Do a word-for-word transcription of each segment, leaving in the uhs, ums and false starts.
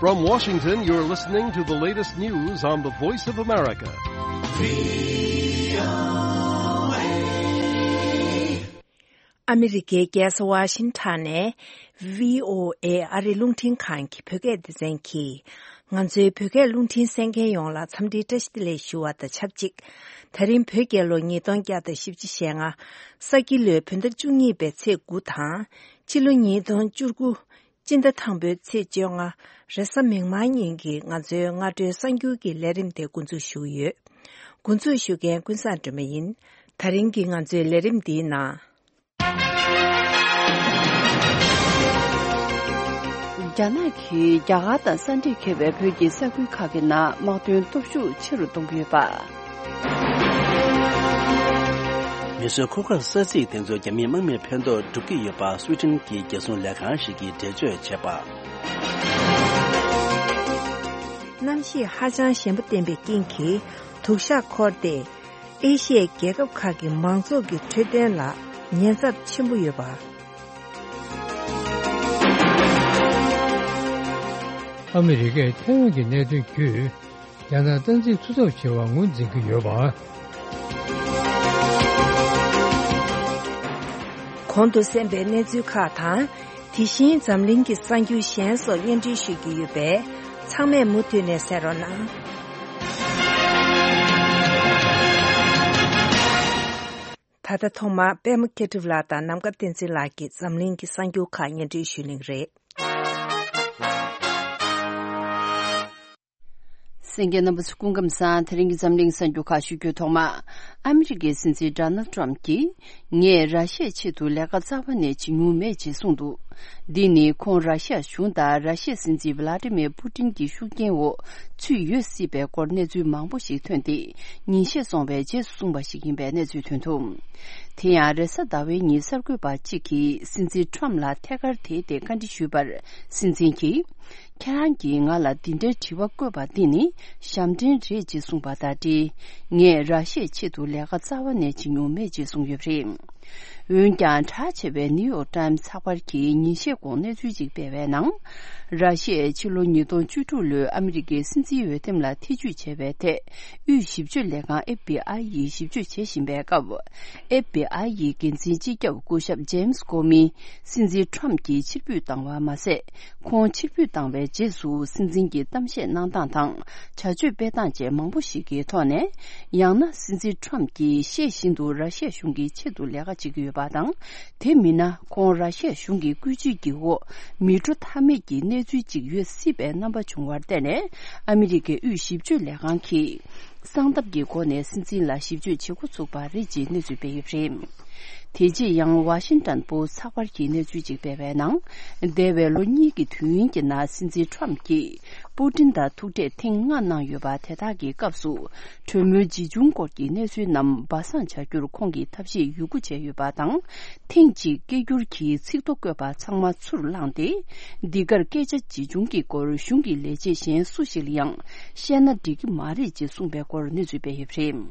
From Washington, you're listening to the latest news on the Voice of America. ཨ་མི་རི་ཀའི་རྒྱལ་ས་ཝ་ཤིང་ཊོན་ནས་བྷི་ཨོ་ཨེ་ཨ་རིའི་རླུང་འཕྲིན་ཁང་གི་བོད་སྐད་སྡེ་ཚན་གྱིས། ང་ཚོའི་བོད་སྐད་རླུང་འཕྲིན་གསན་མཁན་ཡོངས་ལ་འཚམས་འདྲིའི་བཀྲ་ཤིས་བདེ་ལེགས་ཞུ་བ་དང་ཆབས་ཅིག། ད་རིང་བོད་རྒྱལ་ལོ་ཉིས་སྟོང་བརྒྱ་དང་བཞི་བཅུ་ཞེ་ལྔ། ས་ཁྱི་ལོའི་བོད་ཟླ་བཅུ་གཉིས་པའི་ཚེས་དགུ་དང་། ཕྱི་ལོ་ཉིས་སྟོང་བཅུ་དགུ། སྤྱི་ཟླ་དང་པོའི་ཚེས་བཅོ་ལྔ། རེས་གཟའ་མིག་དམར་ཉིན་གྱི་ང་ཚོའི་སྔ་དྲོའི་གསར་འགྱུར་གྱི་ལས་རིམ་དེ་འགོ་འཛུགས་ཞུ་གི་ཡོད། འགོ་འཛུགས་ཞུ་མཁན་ཀུན་བཟང་སྒྲོལ་མ་ཡིན། ད་རིང་གི་ང་ཚོའི་ལས་རིམ་འདིའི་ནང་། རྒྱ་ནག་གིས་རྒྱ་གར་དང་ས་འབྲེལ་འཁེལ་བའི་བོད་ཀྱི་ས་ཁུལ་ཁག་གི་ནང་དམག་དོན་སྟོབས་ཤུགས་ཆེ་རུ་གཏོང་གི་ཡོད་པ། མེ་གསོད་འཁོར་སྐར་ས་ཚིགས་དེ་ཚོ་རྒྱ་མིའི་དམག་མིར་ཕན་ཐོགས་སྒྲུབ་ཀྱི་ཡོད་པ་སུའེ་ཏེན་གྱི་རྒྱལ་སྲུང་ལས་ཁང་ཞིག་གིས་འགྲེལ་བརྗོད་བྱས་པ། གནམ་གཤིས་ཧ་ཅང་ཞན་པོ་བསྟན་པའི་རྐྱེན་གྱིས་དུག་ཤག་འཁོར་ཏེ། ཨེ་ཤི་ཡའི་རྒྱལ་ཁབ་ཁག་གི་མང་ཚོགས་ཀྱི་འཕྲོད་བསྟེན་ལ་ཉེན་ཚབས་ཆེན་པོ་ཡོད་པ། ཨ་མི་རི་ཀས་ཐའེ་ཝན་གྱི་གནད་དོན་བརྒྱུད། རྒྱ་ནག་སྟངས་འཛིན་འཐུས་ཚབ་ཆེ་བ་ངོས་འཛིན་གྱི་ཡོད་པ། གོང་དུ་གསན་པའི་གནས་ཚུལ་ཁག་དང་། དེ་བཞིན་འཛམ་གླིང་གི་གསར་འགྱུར་གཞན་སོགས་སྙན་སྒྲོན་ཞུ་རྒྱུ་ཡོད་པས། ཚང་མས་མུ་མཐུད་ནས་གསན་རོགས་གནང་། ད་ལྟ་ཐོག་མར་པད་མ་མཁས་གྲུབ་ལགས་དང་ནམ་མཁའ་བསྟན་འཛིན་ལགས་ཀྱིས་འཛམ་གླིང་གི་གསར་འགྱུར་ཁག་སྙན་སྒྲོན་ཞུ་གླེང་རེད། གསན་མཁན་རྣམ་པ་ཚོ་སྐུ་ཁམས་བཟང་། དེ་རིང་གི་འཛམ་གླིང་གསར་འགྱུར་ཁག་ཞུ་རྒྱུའི་ཐོག་མ། ཨ་མི་རི་ཀའི་སྲིད་འཛིན་ཌོ་ནལ་ཊམ་གྱིས། ངས་ར་ཤི་ཡའི་ཆེད་དུ་ལས་ཀ་རྩ་བ་ནས་བྱེད་མྱོང་མེད་ཅེས་གསུངས་འདུག། འདི་ནི་ཁོང་ར་ཤི་ཡ་གཞུང་དང་ར་ཤི་ཡའི་སྲིད་འཛིན་ཝི་ལ་ཏི་མིར་པུ་ཏིན་གྱི་ཤུགས་རྐྱེན་འོག་ཚུད་ཡོད་སྲིད་པའི་སྐོར་གནས་ཚུལ་མང་པོ་ཞིག་ཐོན་ཏེ། ཉིན་ཤས་སོང་བའི་རྗེས་སུ་གསུངས་པ་ཞིག་ཡིན་པའི་གནས་ཚུལ་ཐོན་འདུག། དེ་ཡང་རེས་གཟའ་ཟླ་བའི་ཉིན་གསར་འགོད་པ་གཅིག་གིས་སྲིད་འཛིན་ཊམ་ལ་ཐད་ཀར་དེའི་ཐད་བཀའ་འདྲི་ཞུས་པར། སྲིད་འཛིན་གྱིས། ཁྱེད་རང་གིས་ང་ལ་འདི་འདྲའི་དྲི་བ་བཀོད་པ་འདི་ནི་ཞབས་འདྲེན་རེད་ཅེས་གསུངས་པ་དང་འབྲེལ། ངས་ར་ཤི་ཡའི་ཆེད་དུ་ལས་ཀ་རྩ་བ་ནས་བྱེད་མྱོང་མེད་ཅེས་གསུངས་ཡོད་པ་རེད། འོན་ཀྱང་། གྲགས་ཆེ་བའི་ནིའུ་ཡོག་ཊའིམ་ཚགས་པར་གྱིས་ཉིན་ཤས་གོང་གནས་ཚུལ་ཅིག་སྤེལ་བའི་ནང་། ར་ཤི་ཡས་ཕྱི་ལོ་ཉིས་སྟོང་བཅུ་དྲུག་ལོའི་ཨ་མི་རི་ཀའི་སྲིད་འཛིན་འོས་འདེམས་ལ་ཐེ་ཇུས་བྱས་པའི་ཐད། དབུས་ཞིབ་དཔྱོད་ལས་ཁང་ཨེཕ་བི་ཨའི་ཡིས་ཞིབ་དཔྱོད་བྱེད་བཞིན་པའི་སྐབས། ཨེཕ་བི་ཨའི་ཡི་འགན་འཛིན་སྤྱི་ཁྱབ་སྐུ་ཞབས་ཇེམ་སི་ཀོ་མི་སྲིད་འཛིན་ཊམ་གྱིས་ཕྱིར་འབུད་བཏང་བ་མ་ཟད། ཁོང་ཕྱིར་འབུད་བཏང་བའི་རྗེས་སུ་སྲིད་འཛིན་གྱི་གཏམ་བཤད་གནང་སྟངས་དང་བྱ་སྤྱོད་སྤེལ་སྟངས་བཅས་མང་པོ་ཞིག་གི་ཐོག་ནས། ཡང་ན་སྲིད་འཛིན་ཊམ་གྱིས་ཤེས་བཞིན་དུ་ར་ཤི་ཡ་གཞུང་གི་ཆེད་དུ་ལས་ཀ་བྱེད་ཀྱི་ཡོད་པ་དང་། དེ་མིན་ན་ཁོང་ར་ཤི་ཡ་གཞུང་གི་བཀོད་ཇུས་ཀྱི་འོག་མི་འགྲོ་ཐབས་མེད་ཀྱི་གནས་ཚུལ་ཅིག་ཡོད་སྲིད་པའི་རྣམ་པ་བྱུང་བར་བརྟེན་ནས། ཨ་མི་རི་ཀའི་དབུས་ཞིབ་དཔྱོད་ལས་ཁང་གིས། གསང་སྟབས་ཀྱི་སྒོ་ནས་སྲིད་འཛིན་ལ་ཞིབ་དཔྱོད་བྱེད་འགོ་ཚུགས་པ་རེད་ཅེས་གནས་ཚུལ་སྤེལ་ཡོད་པ་རེད། དེ་རྗེས་ཡང་ཝ་ཤིང་ཊོན་པོ་སི་ཚགས་པར་གྱིས་གནས་ཚུལ་ཅིག་སྤེལ་བའི་ནང་། འདས་པའི་ལོ་གཉིས་ཀྱི་དུས་ཡུན་གྱི་ནང་སྲིད་འཛིན་ཊམ་གྱིས་པུ་ཏིན་དང་ཐུག་འཕྲད་ཐེངས་ལྔ་གནང་ཡོད་པ། དེ་དག་གི་སྐབས་སུ་གྲོས་མོལ་ཇི་བྱུང་སྐོར་གྱི་གནས་ཚུལ་རྣམས་སྦ་གསང་བྱ་རྒྱུར་ཁོང་གིས་ཐབས་ཤེས་ཡོད་རྒུ་བྱས་ཡོད་པ་དང་། ཐེངས་གཅིག་སྐད་སྒྱུར་གྱིས་ཚིག་ཐོ་བཀོད་པ་ཚང་མ་ཚུར་བླངས་ཏེ། འདི་གར་སྐད་ཆ་ཇི་བྱུང་གི་སྐོར་གཞུང་གི་ལས་བྱེད་གཞན་སུ་ཞིག་ལ་ཡང་བཤད་ན་འགྲིག་གི་མ་རེད་ཅེས་གསུངས་པའི་སྐོར་གནས་ཚུལ་སྤེལ་ཡོད་པ་རེད།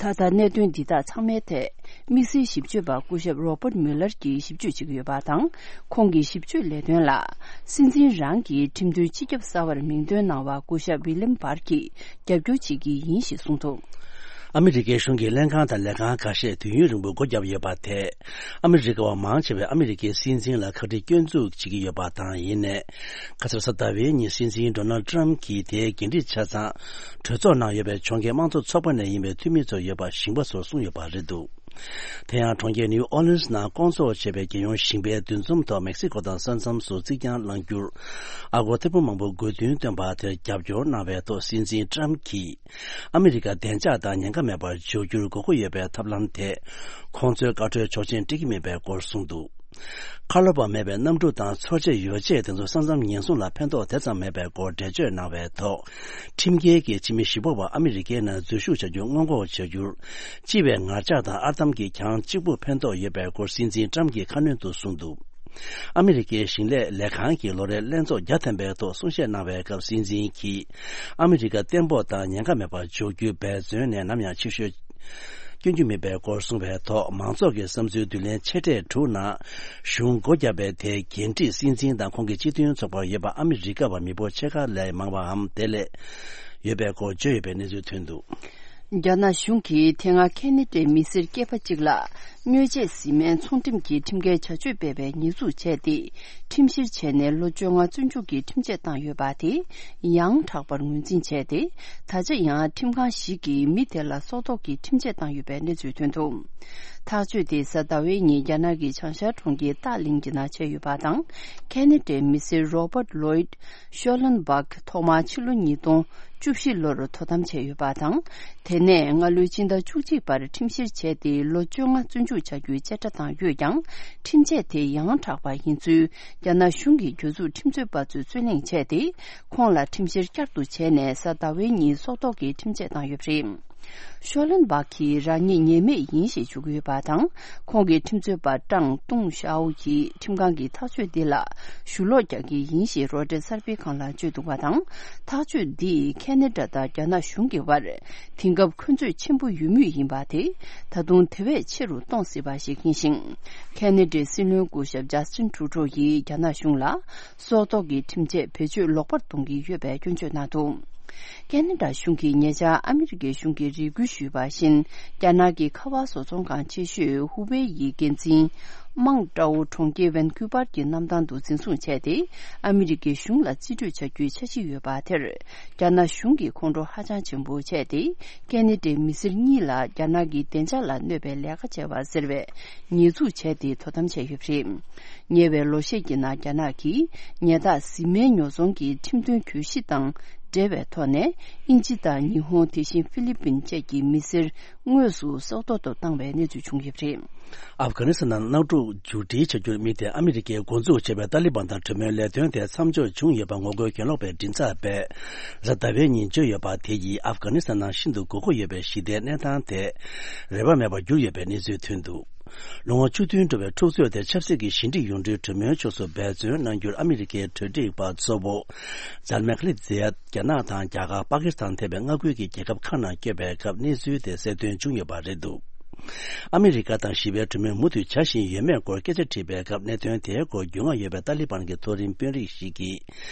ད་ལྟ་གནད་དོན་འདི་དག་ཚང་མའི་ཐད་དམིགས་བསལ་ཞིབ་དཔྱོད་པ་སྐུ་ཞབས་རོ་པར་མུ་ལར་གྱིས་ཞིབ་དཔྱོད་བྱེད་ཀྱི་ཡོད་པ་དང་། ཁོང་གི་ཞིབ་དཔྱོད་ལས་དོན་ལ་སྲིད་འཛིན་རང་གི་ཁྲིམས་དོན་སྤྱི་ཁྱབ་གསར་བར་མིང་འདོན་གནང་བ་སྐུ་ཞབས་ཝི་ལེམ་བར་གྱིས་རྒྱབ་སྐྱོར་བྱེད་ཀྱི་ཡིན་ཞེས་གསུངས་འདུག། ཨ་མི་རི་ཀའི་གཞུང་གི་ལྷན་ཁང་དང་ལས་ཁང་ཁ་ཤས་དུས་ཡུན་རིང་པོ་སྒོ་བརྒྱབ་ཡོད་པ་དེས། ཨ་མི་རི་ཀ་བ་མང་ཆེ་བས་ཨ་མི་རི་ཀའི་སྲིད་འཛིན་ལ་ཁ་དཀྲིས་སྐྱོན་འཛུགས་བྱེད་ཀྱི་ཡོད་པ་དང་། ཡིན་ནའི། ཁ་སང་རེས་གཟའ་ཟླ་བའི་ཉིན་སྲིད་འཛིན་ཌོ་ནལ་ཊམ་གྱིས་དེའི་འགན་འཁྲི་ཆ་ཚང་གྲོས་ཚོགས་ནང་ཡོད་པའི་ཕྱོགས་འགལ་དམངས་གཙོ་ཚོགས་པ་ནས་ཡིན་པའི་འཐུས་མི་ཚོར་ཡོད་པ་ཞིང་པ་ཚོར་གསུངས་ཡོད་པ་རེད་འདུག། དེ་ཡང་གྲོང་ཁྱེར་ནིའུ་ཨོ་ལིན་སི་ནང་བསྐོང་ཚོགས་བྱས་པའི་རྒྱལ་ཡོངས་ཞིང་པའི་འདུ་འཛོམས་ཐོག་མེག་སི་ཀོ་དང་ས་མཚམས་སུ་རྩིག་གྱང་བསླང་རྒྱུར། ཨ་སྒོར་ཐེར་འབུམ་མང་པོ་དགོས་འདུན་བཏོན་པ་དེར་རྒྱབ་སྐྱོར་གནང་བའི་ཐོག་སྲིད་འཛིན་ཊམ་གྱིས། ཨ་མི་རི་ཀ་བདེ་འཇགས་དང་ཉེན་ཁ་མེད་པར་འཇོག་རྒྱུར་དགོས་མཁོ་ཡོད་པའི་ཐབས་ལམ་དེས། ཁོང་ཚོའི་དགའ་སྤྲོའི་ཆོག་མཆན་སྤྲད་ཀྱི་མེད་པའི་སྐོར་གསུངས་འདུག། ཁ་ལོ་བ་མེད་པའི་གནམ་གྲུ་དང་འཚོ་བྱེད་ཡོ་བྱད་དེ་ཚོ་ས་མཚམས་ཉེན་སྲུང་ལ་ཕན་ཐོགས་དེ་ཙམ་མེད་པའི་སྐོར་འགྲེལ་བརྗོད་གནང་བའི་ཐོག། ཁྲིམས་འགལ་གྱི་ཕྱི་མི་བཞི་པ་བ་ཨ་མི་རི་ཀའི་ནང་འཛུལ་ཞུགས་བྱ་རྒྱུ་སྔོན་འགོག་བྱ་རྒྱུར། སྤྱི་པའི་ངར་ལྕགས་དང་ཨར་འདམ་གྱིས་གྱང་གཅིག་པུ་ཕན་ཐོགས་ཡོད་པའི་སྐོར་སྲིད་འཛིན་ཊམ་གྱིས་ཁ་སྣོན་དུ་གསུངས་འདུག། ཨ་མི་རི་ཀའི་ཞིང་ལས་ལས་ཁང་གིས་ལོ་རེར་ལྷན་ཚོགས་བརྒྱ་ཐམ་པའི་ཐོག་གསུང་བཤད་གནང་བའི་སྐབས། སྲིད་འཛིན་གྱིས་ཨ་མི་རི་ཀ་བརྟན་པོ་དང་ཉེན་ཁ་མེད་པར་འཇོག་རྒྱུའི་འབད་བརྩོན་ནས་ནམ་ཡང་ཕྱི་བཤོལ། སྐྱོན་རྒྱུ་མེད་པའི་སྐོར་གསུངས་པའི་ཐོག་མང་ཚོགས་ཀྱི་བསམ་ཚུལ་བསྡུ་ལེན་ཆེ་གྲས་དྲུག་ནང་གཞུང་སྒོ་བརྒྱབ་པའི་ཐད་འགན་འཁྲི་སྲིད་འཛིན་དང་ཁོང་གི་སྤྱི་མཐུན་ཚོགས་པར་ཡོད་པ་ཨ་མི་རི་ཀ་བ་མི་འབོར་ཕྱེད་ཀ་ལས་མང་བའམ་དེ་ལས་ཡོད་པའི་སྐོར་བརྗོད་ཡོད་པའི་གནས་ཚུལ་ཐོན་འདུག། རྒྱ་ནག་གཞུང་གིས་དེ་སྔ་ཁེ་ན་ཌའི་མི་སེར་སྐྱེས་པ་གཅིག་ལ་སྨྱོ་བྱེད་བཟི་སྨན་ཚོང་འགྲེམས་ཀྱི་ཁྲིམས་འགལ་བྱ་སྤྱོད་སྤེལ་བའི་ཉེས་འཛུགས་བྱས་ཏེ། ཁྲིམས་བཤེར་བྱས་ནས་ལོ་བཅོ་ལྔ་བཙོན་འཇུག་གི་ཁྲིམས་ཆད་བཏང་ཡོད་པ་དེ་ཡང་དྲག་པར་ངོས་འཛིན་བྱས་ཏེ། ད་ཆ་ཡང་ཁྲིམས་ཁང་ཞིག་གིས་མི་དེ་ལ་སྲོག་ཐོག་གི་ཁྲིམས་ཆད་བཏང་ཡོད་པའི་གནས་ཚུལ་ཐོན་འདུག། ཐག་གཅོད་དེ་གཟའ་ཟླ་བའི་ཉིན་རྒྱ་ནག་གི་བྱང་ཤར་གྲོང་ཁྱེར་ཏཱ་ལིང་གི་ནང་བྱས་ཡོད་པ་དང་། ཁེ་ན་ཌའི་མི་སེར་Robert Lloyd Schallenberg ཐོག་མར་ཕྱི་ལོ་ཉིས་སྟོང་བཅུ་བཞི་ལོར་དོ་དམ་བྱས་ཡོད་པ་དང་། དེ་ནས་སྔ་ལོའི་སྤྱི་ཟླ་བཅུ་གཅིག་བར་ཁྲིམས་བཤེར་བྱས་ཏེ་ལོ་བཅོ་ལྔ་བཙོན་འཇུག་བྱ་རྒྱུའི་བཅད་ཁྲ་བཏང་ཡོད་ཀྱང་། ཁྲིམས་ཆད་དེ་ཡང་དྲག་པ་ཡིན་ཚུལ་རྒྱ་ནག་གཞུང་གི་གྱོད་འཛུགས་ཁྲིམས་རྩོད་པ་ཚོས་རྩོད་གླེང་བྱས་ཏེ། ཁོང་ལ་ཁྲིམས་བཤེར་བསྐྱར་དུ་བྱས་ནས་གཟའ་ཟླ་བའི་ཉིན་སྲོག་ཐོག་གི་ཁྲིམས་ཆད་བཏང་ཡོད་པ་རེད། ཤོ་ལན་སྦག་གིས་རང་ཉིད་ཉེས་མེད་ཡིན་ཞེས་ཞུ་གི་ཡོད་པ་དང་། ཁོང་གི་ཁྲིམས་རྩོད་པ་ཀྲང་ཏུང་ཞའོ་ཡིས་ཁྲིམས་ཁང་གི་ཐག་གཅོད་འདི་ལ་ཞུ་ལོག་རྒྱག་གི་ཡིན་ཞེས་རོའི་ཊར་གསར་སྤེལ་ཁང་ལ་བརྗོད་འདུག་པ་དང་། ཐག་གཅོད་འདིས་ཁེ་ན་ཌ་དང་རྒྱ་ནག་གཞུང་གི་བར་དེང་སྐབས་འཁོན་རྩོད་ཆེན་པོ་ཡོད་མུས་ཡིན་པ་དེ་ད་དུང་དེ་བས་ཆེ་རུ་གཏོང་སྲིད་པ་ཞིག་ཡིན་ཞིང་། ཁེ་ན་ཌའི་སྲིད་བློན་སྐུ་ཞབས་ཇ་སི་ཊིན་ཊུ་རུ་ཌོ་ཡིས་རྒྱ་ནག་གཞུང་ལ་སྲོག་ཐོག་གི་ཁྲིམས་ཆད་བེད་སྤྱོད་ལོག་པར་གཏོང་གི་ཡོད་པའི་སྐྱོན་བརྗོད་གནང་འདུག། ཁེ་ན་ཌ་གཞུང་གིས་ཉེ་ཆར་ཨ་མི་རི་ཀའི་གཞུང་གིས་རེ་སྐུལ་ཞུས་པ་བཞིན། རྒྱ་ནག་གི་ཁ་པར་བཟོ་ཚོང་ཁང་ཆེ་ཤོས་ཧུ་ཝེ་ཡི་འགན་འཛིན་མང་ཀྲའོ་གྲོང་ཁྱེར་ཝན་ཁུ་པར་གྱི་གནམ་ཐང་དུ་འཛིན་བཟུང་བྱས་ཏེ། ཨ་མི་རི་ཀའི་གཞུང་ལ་རྩིས་སྤྲོད་བྱ་རྒྱུའི་འཆར་གཞི་ཡོད་པ་དེར། རྒྱ་ནག་གཞུང་གིས་ཁོང་ཁྲོ་ཧ་ཅང་ཆེན་པོ་བྱས་ཏེ། ཁེ་ན་ཌའི་མི་སེར་གཉིས་ལ་རྒྱ་ནག་གི་བདེ་འཇགས་ལ་གནོད་པའི་ལས་ཀ་བྱས་པ་ཟེར་བའི་ཉེས་འཛུགས་བྱས་ཏེ་དོ་དམ་བྱས་ཡོད་པ་རེད། ཉེ་བའི་ལོ་ཤས་ཀྱི་ནང་རྒྱ་ནག་གིས་ཉལ་ཐ་བཟི་སྨན་ཉོ་ཚོང་གི་ཁྲིམས་མཐུན་གྱོད་གཞི་དང་འབྲེལ་བའི་ཐོག་ནས། དབྱིན་ཇི་དང་ཉི་ཧོང་། དེ་བཞིན་ཧྥི་ལི་པིན་བཅས་ཀྱི་མི་སེར་དངོས་སུ་སྲོག་ཐོག་ཏུ་བཏང་བའི་གནས་ཚུལ་བྱུང་ཡོད་པ་རེད། ཨབ་གྷ་ནི་སི་ཐན་ནང་མནའ་མཇུག་མཇུག་སྒྲིལ་བྱ་རྒྱུར་དམིགས་ཏེ་ཨ་མི་རི་ཀས་འགོ་འཛུགས་བྱས་པའི་ཏཱ་ལི་བན་དང་གྲོས་མོལ་ལས་དོན་དེ་མཚམས་འཇོག་བྱུང་ཡོད་པ་ངོ་རྒོལ་གྱེན་ལོག་པའི་མགྲིན་ཚབ་པས་གཟའ་ཟླ་བའི་ཉིན་བརྗོད་ཡོད་པ། དེ་ཡིས་ཨབ་གྷ་ནི་སི་ཐན་ནང་ཤིན་ཏུ་དགོས་མཁོ་ཡོད་པའི་ཞི་བདེའི་གནས་སྟངས་དེ་རེ་བ་མེད་པར་གྱུར་ཡོད་པའི་གནས་ཚུལ་ཐོན་འདུག། ལོ་ངོ་བཅུ་བདུན་འགྲོ་བའི་འཁྲུག་རྩོད་དེ་ཆབ་སྲིད་ཀྱི་ཞི་འགྲིག་ཡོང་གྲོས་གྲོས་མོལ་ཕྱོགས་སུ་འབད་བརྩོན་གནང་རྒྱུར་ཨ་མི་རི་ཀའི་གྲོས་སྒྲིག་པ་གཙོ་བོ་ཛལ་མེ་ཁ་ལི་ཛེ་ཡ། རྒྱ་ནག་དང་རྒྱ་གར། པ་ཀི་སི་ཐན་ཐེ་བའི་མངའ་ཁུལ་གྱི་རྒྱལ་ཁབ་ཁག་ནང་བསྐྱོད་པའི་སྐབས་གནས་ཚུལ་དེ་གསལ་སྟོན་བྱུང་ཡོད་པ་རེད་འདུག། ཨ་མི་རི་ཀ་དང་ཞི་བའི་གྲོས་མོལ་མུ་མཐུད་བྱ་བཞིན་ཡོད་མེད་སྐོར་སྐད་ཆ་དྲིས་པའི་སྐབས། གནད་དོན་དེའི་སྐོར་རྒྱུས་མངའ་ཡོད་པའི་ཏཱ་ལི་བན་གྱི་མཐོ་རིམ་དཔོན་རིགས་ཤིག་གིས།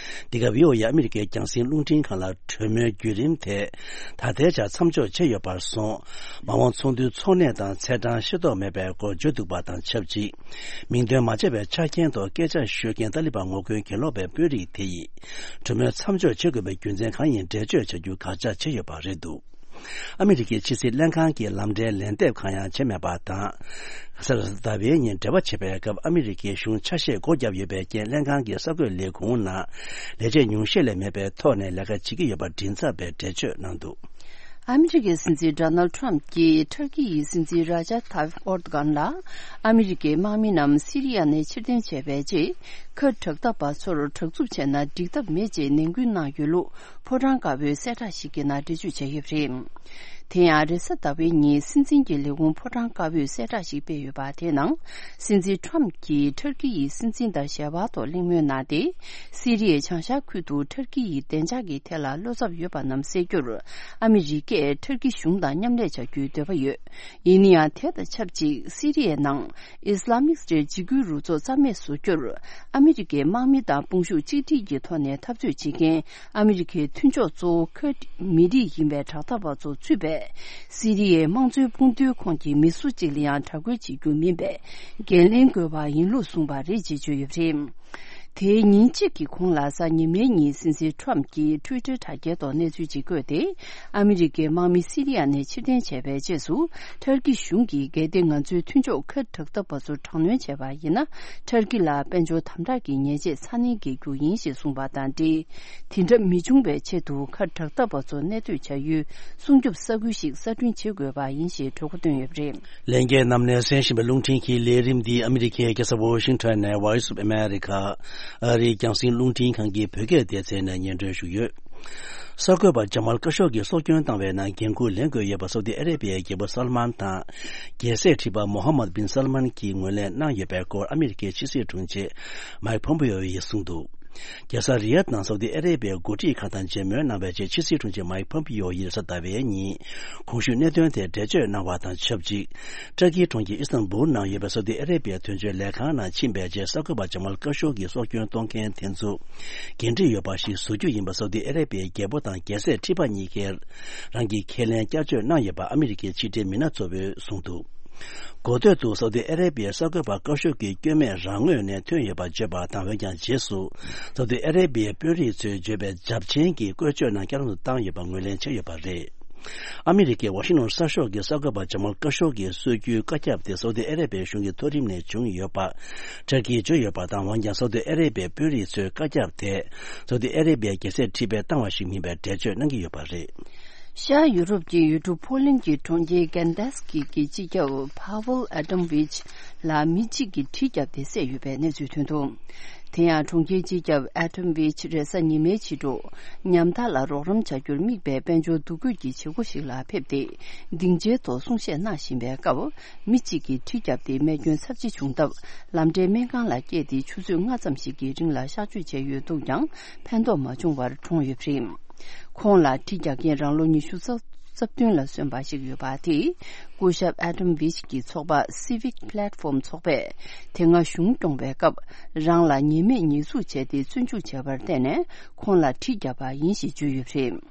འདི་ག་བྷི་ཨོ་ཨེ་ཨ་མི་རི་ཀའི་རྒྱང་སྲིང་རླུང་འཕྲིན་ཁང་ལ་གྲོས་མོལ་བརྒྱུད་རིམ་དེ་ད་ལྟའི་ཆར་མཚམས་འཇོག་བྱས་ཡོད་པར་སོང་། མ་འོངས་ཚོགས་འདུའི་ཚོགས་གནས་དང་ཚེས་གྲངས་ཤེས་རྟོགས་མེད་པའི་སྐོར་བརྗོད་འདུག་པ་དང་ཆབས་ཅིག། མིང་འདོན་མ་བྱས་པའི་ཆ་རྐྱེན་ཐོག་སྐད་ཆ་ཤོད་མཁན་ཏཱ་ལི་བན་ངོ་རྒོལ་གྱེན་ལོག་པའི་དཔོན་རིགས་དེ་ཡིས། གྲོས་མོལ་མཚམས་འཇོག་བྱེད་དགོས་པའི་རྒྱུ་མཚན་གང་ཡིན་འགྲེལ་བརྗོད་བྱ་རྒྱུ་དགག་བྱ་བྱས་ཡོད་པ་རེད་འདུག། ཨ་མི་རི་ཀའི་ཕྱི་སྲིད་ལྷན་ཁང་གི་ལམ་འབྲེལ་ལན་འདེབས་གང་ཡང་བྱས་མེད་པ་དང་། གཟའ་ཟླ་བའི་ཉིན་འབྲེལ་བ་བྱེད་པའི་སྐབས། ཨ་མི་རི་ཀའི་གཞུང་ཆ་ཤས་སྒོ་བརྒྱབ་ཡོད་པའི་རྐྱེན། ལྷན་ཁང་གི་གསར་འགོད་ལས་ཁུངས་ནང་ལས་བྱེད་ཉུང་ཤས་ལས་མེད་པའི་ཐོག་ནས་ལས་ཀ་བྱེད་ཀྱི་ཡོད་པ་མགྲིན་ཚབ་པས་འགྲེལ་བརྗོད་གནང་འདུག། ཨ་མི་རི་ཀའི་སྲིད་འཛིན་ཌོ་ནལ་ཊམ་གྱིས་ཐུར་ཀི་ཡི་སྲིད་འཛིན་ར་ཇབ་ཐཱིབ་ཨོར་དོ་གྷན་ལ། ཨ་མི་རི་ཀའི་དམག་མི་རྣམས་སི་རི་ཡ་ནས་ཕྱིར་འཐེན་བྱས་པའི་རྗེས། ཁུར་ཌི་དྲག་འཐབ་པ་ཚོར་དྲག་རྩུབ་བྱས་ན་འགྲིག་ཐབས་མེད་ཅེས་ནན་སྐུལ་གནང་ཡོད་ལུགས། ཕོ་བྲང་དཀར་པོའི་གསལ་བསྒྲགས་ཤིག་གི་ནང་འགྲེལ་བརྗོད་བྱས་ཡོད་པ་རེད། དེ་ཡང་རེས་གཟའ་ཟླ་བའི་ཉིན་སྲིད་འཛིན་གྱི་ལས་ཁུངས་ཕོ་བྲང་དཀར་པོས་གསལ་བསྒྲགས་ཤིག་སྤེལ་ཡོད་པ། དེའི་ནང་སྲིད་འཛིན་ཊམ་གྱིས་ཐུར་ཀི་ཡི་སྲིད་འཛིན་དང་ཞལ་པར་ཐོག་གླེང་མོལ་གནང་སྟེ། སི་རི་ཡའི་བྱང་ཤར་ཁུལ་དུ་ཐུར་ཀི་ཡི་བདེ་འཇགས་ཀྱི་ཐད་ལ་བློ་འཚབ་ཡོད་པ་རྣམས་སེལ་རྒྱུར། ཨ་མི་རི་ཀས་ཐུར་ཀི་གཞུང་དང་མཉམ་ལས་བྱ་རྒྱུའི་འདོད་པ་ཡོད། ཡིན་ན་ཡང་། དེ་དང་ཆབས་ཅིག་སི་རི་ཡའི་ནང་ཨིས་ལ་མིག་སྟེ་འཇིགས་སྐུལ་རུ་ཚོགས་རྩ་མེད་བཟོ་རྒྱུར། ཨ་མི་རི་ཀའི་དམག་མི་དང་དཔུང་ཤུགས་གཅིག་སྒྲིལ་གྱི་ཐོག་ནས་འཐབ་རྩོད་བྱེད་མཁན། ཨ་མི་རི་ཀའི་མཐུན་ཕྱོགས་གཙོ་བོ་ཁུར་ཌི་མི་རིགས་ཡིན་པའི་དྲག་འཐབ་པ་ཚོ་ཚུད་པའི་སི་རི་ཡའི་དམངས་གཙོའི་དཔུང་སྡེའི་ཁོངས་ཀྱི་མི་སུ་གཅིག་ལ་ཡང་དྲག་རྒོལ་བྱེད་རྒྱུ་མིན་པའི་འགན་ལེན་དགོས་པ་ཡིན་ལུགས་གསུངས་པ་རེད་ཅེས་བརྗོད་ཡོད་པ་རེད། དེའི་ཉིན་གཅིག་གི་གོང་ལ། གཟའ་ཉི་མའི་ཉིན་སྲིད་འཛིན་ཊམ་གྱིས་ཊུའི་ཊར་དྲ་རྒྱའི་ཐོག་གནས་ཚུལ་ཅིག་བཀོད་དེ། ཨ་མི་རི་ཀའི་དམག་མི་སི་རི་ཡ་ནས་ཕྱིར་འཐེན་བྱས་པའི་རྗེས་སུ། ཐུར་ཀི་གཞུང་གིས་གལ་ཏེ་ང་ཚོའི་མཐུན་ཕྱོགས་ཁུར་ཌི་དྲག་འཐབ་པ་ཚོ་དྲག་གནོན་བྱས་པ་ཡིན་ན། ཐུར་ཀི་ལ་དཔལ་འབྱོར་དམ་དྲག་གི་ཉེས་ཆད་ཚ་ནན་འགེལ་རྒྱུ་ཡིན་ཞེས་གསུངས་པ་དང་འབྲེལ། དེ་འདྲ་མི་འབྱུང་བའི་ཆེད་དུ་ཁུར་ཌི་དྲག་འཐབ་པ་ཚོ་གནས་སྡོད་བྱ་ཡུལ་སྲུང་སྐྱོབ་ས་ཁུལ་ཞིག་གསར་སྐྲུན་བྱེད་དགོས་པ་ཡིན་ཞེས་གྲོས་འགོ་བཏོན་ཡོད་པ་རེད། ལྷན་རྒྱས་རྣམས་ནས་གསན་བཞིན་པའི་རླུང་འཕྲིན་གྱི་ལས་རིམ་འདི་ཨ་མི་རི་ཀའི་རྒྱལ་ས་ཝོ་ཤིང་ཊོན་ནས་Voice of America ཨ་རིའི་རྒྱང་སྲིང་རླུང་འཕྲིན་ཁང་གི་བོད་སྐད་སྡེ་ཚན་ནས་སྙན་སྒྲོན་ཞུས་ཡོད། གསར་འགོད་པ་ཇ་མལ་ཀ་ཤོག་གིས་སྲོག་སྐྱོན་བཏང་བའི་ནང་འགན་འཁུར་ལེན་དགོས་ཡོད་པ་སོ་ཏི་ཨ་རེ་བྷི་ཡའི་རྒྱལ་པོ་སལ་མཱན་དང་། རྒྱལ་སྲས་ཁྲི་པ་མོ་ཧམ་མད་བིན་སལ་མཱན་གྱིས་ངོས་ལེན་གནང་ཡོད་པའི་སྐོར་ཨ་མི་རི་ཀའི་ཕྱི་སྲིད་དྲུང་ཆེ་མཱིག་ཕོམ་པེ་ཡོ་ཡིས་གསུངས་འདུག། རྒྱལ་ས་རི་ཡཱད་ནང་སའུ་ཏི་ཨ་རེ་བྷི་ཡའི་འགོ་ཁྲིད་ཁག་དང་མཇལ་མོལ་གནང་བའི་རྗེས། ཕྱི་སྲིད་དྲུང་ཆེ་མཱིག་ཕོམ་པིའོ་ཡིས་གཟའ་ཟླ་བའི་ཉིན་གོང་ཞུས་གནད་དོན་དེར་འགྲེལ་བརྗོད་གནང་བ་དང་ཆབས་ཅིག་ཏྲ་ཀིའི་གྲོང་ཁྱེར་ཨི་སྟན་བུལ་ནང་ཡོད་པའི་སའུ་ཏི་ཨ་རེ་བྷི་ཡའི་དོན་གཅོད་ལས་ཁང་ནང་ཕྱིན་པའི་རྗེས། གསར་འགོད་པ་ཇ་མལ་ཀ་ཤོག་གིས་སྲོག་སྐྱོན་གཏོང་མཁན་དེ་ཚོ་འགན་འཁྲི་ཡོད་པ་ཞིག་བཟོ་རྒྱུ་ཡིན་པ། སའུ་ཏི་ཨ་རེ་བྷི་ཡའི་རྒྱལ་པོ་དང་རྒྱལ་སྲས་ཁྲི་པ་གཉིས་ཀས་རང་གི་ཁས་ལེན་བསྐྱར་བཅོས་གནང་ཡོད་པ་ཨ་མི་རི་ཀའི་ཕྱི་འབྲེལ་མི་སྣ་ཚོ་བས་གསུངས་འདུག་གོ་ཐོས་འདུག་གསར་འགོད་པ་ཀ་ཤོག་གིས་སྐྱོན་མེད་རང་ངོས་ནས་ཐོན་ཡོད་པ་བརྗོད་པ་དང་། འོན་ཀྱང་རྗེས་སུ་སའུ་ཏི་ཨ་རེ་བྷི་ཡའི་དཔོན་རིགས་ཚོས་བརྗོད་པའི་རྒྱབ་ཆེན་གྱི་བཀོལ་སྤྱོད་རྣམས་བསྐྱར་དུ་བཏང་ཡོད་པ་ངོས་ལེན་བྱས་ཡོད་པ་རེད། ཨ་མི་རི་ཀའི་ཝ་ཤིང་ཊོན་གསར་ཤོག་གི་གསར་འགོད་པ་ཇ་མལ་ཀ་ཤོག་གིས་སྲོལ་རྒྱུན་བཀའ་ཁྱབ་དེ་སའུ་ཏི་ཨ་རེ་བྷི་ཡའི་གཞུང་གི་མཐོ་རིམ་ནས་བྱུང་ཡོད་པ་ཏྲ་ཀིས་བརྗོད་ཡོད་པ་དང་། འོན་ཀྱང་སའུ་ཏི་ཨ་རེ་བྷི་ཡའི་དཔོན་རིགས་ཚོས་བཀའ་ཁྱབ་དེ་སའུ་ཏི་ཨ་རེ་བྷི་ཡའི་རྒྱལ་སྲས་ཁྲི་པས་བཏང་བ་ཞིག་མིན་པའི་འགྲེལ་བརྗོད་གནང་གི་ཡོད་པ་རེད། ཤར་ཡུ་རོབ་ཀྱི་ཡུལ་གྲུ་ཕོ་ལན་གྱི་གྲོང་ཁྱེར་གན་ཏཱས་ཀི་གི་སྤྱི་ཁྱབ་ཕ་ཝེལ་ཨ་ཏོམ་ཝིཆ་ལ་མི་གཅིག་གིས་གྲི་བརྒྱབ་སྟེ་བསད་ཡོད་པའི་གནས་ཚུལ་ཐོན་འདུག་དེ་ཡང་གྲོང་ཁྱེར་སྤྱི་ཁྱབ་ཨ་ཏོམ་ཝིཆ་རེས་གཟའ་ཉི་མའི་ཕྱི་དྲོ་ཉམ་ཐག་ལ་རོགས་རམ་བྱ་རྒྱུར་དམིགས་པའི་དཔལ་འབྱོར་འདུ་འགོད་ཀྱི་བྱེད་སྒོ་ཞིག་ལ་ཕེབས་ཏེ། སྡིངས་ཆའི་ཐོག་གསུང་བཤད་གནང་བཞིན་པའི་སྐབས། མི་གཅིག་གིས་གྲི་བརྒྱབ་སྟེ་རྨས་སྐྱོན་ཚབས་ཆེ་བྱུང་སྟབས། ལམ་འབྲས་སྨན་ཁང་ལ་བསྐྱལ་ཏེ་ཆུ་ཚོད་ལྔ་ཙམ་ཞིག་གི་རིང་ལ་གཤག་བཅོས་བྱས་ཡོད་འདུག་ཀྱང་། ཕན་ཐོགས་མ་བྱུང་བར་གྲོངས་ཡོད་པ་རེད། ཁོང་ལ་གྲི་རྒྱག་མཁན་རང་ལོ་ཉི་ཤུ་རྩ་བདུན་ལ་སོན་པ་ཞིག་ཡོད་པ་དེས། སྐུ་ཞབས་ཨ་ཏོམ་ཝིཆ་གི་ཚོགས་པ་Civic Platform ཚོགས་པས་དེ་སྔ་གཞུང་སྐྱོང་བའི་སྐབས། རང་ལ་ཉེས་མེད་ཉེས་འཛུགས་བྱས་ཏེ་བཙོན་འཇུག་བྱས་པར་བརྟེན་ནས། ཁོང་ལ་གྲི་བརྒྱབ་པ་ཡིན་ཞེས་བརྗོད་ཡོད་པ་རེད།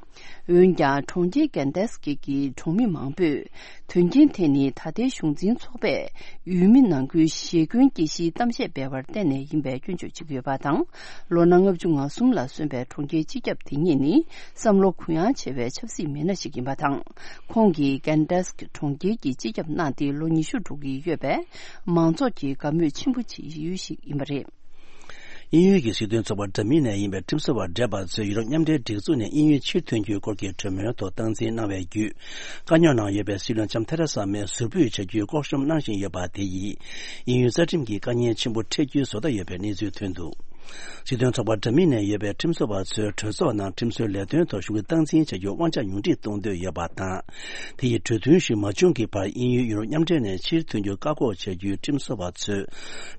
འོན་ཀྱང་། གྲོང་ཁྱེར་གན་ཏཱས་ཀི་གི་གྲོང་མི་མང་པོས། དོན་རྐྱེན་དེ་ནི་ད་ལྟའི་གཞུང་འཛིན་ཚོགས་པས་ཡུལ་མི་ནང་ཁུལ་ཞེ་འཁོན་སྐྱེ་གཞིའི་གཏམ་བཤད་སྤེལ་བར་བརྟེན་ནས་ཡིན་པའི་སྐྱོན་བརྗོད་བྱེད་ཀྱི་ཡོད་པ་དང་། ལོ་ན་ལྔ་བཅུ་ང་གསུམ་ལ་སོན་པའི་གྲོང་ཁྱེར་སྤྱི་ཁྱབ་དེ་ཉིད་ནི་བསམ་བློ་གུ་ཡངས་ཆེ་བའི་ཆབ་སྲིད་མི་སྣ་ཞིག་ཡིན་པ་དང་། ཁོང་གིས་གན་ཏཱས་ཀི་གྲོང་ཁྱེར་གྱི་སྤྱི་ཁྱབ་གནང་སྟེ་ལོ་ཉི་ཤུ་འགྲོ་གི་ཡོད་པས། མང་ཚོགས་ཀྱི་དགའ་མོས་ཆེན་པོ་བྱེད་ཡུལ་ཞིག་ཡིན་པ་རེད། དབྱིན་ཡུལ་གྱི་སྲིད་དོན་ཚོགས་པ་འདྲ་མིན་ནས་ཡིན་པའི་ཁྲིམས་བཟོ་བ་བགྲེས་པ་ཚོས་ཡུ་རོབ་མཉམ་འབྲེལ་སྒྲིག་འཛུགས་ནས་དབྱིན་ཡུལ་ཕྱིར་ཐོན་རྒྱུའི་སྐོར་གྱི་གྲོས་མོལ་ཐོག་སྟངས་འཛིན་གནང་བའི་བརྒྱུད། དཀའ་རྙོག་ནང་ཡོད་པའི་སྲིད་བློན་ལྕམ་ཐེ་རེ་ས་མེ་ཟུར་འབུད་བྱ་རྒྱུའི་ལྐོག་ཤོམ་གནང་བཞིན་ཡོད་པ་དེ་ཡིས། དབྱིན་ཡུལ་རྩ་ཁྲིམས་ཀྱི་དཀའ་ངལ་ཆེན་པོ་འཕྲད་རྒྱུའི་བཟོ་ལྟ་ཡོད་པའི་གནས་ཚུལ་ཐོན་འདུག་སྲིད་དོན་ཚོགས་པ་འདྲ་མིན་ནས་ཡོད་པའི་ཁྲིམས་བཟོ་བ་ཚོས་གྲོས་ཚོགས་ནང་ཁྲིམས་བཟོའི་ལས་དོན་ཐོག་ཤུགས་སྣོན་སྟངས་འཛིན་བྱ་རྒྱུར་དབང་ཆ་ཉུང་འཕྲི་གཏོང་འདོད་ཡོད་པ་དང་། དེ་ཡིས་གྲོས་མཐུན་ཞིག་མ་བྱུང་གི་བར་དབྱིན་ཡུལ་ཡུ་རོབ་མཉམ་འབྲེལ་ནས་ཕྱིར་ཐོན་རྒྱུར་བཀག་འགོག་བྱ་རྒྱུའི་ཁྲིམས་བཟོ་བ་ཚོས།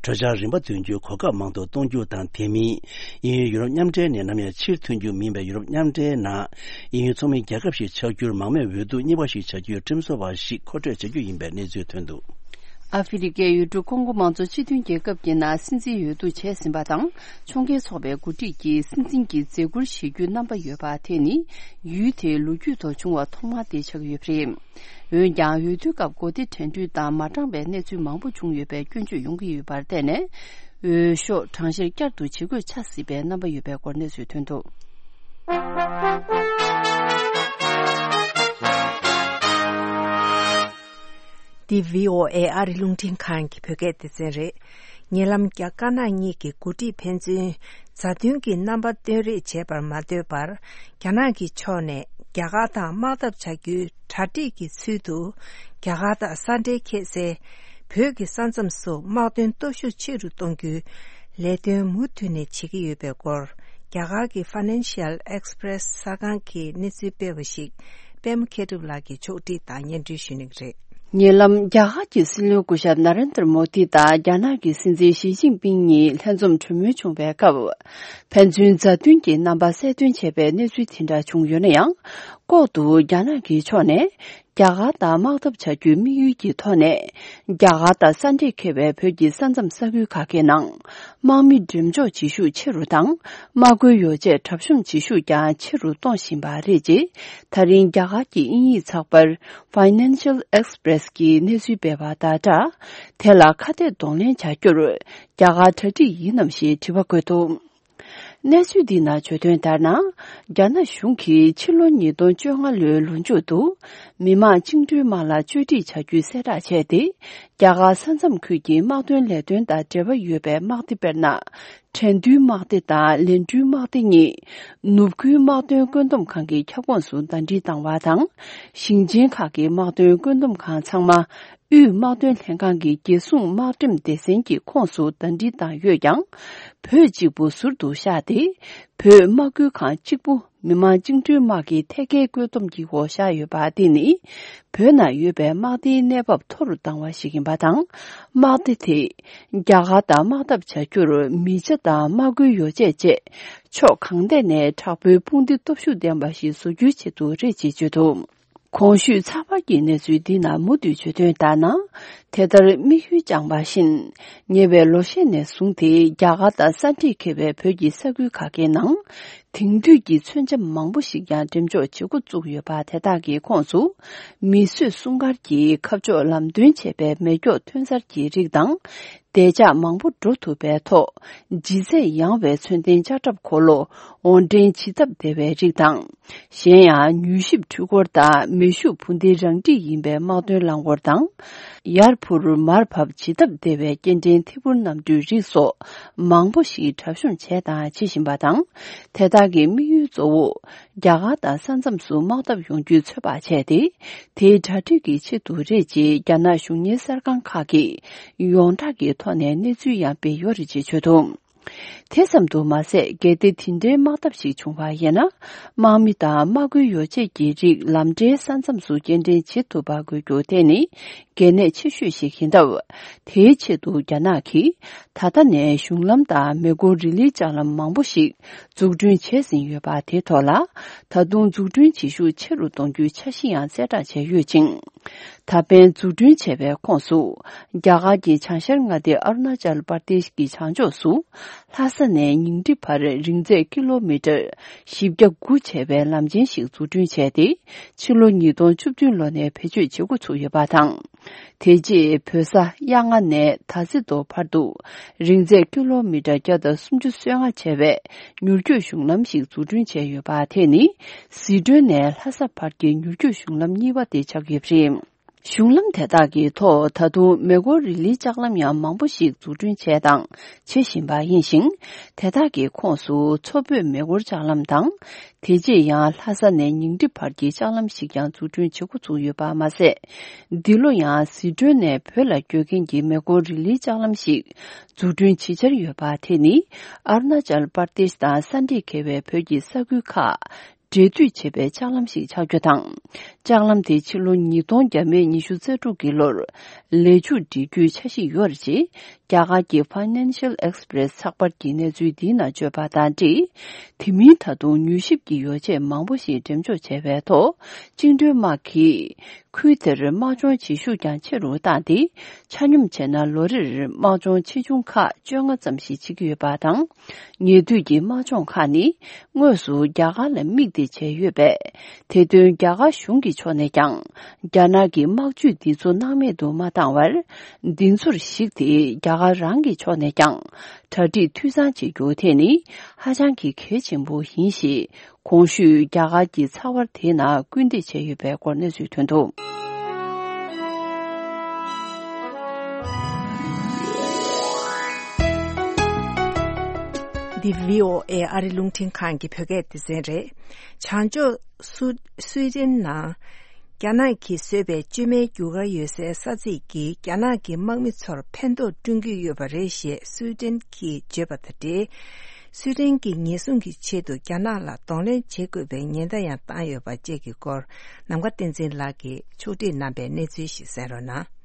གྲོས་འཆར་རིམ་པ་འདོན་རྒྱུའི་གོ་སྐབས་མང་དུ་གཏོང་རྒྱུ་དང་། དེ་མིན། དབྱིན་ཡུལ་ཡུ་རོབ་མཉམ་འབྲེལ་ནས་ནམ་ཡང་ཕྱིར་ཐོན་རྒྱུ་མིན་པའི་ཡུ་རོབ་མཉམ་འབྲེལ་ནང་དབྱིན་ཡུལ་ཚོགས་མི་རྒྱལ་ཁབ་ཞིག་ཆགས་རྒྱུར་མང་མོས་འོས་བསྡུ་གཉིས་པ་ཞིག་བྱ་རྒྱུའི་ཁྲིམས་བཟོ་བ་ཞིག་མཁོ་སྤྲོད་བྱ་རྒྱུ་ཡིན་པའི་གནས་ཚུལ་ཐོན་འདུག་ཨ་ཧྥེ་རི་ཀའི་ཡུལ་གྲུ་ཀོང་གོ་མང་གཙོ་སྤྱི་མཐུན་རྒྱལ་ཁབ་ཀྱི་ནང་སྲིད་འཛིན་འོས་བསྡུ་བྱས་ཟིན་པ་དང་། ཕྱོགས་འགལ་ཚོགས་པའི་འགོ་ཁྲིད་ཀྱིས་སྲིད་འཛིན་གྱི་མཛད་ཁུར་བཞེས་རྒྱུའི་རྣམ་པ་ཡོད་པ་དེ་ནི། ཡུལ་དེའི་ལོ་རྒྱུས་ཐོག་བྱུང་བ་ཐོག་མ་དེ་ཆགས་ཡོད་པ་རེད། འོན་ཀྱང་། འོས་བསྡུའི་སྐབས་གོ་སྡེ་དྲན་འདུན་དང་མ་དྲང་བའི་གནས་ཚུལ་མང་པོ་བྱུང་ཡོད་པའི་སྐྱོན་བརྗོད་ཡོང་གི་ཡོད་པར་བརྟེན་ནས། འོས་ཤོག་གྲངས་བཤེར་བསྐྱར་དུ་བྱེད་དགོས་ཆགས་སྲིད་པའི་རྣམ་པ་ཡོད་པའི་སྐོར་གནས་ཚུལ་ཐོན་འདུག་འདི་བྷི་ཨོ་ཨེ་ཨ་རི་རླུང་འཕྲིན་ཁང་གི་བོད་སྐད་སྡེ་ཚན་རེད། ཉེ་ལམ་རྒྱ་དཀར་ནག་གཉིས་ཀྱི་འགོ་ཁྲིད་ཕན་ཚུན་མཛའ་མཐུན་གྱི་རྣམ་པ་སྟོན་རེས་བྱས་པར་མ་ལྟོས་པར། རྒྱ་ནག་གི་ཕྱོགས་ནས་རྒྱ་གར་དང་དམག་འཐབ་བྱ་རྒྱུའི་གྲ་སྒྲིག་གི་ཚུལ་དུ། རྒྱ་གར་དང་ས་འབྲེལ་འཁེལ་སའི་བོད་ཀྱི་ས་མཚམས་སུ་དམག་དོན་སྟོབས་ཤུགས་ཆེ་རུ་གཏོང་རྒྱུའི་ལས་དོན་མུ་མཐུད་ནས་བྱེད་ཀྱི་ཡོད་པའི་སྐོར། རྒྱ་གར་གྱི་Financial Express གསར་ཁང་གིས་གནས་ཚུལ་སྤེལ་བ་ཞིག་པད་མ་མཁས་གྲུབ་ལགས་ཀྱིས་ཕྱོགས་སྒྲིག་དང་སྙན་སྒྲོན་ཞུ་གནང་གི་རེད། ཉེ་ལམ་རྒྱ་གར་གྱི་སྲིད་བློན་སྐུ་ཞབས་ན་རེན་དྲ་མོ་དི་དང་རྒྱ་ནག་གི་སྲིད་འཛིན་ཞི་ཅིན་ཕིང་གཉིས་ལྷན་འཛོམས་གྲོས་མོལ་བྱུང་བའི་སྐབས། ཕན་ཚུན་མཛའ་མཐུན་གྱི་རྣམ་པ་གསལ་སྟོན་བྱས་པའི་གནས་ཚུལ་དེ་འདྲ་བྱུང་ཡོད་ན་ཡང་། ལྐོག་ཏུ་རྒྱ་ནག་གི་ཕྱོགས་ནས་རྒྱ་གར་དང་དམག་འཐབ་བྱ་རྒྱུའི་དམིགས་ཡུལ་གྱི་ཐོག་ནས། རྒྱ་གར་དང་ས་འབྲེལ་འཁེལ་བའི་བོད་ཀྱི་ས་མཚམས་ས་ཁུལ་ཁག་གི་ནང་། དམག་མི་འགྲེམས་འཇོག་བྱེད་ཤུགས་ཆེ་རུ་དང་། དམག་མཁོའི་ཡོ་བྱད་གྲབས་གཤོམ་བྱེད་ཤུགས་ཀྱང་ཆེ་རུ་གཏོང་བཞིན་པ་རེད། ཅེས་ད་རིང་རྒྱ་གར་གྱི་དབྱིན་ཡིག་ཚགས་པར་Financial Express གིས་གནས་ཚུལ་སྤེལ་བ་དང་སྦྲགས། དེ་ལ་ཁ་གཏད་གདོང་ལེན་བྱ་རྒྱུར་རྒྱ་གར་གྲ་སྒྲིག་ཡིན་ནམ་ཞེས་དྲི་བ་བཀོད་འདུག་གནས་ཚུལ་འདི་ནང་བརྗོད་དོན་ལྟར་ན། རྒྱ་ནག་གཞུང་གིས་ཕྱི་ལོ་ཉིས་སྟོང་བཅོ་ལྔ་ལོའི་ལོ་མཇུག་ཏུ། མི་དམངས་བཅིངས་འགྲོལ་དམག་ལ་བཅོས་སྒྲིག་བྱ་རྒྱུའི་གསལ་བསྒྲགས་བྱས་ཏེ། རྒྱ་གར་ས་མཚམས་ཁུལ་གྱི་དམག་དོན་ལས་དོན་དང་འབྲེལ་བ་ཡོད་པའི་དམག་སྡེ་དཔེར་ན། ཁྲེན་ཏུའུ་དམག་སྡེ་དང་ལན་ཀྲུའུ་དམག་སྡེ་གཉིས། ནུབ་ཁུལ་དམག་དོན་བཀོད་འདོམས་ཁང་གི་ཁྱབ་ཁོངས་སུ་ཟླ་སྒྲིལ་བཏང་བ་དང་། ཞིང་ཆེན་ཁག་གི་དམག་དོན་བཀོད་འདོམས་ཁང་ཚང་མ། དབུས་དམག་དོན་ལྷན་ཁང་གི་རྒྱལ་སྲུང་དམག་འགྲེམས་སྡེ་ཚན་གྱི་ཁོངས་སུ་ཟླ་སྒྲིལ་བཏང་ཡོད་ཀྱང་། བོད་གཅིག་པུ་ཟུར་དུ་བཞག་སྟེ། བོད་དམག་ཁུལ་ཁང་གཅིག་པུ་མི་དམངས་བཅིངས་འགྲོལ་དམག་གི་ཐད་ཀའི་བཀོད་འདོམས་ཀྱི་འོག་བཞག་ཡོད་པ་འདི་ནི། བོད་ནང་ཡོད་པའི་དམག་སྡེའི་གནས་བབ་མཐོ་རུ་བཏང་བ་ཞིག་ཡིན་པ་དང་། དམག་སྡེ་དེ་རྒྱ་གར་དང་དམག་འཐབ་བྱ་རྒྱུར་མི་ཆ་དང་དམག་སྐུལ་ཡོ་བྱད་བཅས་ཕྱོགས་གང་ཐད་ནས་དྲག་པོའི་དཔུང་སྡེ་སྟོབས་ཤུགས་ལྡན་པ་ཞིག་བཟོ་རྒྱུའི་ཆེད་དུ་རེད་ཅེས་བརྗོད་འདུག་གོང་ཞུས་ཚགས་པར་གྱི་གནས་ཚུལ་འདི་ནང་མུ་མཐུད་བརྗོད་དོན་ལྟར་ན། དེ་ལྟར་དམིགས་ཡུལ་བཅངས་པ་བཞིན། ཉེ་བའི་ལོ་ཤས་ནས་བཟུང་སྟེ་རྒྱ་གར་དང་ས་འདྲེས་འཁེལ་བའི་བོད་ཀྱི་ས་ཁུལ་ཁག་གི་ནང་། དེང་དུས་ཀྱི་མཚོན་ཆ་མང་པོ་ཞིག་ཀྱང་འགྲེམས་འཇོག་བྱེད་འགོ་བཙུགས་ཡོད་པ་དེ་དག་གི་ཁོངས་སུ། མིས་བཟོས་སྲུང་སྐར་གྱིས་ཁ་ཕྱོགས་ལམ་སྟོན་བྱས་པའི་མེ་སྒྱོགས་ཐོན་གསར་གྱི་རིགས་དང་། བདེ་འཇགས་མང་པོ་འགྲོ་ཐུབ་པའི་ཐོག་ལྗིད་ཚད་ཡངས་པའི་མཚོན་ལྡན་ལྕགས་ཁྲབ་འཁོར་ལོ་དབོར་འདྲེན་བྱེད་ཐབས་བདེ་བའི་རིགས་དང་། གཞན་ཡང་མྱུལ་ཞིབ་འཕྲུལ་འཁོར་དང་མེ་ཤུགས་འཕུར་མདེལ་རང་འགྲིག་ཡིན་པའི་དམག་དོན་རླངས་འཁོར་དང་། ཡར་འཕུར་མར་བབས་བྱེད་ཐབས་བདེ་བའི་སྐྱེལ་འདྲེན་ཐད་འཕུར་གནམ་གྲུའི་རིགས་སོགས་མང་པོ་ཞིག་གྲབས་གཤོམ་བྱས་དང་བྱེད་བཞིན་པ་དང་། དེ་དག་གི་དམིགས་ཡུལ་གཙོ་བོ། རྒྱ་གར་དང་ས་མཚམས་སུ་དམག་འཐབ་ཡོང་རྒྱུའི་ཚོད་དཔག་བྱས་ཏེ། དེའི་གྲ་སྒྲིག་གི་ཆེད་དུ་རེད་ཅེས་རྒྱ་ནག་གཞུང་གཉེར་གསར་ཁང་ཁག་གིས་ཡོངས་གྲགས་ཀྱི་ཐོག་ནས་གནས་ཚུལ་ཡང་སྤེལ་ཡོད་རེད་ཅེས་བརྗོད་འདུག་དེ་ཙམ་དུ་མ་ཟད། གལ་ཏེ་དེ་འདྲའི་དམག་འཐབ་ཞིག་བྱུང་བ་ཡིན་ན། དམག་མི་དང་དམག་སྐུལ་ཡོ་བྱད་ཀྱི་རིགས་ལམ་འབྲས་ས་མཚམས་སུ་སྐྱེལ་འདྲེན་བྱེད་ཐུབ་པ་དགོས་རྒྱུ་དེ་ནི་གལ་གནད་ཆེ་ཤོས་ཤིག་ཡིན་སྟབས། དེའི་ཆེད་དུ་རྒྱ་ནག་གིས་ད་ལྟ་ནས་གཞུང་ལམ་དང་མེ་འཁོར་རི་ལིའི་ལྕགས་ལམ་མང་པོ་ཞིག་འཛུགས་སྐྲུན་བྱས་ཟིན་ཡོད་པ་དེ་ཐོག་ལ། ད་དུང་འཛུགས་སྐྲུན་བྱེད་ཤུགས་ཆེ་རུ་གཏོང་རྒྱུའི་འཆར་གཞི་ཡང་གསལ་བསྒྲགས་བྱས་ཡོད་ཅིང་། ད་ཕན་འཛུགས་སྐྲུན་བྱས་པའི་ཁོངས་སུ། རྒྱ་གར་གྱི་བྱང་ཤར་མངའ་སྡེ་ཨ་རུ་ན་ཅལ་པར་དེཤ་གི་བྱང་ཕྱོགས་སུ། ལྷ་ས་ནས་ཉིང་ཁྲི་བར་རིང་ཚད་ཀི་ལོ་མི་ཊར་བཞི་བརྒྱ་དགུ་བྱས་པའི་ལམ་ཆེན་ཞིག་འཛུགས་སྐྲུན་བྱས་ཏེ། ཕྱི་ལོ་ཉིས་སྟོང་བཅུ་བདུན་ལོ་ནས་བེད་སྤྱོད་བྱེད་འགོ་ཚུགས་ཡོད་པ་དང་། དེ་རྗེས་བོད་ས་གཡག་རྔ་ནས་དར་རྩེ་མདོ་བར་དུ་རིང་ཚད་ཀི་ལོ་མི་ཊར་བརྒྱ་དང་སུམ་ཅུ་སོ་ལྔ་བྱས་པའི་མྱུར་སྐྱོད་གཞུང་ལམ་ཞིག་འཛུགས་སྐྲུན་བྱས་ཡོད་པ། དེ་ནི་ཟི་ཁྲོན་ནས་ལྷ་ས་བར་གྱི་མྱུར་སྐྱོད་གཞུང་ལམ་གཉིས་པ་དེ་ཆགས་ཡོད་པ་རེད། གཞུང་ལམ་དེ་དག་གི་ཐོག་ད་དུང་མེ་འཁོར་རི་ལིའི་ལྕགས་ལམ་ཡང་མང་པོ་ཞིག་འཛུགས་སྐྲུན་བྱས་དང་བྱེད་བཞིན་པ་ཡིན་ཞིང་། དེ་དག་གི་ཁོངས་སུ་མཚོ་བོད་མེ་འཁོར་ལྕགས་ལམ་དང་། དེ་རྗེས་ཡང་ལྷ་ས་ནས་ཉིང་ཁྲི་བར་གྱི་ལྕགས་ལམ་ཞིག་ཀྱང་འཛུགས་སྐྲུན་བྱེད་འགོ་ཚུགས་ཡོད་པ་མ་ཟད། འདི་ལོ་ཡང་ཟི་ཁྲོན་ནས་བོད་ལ་བསྐྱོད་མཁན་གྱི་མེ་འཁོར་རི་ལིའི་ལྕགས་ལམ་ཞིག་འཛུགས་སྐྲུན་བྱེད་འཆར་ཡོད་པ། དེ་ནི་ཨ་རུ་ན་ཅལ་པར་དེཤ་དང་ས་འདྲེས་འཁེལ་བའི་བོད་ཀྱི་ས་ཁུལ་ཁག་འབྲེལ་མཐུད་བྱེད་པའི་ལྕགས་ལམ་ཞིག་ཆགས་རྒྱུ་དང་། ལྕགས་ལམ་དེ་ཕྱི་ལོ་ཉིས་སྟོང་བརྒྱ་མེད་ཉི་ཤུ་རྩ་དྲུག་གི་ལོར་ལས་མཇུག་སྒྲིལ་རྒྱུའི་འཆར་གཞི་ཡོད་རེད་ཅེས་རྒྱ་གར་གྱི་Financial Express་ཚགས་པར་གྱི་གནས་ཚུལ་འདིའི་ནང་བརྗོད་པ་དང་འབྲེལ། དེ་མིན་ད་དུང་མྱུལ་ཞིབ་ཀྱི་ཡོ་བྱད་མང་པོ་ཞིག་འགྲེམས་འཇོག་བྱས་པའི་ཐོག་བཅིངས་འགྲོལ་དམག་གིས་ཁུལ་དེར་དམག་སྦྱོང་བྱེད་ཤུགས་ཀྱང་ཆེ་རུ་བཏང་སྟེ། ཆ་སྙོམས་བྱས་ན་ལོ་རེར་དམག་སྦྱོང་ཆེ་ཆུང་ཁག་བཅོ་ལྔ་ཙམ་ཞིག་བྱེད་ཀྱི་ཡོད་པ་དང་། ཉེ་དུས་ཀྱི་དམག་སྦྱོང་ཁག་ནི་དངོས་སུ་རྒྱ་གར་ལ་དམིགས་ཏེ་བྱས་ཡོད་པས། དེ་དོན་རྒྱ་གར་གཞུང་གི་ཕྱོགས་ནས་ཀྱང་རྒྱ་ནག་གི་དམག་ཇུས་འདི་ཚོ་སྣང་མེད་དུ་མ་བཏང་བར། འདི་ཚོར་གཞིགས་ཏེ་རྒྱ་གར་རང་གི་ཕྱོགས་ནས་ཀྱང་གྲ་སྒྲིག་འཐུས་ཚང་བྱེད་རྒྱུ་དེ་ནི་ཧ་ཅང་གི་གལ་ཆེན་པོ་ཡིན་ཞེས། གོང་ཞུས་རྒྱ་གར་གྱི་ཚགས་པར་དེའི་ནང་སྐུལ་འདེད་བྱས་ཡོད་པའི་སྐོར་གནས་ཚུལ་ཐོན་འདུག། འདི་བྷི་ཨོ་ཨེ་ཨ་རི་རླུང་འཕྲིན་ཁང་གི་བོད་སྐད་སྡེ་ཚན་རེད། བྱང་ཕྱོགས་སུ་སུའི་ཌེན་ནང་རྒྱ་ནག་གིས་བཟོས་པའི་བཅོས་མའི་རྒྱུ་སྐར་ཡོད་སའི་ས་ཚིགས་ཀྱིས་རྒྱ་ནག་གི་དམག་མི་ཚོར་ཕན་ཐོགས་བསྐྲུན་གྱི་ཡོད་པ་རེད་ཞེས་སུའི་ཌེན་གྱིས་བརྗོད་པ་དང་འབྲེལ། སུའི་ཌེན་གྱིས་ཉེན་སྲུང་གི་ཆེད་དུ་རྒྱ་ནག་ལ་གདོང་ལེན་བྱེད་དགོས་པའི་ཉེན་བརྡ་ཡང་བཏང་ཡོད་པ་བཅས་ཀྱི་སྐོར། ནམ་མཁའ་བསྟན་འཛིན་ལགས་ཀྱིས་ཕྱོགས་སྒྲིག་གནང་པའི་གནས་ཚུལ་ཞིག་གསན་རོགས་གནང་།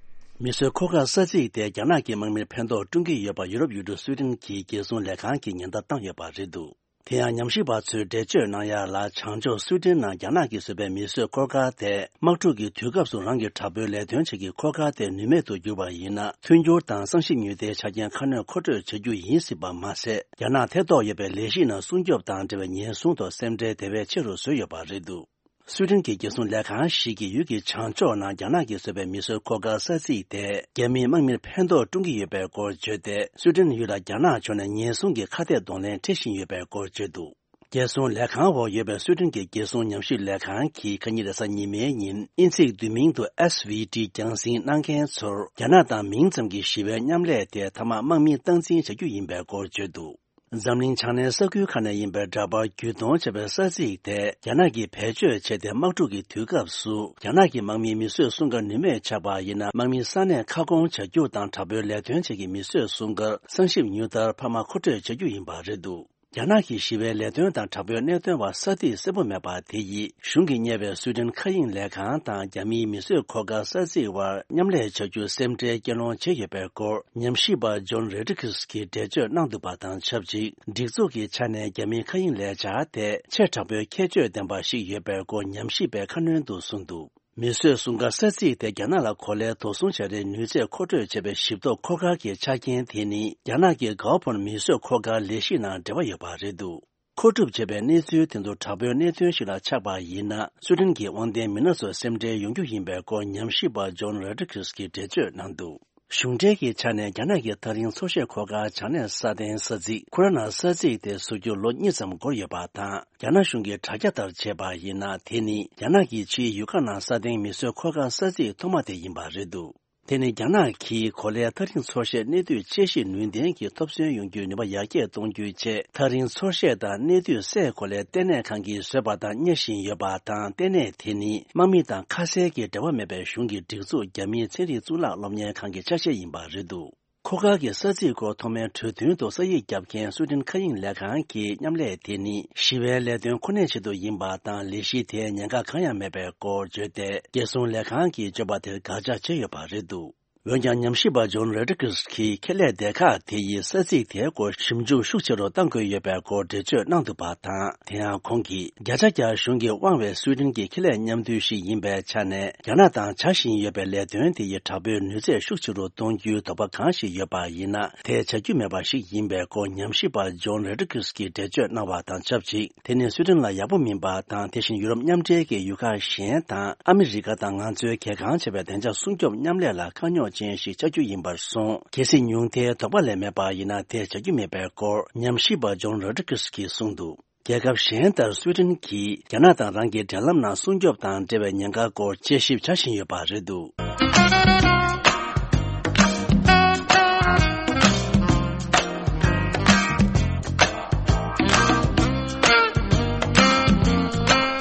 མི་བཟོས་འཁོར་སྐར་ས་ཚིགས་དེ་རྒྱ་ནག་གི་དམག་མིར་ཕན་ཐོགས་བསྐྲུན་གྱི་ཡོད་པ་ཡུ་རོབ་ཡུལ་གྲུ་སུའི་ཌེན་གྱི་རྒྱལ་སྲུང་ལས་ཁང་གིས་ཉེན་བརྡ་བཏང་ཡོད་པ་རེད་འདུག། དེ་ཡང་ཉམས་ཞིབ་པ་ཚོས་འགྲེལ་བརྗོད་གནང་ཡག་ལ། བྱང་ཕྱོགས་སུའི་ཌེན་ནང་རྒྱ་ནག་གིས་བཟོས་པའི་མི་བཟོས་འཁོར་སྐར་དེ་དམག་འཁྲུག་གི་དུས་སྐབས་སུ་རང་གི་དྲག་པོའི་ལས་དོན་བྱེད་ཀྱི་འཁོར་སྐར་དེ་ནུས་མེད་དུ་གྱུར་པ་ཡིན་ན། མཐུན་འགྱུར་དང་གསང་ཞིབ་མྱུར་མཐའི་ཆ་རྐྱེན་ཁ་སྣོན་མཁོ་སྤྲོད་བྱ་རྒྱུ་ཡིན་སྲིད་པ་མ་ཟད། རྒྱ་ནག་ཐེ་གཏོགས་ཡོད་པའི་ལས་གཞི་ནང་སྲུང་སྐྱོབ་དང་འབྲེལ་བའི་ཉེན་སྲུང་ཐོག་སེམས་ཁྲལ་དེ་བས་ཆེ་རུ་བཟོས་ཡོད་པ་རེད་འདུག། སུའི་ཌེན་གྱི་རྒྱལ་སྲུང་ལས་ཁང་ཞིག་གིས་ཡུལ་གྱི་བྱང་ཕྱོགས་ནང་རྒྱ་ནག་གིས་བཟོས་པའི་མི་བཟོས་འཁོར་སྐར་ས་ཚིགས་དེ་རྒྱ་མིའི་དམག་མིར་ཕན་ཐོགས་བསྐྲུན་གྱི་ཡོད་པའི་སྐོར་བརྗོད་དེ། སུའི་ཌེན་ཡུལ་ལ་རྒྱ་ནག་ཕྱོགས་ནས་ཉེན་སྲུང་གི་ཁ་གཏད་གདོང་ལེན་སྤྲད་བཞིན་ཡོད་པའི་སྐོར་བརྗོད་འདུག། རྒྱལ་སྲུང་ལས་ཁང་འོག་ཡོད་པའི་སུའི་ཌེན་གྱི་རྒྱལ་སྲུང་ཉམས་ཞིབ་ལས་ཁང་གིས་ཁ་ཉིན་རེས་གཟའ་ཉི་མའི་ཉིན་དབྱིན་ཚིག་བསྡུས་མིང་དུ་S V T རྒྱང་སྲིང་གནང་མཁན་ཚོར་རྒྱ་ནག་དང་མིང་ཙམ་གྱི་ཞི་བའི་མཉམ་ལས་དེ་མཐའ་མ་དམག་མིས་སྟངས་འཛིན་བྱ་རྒྱུ་ཡིན་པའི་སྐོར་བརྗོད་འདུག། འཛམ་གླིང་བྱང་སྣེའི་ས་ཁུལ་ཁག་ནས་ཡིན་པའི་འདྲ་པར་བརྒྱུད་གཏོང་བྱས་པའི་ས་ཚིགས་དེ་རྒྱ་ནག་གིས་བེད་སྤྱོད་བྱས་ཏེ། དམག་འཁྲུག་གི་དུས་སྐབས་སུ་རྒྱ་ནག་གི་དམག་མིའི་མི་བཟོས་སྲུང་སྐར་ནུས་མེད་ཆགས་པ་ཡིན་ན། དམག་མི་ས་གནས་ཁ་སྐོང་བྱ་རྒྱུ་དང་། དྲག་པོའི་ལས་དོན་བྱེད་ཀྱི་མི་བཟོས་སྲུང་སྐར་གསང་ཞིབ་མྱུར་མཐར་འཕར་མ་མཁོ་སྤྲོད་བྱ་རྒྱུ་ཡིན་པ་རེད་འདུག། རྒྱ་ནག་གི་ཞི་བའི་ལས་དོན་དང་དྲག་པོའི་གནད་དོན་བར་ས་ཐིག་གསལ་པོ་མེད་པ་དེ་ཡིས་གཞུང་གིས་གཉེར་བའི་སུའེ་ཏེན་མཁའ་དབྱིངས་ལས་ཁང་དང་རྒྱ་མིའི་མི་གསོད་འཁོར་སྐར་ས་ཚིགས་དབར་མཉམ་ལས་བྱ་རྒྱུ་སེམས་ཁྲལ་སྐྱེད་སློང་བྱས་ཡོད་པའི་སྐོར་ཉམས་ཞིབ་པ་ཇོན་རོ་ཌི་གྷི་སི་གིས་འགྲེལ་བརྗོད་གནང་འདུག་པ་དང་ཆབས་ཅིག་སྒྲིག་འཛུགས་ཀྱི་ཆ་ནས་རྒྱ་མིའི་མཁའ་དབྱིངས་ལས་འཆར་དེ་ཆེས་དྲག་པོའི་ཁྱད་ཆོས་ལྡན་པ་ཞིག་ཡོད་པའི་སྐོར་ཉམས་ཞིབ་པས་ཁ་སྣོན་དུ་གསུངས་འདུག་མི་གསོད་སྲུང་སྐར་ས་ཚིགས་དེ་རྒྱ་ནག་ལ་གོ་ལའི་དོགས་ཟོན་བྱ་རའི་ནུས་ཚད་མཁོ་སྤྲོད་བྱེད་པའི་ཞིབ་ཐོ་འཁོར་སྐར་གྱི་ཆ་རྐྱེན་དེ་ནི་རྒྱ་ནག་གི་གའོ་ཕོན་མི་གསོད་འཁོར་སྐར་ལས་གཞི་ནང་འབྲེལ་བ་ཡོད་པ་རེད་འདུག་མཁོ་སྒྲུབ་བྱས་པའི་གནས་ཚུལ་དེ་ཚོ་དྲག་པོའི་གནད་དོན་ཞིག་ལ་ཆགས་པ་ཡིན་ན། སུའེ་ཏེན་གྱི་དབང་ལྡན་མི་སྣ་ཚོ་སེམས་ཁྲལ་ཡོང་རྒྱུ་ཡིན་པའི་སྐོར་ཉམས་ཞིབ་པ་ཇོན་རོ་ཌི་གྷི་སི་གིས་འགྲེལ་བརྗོད་གནང་འདུག་གཞུང་འབྲེལ་གྱི་ཆ་ནས་རྒྱ་ནག་གི་ཐག་རིང་ཚོར་ཤེས་འཁོར་སྐར་བྱང་གནས་སྲ་བརྟན་ས་ཚིགས་ཁུ་ར་ན་ས་ཚིགས་དེ་བཟོ་རྒྱུར་ལོ་གཉིས་ཙམ་འགོར་ཡོད་པ་དང་། རྒྱ་ནག་གཞུང་གི་དྲ་རྒྱ་ལྟར་བྱས་པ་ཡིན་ན། དེ་ནི་རྒྱ་ནག་གི་ཕྱིའི་ཡུལ་ཁག་ནང་སྲ་བརྟན་མི་གསོད་འཁོར་སྐར་ས་ཚིགས་ཐོག་མ་དེ་ཡིན་པ་རེད་འདུག་དེ་ནི་རྒྱ་ནག་གིས་གོ་ལའི་ཐག་རིང་ཚོར་ཤེས་གནས་དུས་དཔྱད་ཞིབ་ནུས་ལྡན་གྱི་ཐོབ་ཚན་ཡོང་རྒྱུའི་ནུས་པ་ཡར་རྒྱས་གཏོང་རྒྱུའི་ཆེད། ཐག་རིང་ཚོར་ཤེས་དང་གནས་དུས་སའི་གོ་ལའི་ལྟེ་གནས་ཁང་གིས་བཟོས་པ་དང་གཉེར་བཞིན་ཡོད་པ་དང་། ལྟེ་གནས་དེ་ནི་དམག་མི་དང་ཁ་གསལ་གྱི་འབྲེལ་བ་མེད་པའི་གཞུང་གི་སྒྲིག་འཛུགས་རྒྱ་མིའི་ཚན་རིག་གཙུག་ལག་སློབ་གཉེར་ཁང་གི་ཆ་ཤས་ཡིན་པ་རེད་འདུག་འཁོར་སྐར་གྱི་ས་ཚིགས་སྐོར་ཐོག་མའི་གྲོས་མཐུན་དུ་ས་ཡིག་བརྒྱབ་མཁན་སུའེ་ཏེན་མཁའ་དབྱིངས་ལས་ཁང་གི་མཉམ་ལས་དེ་ནི་ཞི་བའི་ལས་དོན་ཁོ་ནའི་ཆེད་དུ་ཡིན་པ་དང་། ལས་གཞི་དེའི་ཉེན་ཁ་གང་ཡང་མེད་པའི་སྐོར་བརྗོད་དེ། རྒྱལ་སྲུང་ལས་ཁང་གིས་བརྗོད་པ་དེར་དགག་བྱ་བྱས་ཡོད་པ་རེད་འདུག་འོན་ཀྱང་། ཉམས་ཞིབ་པ་ཇོན་རོ་ཌི་གྷི་སི་གིས་ཁེ་ལས་སྡེ་ཁག་དེ་ཡིས་ས་ཚིགས་དེའི་སྐོར་ཞིབ་འཇུག་ཤུགས་ཆེ་རུ་གཏང་དགོས་ཡོད་པའི་སྐོར་འགྲེལ་བརྗོད་གནང་འདུག་པ་དང་། དེ་ཡང་ཁོང་གིས། བརྒྱ་ཆ་བརྒྱ་གཞུང་གིས་དབང་བའི་སུའེ་ཏེན་གྱི་ཁེ་ལས་མཉམ་འདུས་ཤིག་ཡིན་པའི་ཆ་ནས། རྒྱ་ནག་དང་བྱ་བཞིན་ཡོད་པའི་ལས་དོན་དེ་ཡི་དྲག་པོའི་ནུས་ཚད་ཤུགས་ཆེ་རུ་གཏོང་རྒྱུའི་དོགས་པ་གང་ཞིག་ཡོད་པ་ཡིན་ན། དེ་བྱ་རྒྱུ་མེད་པ་ཞིག་ཡིན་པའི་སྐོར་ཉམས་ཞིབ་པ་ཇོན་རོ་ཌི་གྷི་སི་གིས་འགྲེལ་བརྗོད་གནང་བ་དང་ཆབས་ཅིག་དེ་ནི་སུའེ་ཏེན་ལ་ཡག་པོ་མིན་པ་དང་། དེ་བཞིན་ཡུ་རོབ་མཉམ་འབྲེལ་གྱི་ཡུལ་ཁག་གཞན་དང་། ཨ་མི་རི་ཀ་དང་ང་ཚོའི་གལ་འགངས་ཆེ་བའི་བདེ་འཇགས་སྲུང་སྐྱོབ་མཉམ་ལས་ལ་དཀའ་རྙོག་ཅན་ཞིག་ཆགས་རྒྱུ་ཡིན་པར་སོང་། གལ་སྲིད་ཉུང་མཐའི་དོགས་པ་ལས་མེད་པ་ཡིན་ན། དེ་བྱ་རྒྱུ་མེད་པའི་སྐོར་ཉམས་ཞིབ་པ་ཇོན་རོ་ཌི་གྷི་སི་གིས་གསུངས་འདུག་རྒྱལ་ཁབ་གཞན་ལྟར་སུའེ་ཏེན་གྱིས་རྒྱ་ནག་དང་རང་གི་འབྲེལ་ལམ་ནང་སྲུང་སྐྱོབ་དང་འབྲེལ་བའི་ཉེན་ཁ་སྐོར་དཔྱད་ཞིབ་བྱ་བཞིན་ཡོད་པ་རེད་འདུག་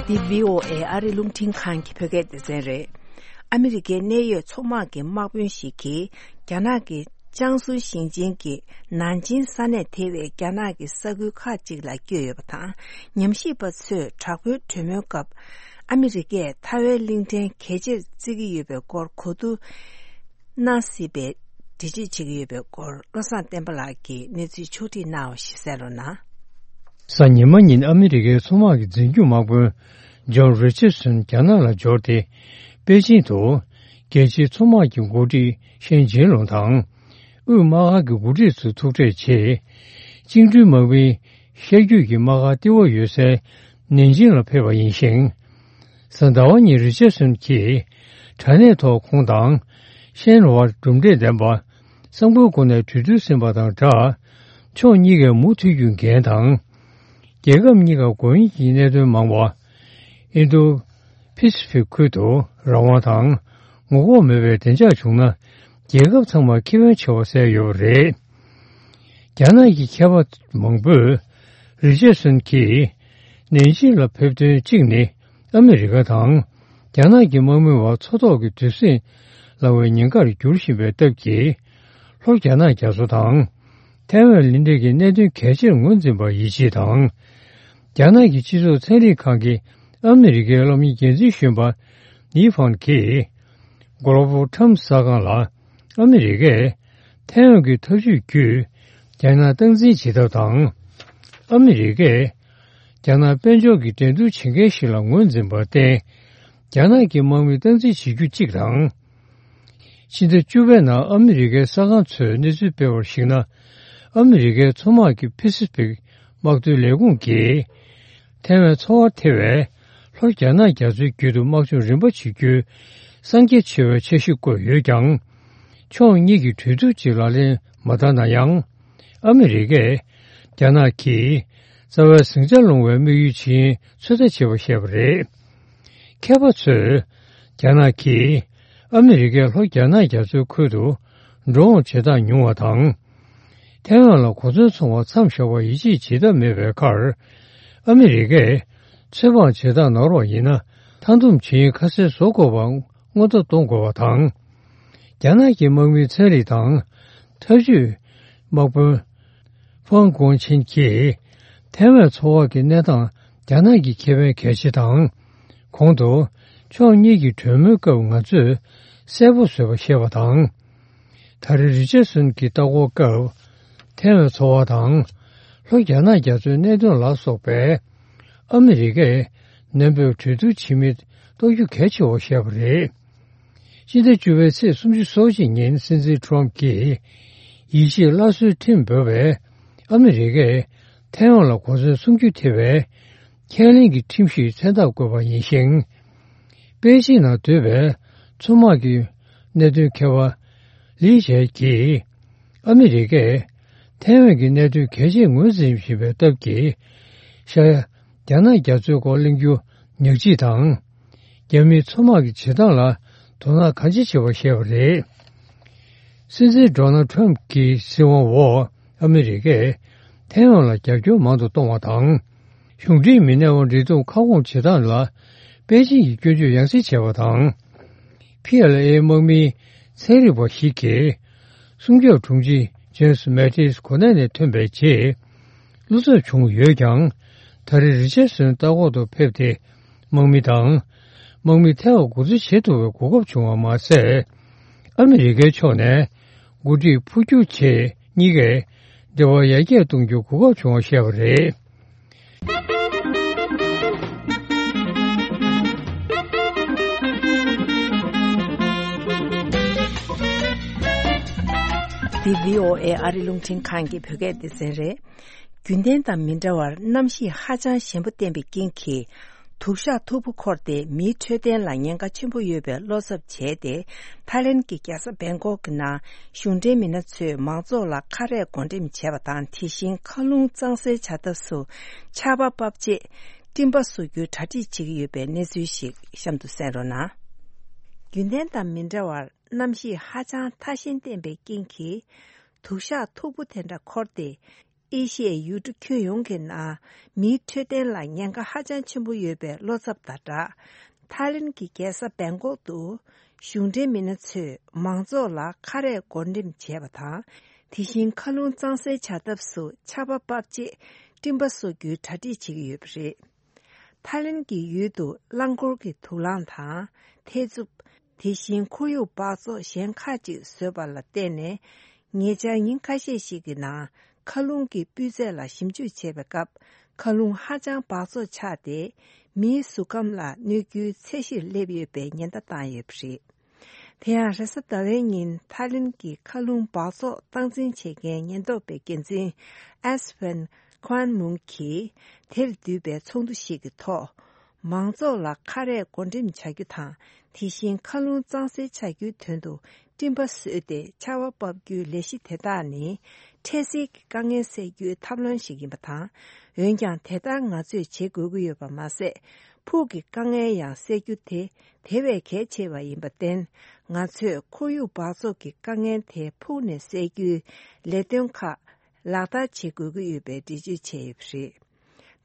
འདི་བྷི་ཨོ་ཨེ་ཨ་རི་རླུང་འཕྲིན་ཁང་གི་བོད་སྐད་སྡེ་ཚན་རེད། ཨ་མི་རི་ཀའི་གནད་ཡོད་ཚོང་དམག་གི་དམག་དཔོན་ཞིག་གིས་རྒྱ་ནག་གི་ཅང་སུའུ་ཞིང་ཆེན་གྱི་ནན་ཅིང་ས་གནས་དེ་བས་རྒྱ་ནག་གི་ས་ཁུལ་ཁག་ཅིག་ལ་བསྐྱོད་ཡོད་པ་དང་། ཉམས་ཞིབ་པ་ཚོས་དྲག་པོའི་གྲོས་མོལ་སྐབས་ཨ་མི་རི་ཀས་ཐའེ་ཝན་གླིང་ཕྲན་གལ་ཆེར་བརྩི་གི་ཡོད་པའི་སྐོར་གོ་བསྡུར་གནང་སྲིད་པའི་འགྲེལ་བརྗོད་བྱེད་ཀྱི་ཡོད་པའི་སྐོར། བློ་བཟང་བསྟན་པ་ལགས་ཀྱིས་གནས་ཚུལ་ཕྱོགས་བསྒྲིགས་གནང་བ་ཞིག་གསན་རོགས་གནང་། གཟའ་ཉི་མ་ཉིན་ཨ་མི་རི་ཀའི་མཚོ་དམག་གི་འཛིན་སྐྱོང་དམག་དཔོན་ཇོན་རི་ཆར་སོན་རྒྱ་ནག་ལ་འབྱོར་ཏེ། པེ་ཅིང་དུ་རྒྱལ་སྤྱིའི་མཚོ་དམག་གི་འགོ་ཁྲིད་ཤན་ཅིན་ལུང་དང་། དབུས་དམག་ཁང་གི་འགོ་ཁྲིད་ཚོ་ཐུག་འཕྲད་བྱས། བཅིངས་འགྲོལ་དམག་མིའི་ཤར་རྒྱུད་ཀྱི་དམག་སྒར་ལྟེ་བ་ཡོད་སའི་ནན་ཅིང་ལ་ཕེབས་པ་ཡིན་ཞིང་། གཟའ་ཟླ་བ་ཉིན་རི་ཆར་སོན་གྱིས་དྲ་གནས་ཐོག་ཁོང་དང་ཤན་དབར་གྲུབ་འབྲས་ལྡན་པ་གསང་བའི་སྒོ་ནས་གྲོས་བསྡུར་ཟིན་པ་དང་སྦྲགས། ཕྱོགས་གཉིས་ཀས་མུ་མཐུད་རྒྱུ་འགན་དང་། རྒྱལ་ཁབ་གཉིས་ཀ་དགོས་ངེས་ཀྱི་གནད་དོན་མང་བ། ཨིན་རྡོ་ཕེ་སི་ཕིག་ཁུལ་དུ་རང་དབང་དང་ངོ་ལྐོག་མེད་པའི་བདེ་འཇགས་བྱུང་ན། རྒྱལ་ཁབ་ཚང་མར་ཁེ་ཕན་ཆེ་བ་གསལ་ཡོད་པ་རེད། རྒྱ་ནག་གི་མཁས་པ་མང་པོས་རི་ཆར་སོན་གྱིས་ནན་ཅིང་ལ་ཕེབས་དོན་གཅིག་ནི། ཨ་མི་རི་ཀ་དང་རྒྱ་ནག་གི་དམག་མི་བར་མཚོ་ཐོག་གི་དུས་ཟིང་ལང་བའི་ཉེན་ཁར་འགྱུར་བཞིན་པའི་སྟབས་ཀྱིས། ལྷོ་རྒྱ་ནག་རྒྱ་མཚོ་དང་། ཐའེ་ཝན་གླིང་ཕྲན་གྱི་གནད་དོན་གལ་ཆེར་ངོས་འཛིན་པར་ཡིད་ཆེས་དང་། རྒྱ་ནག་གི་སྤྱི་ཚོགས་ཚན་རིག་ཁང་གི་ཨ་མི་རི་ཀའི་སློབ་གཉེར་འགན་འཛིན་གཞོན་པ་ནི་ཧྥང་གིས། Global Times གསར་ཁང་ལ། ཨ་མི་རི་ཀས་ཐའེ་ཝན་གྱི་ཐབས་ཇུས་བརྒྱུད་རྒྱ་ནག་སྟངས་འཛིན་བྱེད་ཐབས་དང་། ཨ་མི་རི་ཀས་རྒྱ་ནག་དཔལ་འབྱོར་གྱི་འགྲན་བསྡུར་བྱེད་མཁན་ཞིག་ལ་ངོས་འཛིན་པར་བརྟེན། རྒྱ་ནག་གི་དམག་མི་སྟངས་འཛིན་བྱེད་རྒྱུ་གཅིག་དང་། ཕྱི་ཟླ་བཅུ་པའི་ནང་ཨ་མི་རི་ཀའི་གསར་ཁང་ཚོས་གནས་ཚུལ་སྤེལ་བར་གཞིགས་ན། ཨ་མི་རི་ཀའི་མཚོ་དམག་གི་ཕེ་སི་ཕིག་དམག་དོན་ལས་ཁུངས་ཀྱིས། ཐའེ་ཝན་མཚོ་དབར་ཐེ་བའི་ལྷོ་རྒྱ་ནག་རྒྱ་མཚོའི་རྒྱུད་དུ་དམག་སྦྱོང་རིམ་པ་བྱེད་རྒྱུའི་གསང་རྒྱ་ཆེ་བའི་འཆར་གཞི་བཀོད་ཡོད་ཀྱང་། ཕྱོགས་གཉིས་ཀྱིས་གྲོས་བསྡུར་གཅིག་ལག་ལེན་མ་བསྟར་ན་ཡང་། ཨ་མི་རི་ཀས་རྒྱ་ནག་གིས་རྩ་བའི་ཟིང་ཆ་སློང་བའི་དམིགས་ཡུལ་ཇི་ཡིན་ཚོད་ལྟ་བྱེད་པར་བཤད་པ་རེད། མཁས་པ་ཚོས་རྒྱ་ནག་གིས་ཨ་མི་རི་ཀས་ལྷོ་རྒྱ་ནག་རྒྱ་མཚོའི་ཁུལ་དུ་འགྲོ་འོང་བྱེད་སྟངས་ཉུང་བ་དང་། ཐའེ་ཝན་ལ་གོ་མཚོན་འཚོང་བར་མཚམས་བཞག་པར་ཡིད་ཆེས་བྱེད་ཐབས་མེད་པའི་ཁར། ཨ་མི་རི་ཀས་ཚོད་དཔག་བྱེད་སྟངས་ནོར་བ་ཡིན་ན། མཐའ་འདོམས་བྱེད་ཡུན་ཁ་གསལ་བཟོ་དགོས་པ་སྔོན་བརྡ་གཏོང་དགོས་པ་དང་། རྒྱ་ནག་གི་དམག་མིའི་ཚན་རིག་དང་ཐབས་ཇུས་དམག་དཔོན་ཧྥང་ཀོང་ཆིན་གྱིས། ཐའེ་ཝན་མཚོ་འོག་གི་གནས་སྟངས་རྒྱ་ནག་གི་ཁེ་ཕན་གལ་ཆེ་དང་། གོང་དུ་ཕྱོགས་གཉིས་ཀྱི་གྲོས་མོལ་སྐབས་ང་ཚོས་གསལ་པོ་བཟོས་པ་ཤེས་པ་དང་། ད་རེས་རི་ཅར་སོན་གྱི་ལྟ་སྐོར་སྐབས་ཐའེ་ཝན་མཚོ་འོག་དང་། ལྷོ་རྒྱ་ནག་རྒྱ་མཚོའི་གནད་དོན་ལ་སོགས་པའི་ཨ་མི་རི་ཀས་ནན་པོས་གྲོས་བསྡུར་བྱེད་མིན་རྟོགས་རྒྱུ་གལ་ཆེ་བ་བཤད་པ་རེད། སྤྱི་ཟླ་བཅུ་པའི་ཚེས་སོ་གཅིག་ཉིན་སྲིད་འཛིན་ཁྲོམ་གྱིས་ཡིད་ཆེས་སླར་གསོའི་ཁྲིམས་འབོད་པའི་ཨ་མི་རི་ཀས་ཐའེ་ཝན་ལ་གོ་མཚོན་སྲུང་རྒྱུ་ཐེ་བའི་ཁས་ལེན་གྱི་ཁྲིམས་ཞིག་མཚན་རྟགས་བཀོད་པ་ཡིན་ཞིང་། པེ་ཅིང་ནང་སྡོད་པའི་མཚོ་དམག་གི་གནད་དོན་མཁས་པ་ལི་ཞའེ་གྱིས་ཨ་མི་རི་ཀས་ཐའེ་ཝན་གྱི་གནད་དོན་གལ་ཆེ་ངོས་འཛིན་བཞིན་པའི་སྟབས་ཀྱིས་ཤར་རྒྱ་ནག་རྒྱ་མཚོའི་སྐོར་གླེང་རྒྱུ་ཉག་གཅིག་དང་། རྒྱ་མིའི་མཚོ་དམག་གི་བྱེད་སྟངས་ལ་དོ་སྣང་གང་ཆེ་བྱེད་པ་བཤད་པ་རེད། སྲིད་འཛིན་ཌོ་ནལ་ཁྲོམ་གྱི་སྲིད་དབང་འོག་ཨ་མི་རི་ཀས་ཐའེ་ཝན་ལ་རྒྱབ་སྐྱོར་མང་དུ་གཏོང་བ་དང་། གཞུང་འབྲེལ་མི་སྣའི་འབྲེལ་གཏོང་ཁ་སྐོང་བྱེད་སྟངས་ལ་པེ་ཅིང་གིས་སྐྱོན་བརྗོད་ཡང་སེ་བྱས་པ་དང་། ཕི་ཨེལ་ཨེ་དམག་མིའི་ཚན་རིག་པ་ཞིག་གིས་སྲུང་སྐྱོབ་དྲུང་ཆེ་ཇེམ་སི་མེ་ཏིས་གོ་གནས་ནས་ཐོན་པའི་རྗེས། བློ་འཚབ་བྱུང་ཡོད་ཀྱང་། ད་རེས་རི་ཅར་སོན་ལྟ་སྐོར་དུ་ཕེབས་ཏེ། དམག་མི་དང་། དམག་མི་ཐེ་བ་འགོ་འཛུགས་བྱེད་ཐུབ་པའི་གོ་སྐབས་བྱུང་བ་མ་ཟད། ཨ་མི་རི་ཀའི་ཕྱོགས་ནས་འགོ་ཁྲིད་འཕོ་འགྱུར་བྱས་གཉིས་ཀས་འབྲེལ་བ་ཡར་རྒྱས་གཏོང་རྒྱུའི་གོ་སྐབས་བྱུང་བ་བཤད་པ་རེད། འདི་བྷི་ཨོ་ཨེ་ཨ་རི་རླུང་འཕྲིན་ཁང་གི་བོད་སྐད་སྡེ་ཚན་རེད། རྒྱུན་ལྡན་དང་མི་འདྲ་བར་གནམ་གཤིས་ཧ་ཅང་ཞན་པོ་བསྟན་པའི་རྐྱེན་གྱིས། དུག་ཤག་མཐུག་པོ་འཁོར་ཏེ་མིའི་འཕྲོད་བསྟེན་ལ་ཉེན་ཁ་ཆེན་པོ་ཡོད་པའི་བློ་འཚབ་བྱས་ཏེ། ཐའི་ལེན་གྱི་རྒྱལ་ས་བེང་ཀོག་གི་ནང་གཞུང་འབྲེལ་མི་སྣ་ཚོས་མང་ཚོགས་ལ་ཁ་རས་བགོ་འགྲེམས་བྱས་པ་དང་། དེ་བཞིན་མཁའ་རླུང་གཙང་སེལ་བྱ་ཐབས་སུ་ཆར་པ་ཕབ་རྗེས་སྤྲིན་པ་བཟོ་རྒྱུའི་གྲ་སྒྲིག་བྱེད་ཀྱི་ཡོད་པའི་གནས་ཚུལ་ཞིག་གཤམ་དུ་གསན་རོགས་གནང་། རྒྱུན་ལྡན་དང་མི་འདྲ་བར་གནམ་གཤིས་ཧ་ཅང་ཐ་ཞན་བསྟན་པའི་རྐྱེན་གྱིས། དུག་ཤག་མཐུག་པོ་དེ་འདྲ་འཁོར་ཏེ། ཨེ་ཤི་ཡའི་ཡུལ་གྲུ་ཁྱོན་ཡོངས་ཀྱི་ནང་མིའི་འཕྲོད་བསྟེན་ལ་ཉེན་ཁ་ཧ་ཅང་ཆེན་པོ་ཡོད་པའི་བློ་འཚབ་དང་སྦྲགས། ཐའི་ལེན་གྱི་རྒྱལ་ས་བེང་ཀོག་ཏུ་གཞུང་འབྲེལ་མི་སྣ་ཚོས་མང་ཚོགས་ལ་ཁ་རས་བགོ་འགྲེམས་བྱས་པ་དང་། དེ་བཞིན་མཁའ་རླུང་གཙང་སེལ་བྱ་ཐབས་སུ་ཆར་པ་ཕབ་རྗེས་སྤྲིན་པ་བཟོ་རྒྱུའི་གྲ་སྒྲིག་བྱེད་ཀྱི་ཡོད་པ་རེད། ཐའི་ལེན་གྱི་ཡུལ་དུ་རླངས་འཁོར་གྱི་དུག་རླངས་དང་། ཐེ་ཚུབ། དེ་བཞིན་ཁོར་ཡུག་འབག་བཙོག་གཞན་ཁག་ཅིག་བཟོས་པ་ལ་བརྟེན་ནས། ཉེ་ཆར་ཉིན་ཁ་ཤས་ཤིག་གི་ནང་མཁའ་རླུང་གི་སྤུས་ཚད་ལ་ཞིབ་འཇུག་བྱེད་པའི་སྐབས། མཁའ་རླུང་ཧ་ཅང་འབག་བཙོག་ཆགས་ཏེ། མིའི་གཟུགས་ཁམས་ལ་གནོད་རྒྱུའི་ཚད་གཞིར་སླེབས་ཡོད་པའི་ཉེན་བརྡ་བཏང་ཡོད་པ་རེད། དེ་ཡང་རེས་གཟའ་ཟླ་བའི་ཉིན་ཐའི་ལེན་གྱི་མཁའ་རླུང་འབག་བཙོག་སྟངས་འཛིན་བྱེད་མཁན་ཉེན་རྟོག་པའི་འགན་འཛིན་ཨེས་ཕན་ཁོན་མུང་གིས་དེར་བསྡུས་པའི་ཚོགས་འདུ་ཞིག་གི་ཐོག་མང་ཚོགས་ལ་ཁ་རས་བགོ་འགྲེམས་བྱ་རྒྱུ་དང་། དེ་བཞིན་མཁའ་རླུང་གཙང་སེལ་བྱ་རྒྱུའི་དོན་དུ་སྤྲིན་པ་བཟོས་ཏེ་ཆར་པ་ཕབ་རྒྱུའི་ལས་གཞི་དེ་དག་ནི། འཕྲལ་སེལ་གྱི་དཀའ་ངལ་སེལ་རྒྱུའི་ཐབས་ལམ་ཞིག་ཡིན་པ་དང་། འོན་ཀྱང་དེ་ལྟར་ང་ཚོས་བྱེད་དགོས་ཀྱི་ཡོད་པ་མ་ཟད། ཕུགས་ཀྱི་དཀའ་ངལ་ཡང་སེལ་རྒྱུ་དེ་དེ་བས་གལ་ཆེ་བ་ཡིན་པར་བརྟེན། ང་ཚོས་ཁོར་ཡུག་འབག་བཙོག་གི་དཀའ་ངལ་དེ་ཕུགས་ནས་སེལ་རྒྱུའི་ལས་དོན་ཁག་ལག་བསྟར་བྱེད་དགོས་ཀྱི་ཡོད་པའི་འགྲེལ་བརྗོད་བྱས་ཡོད་པ་རེད།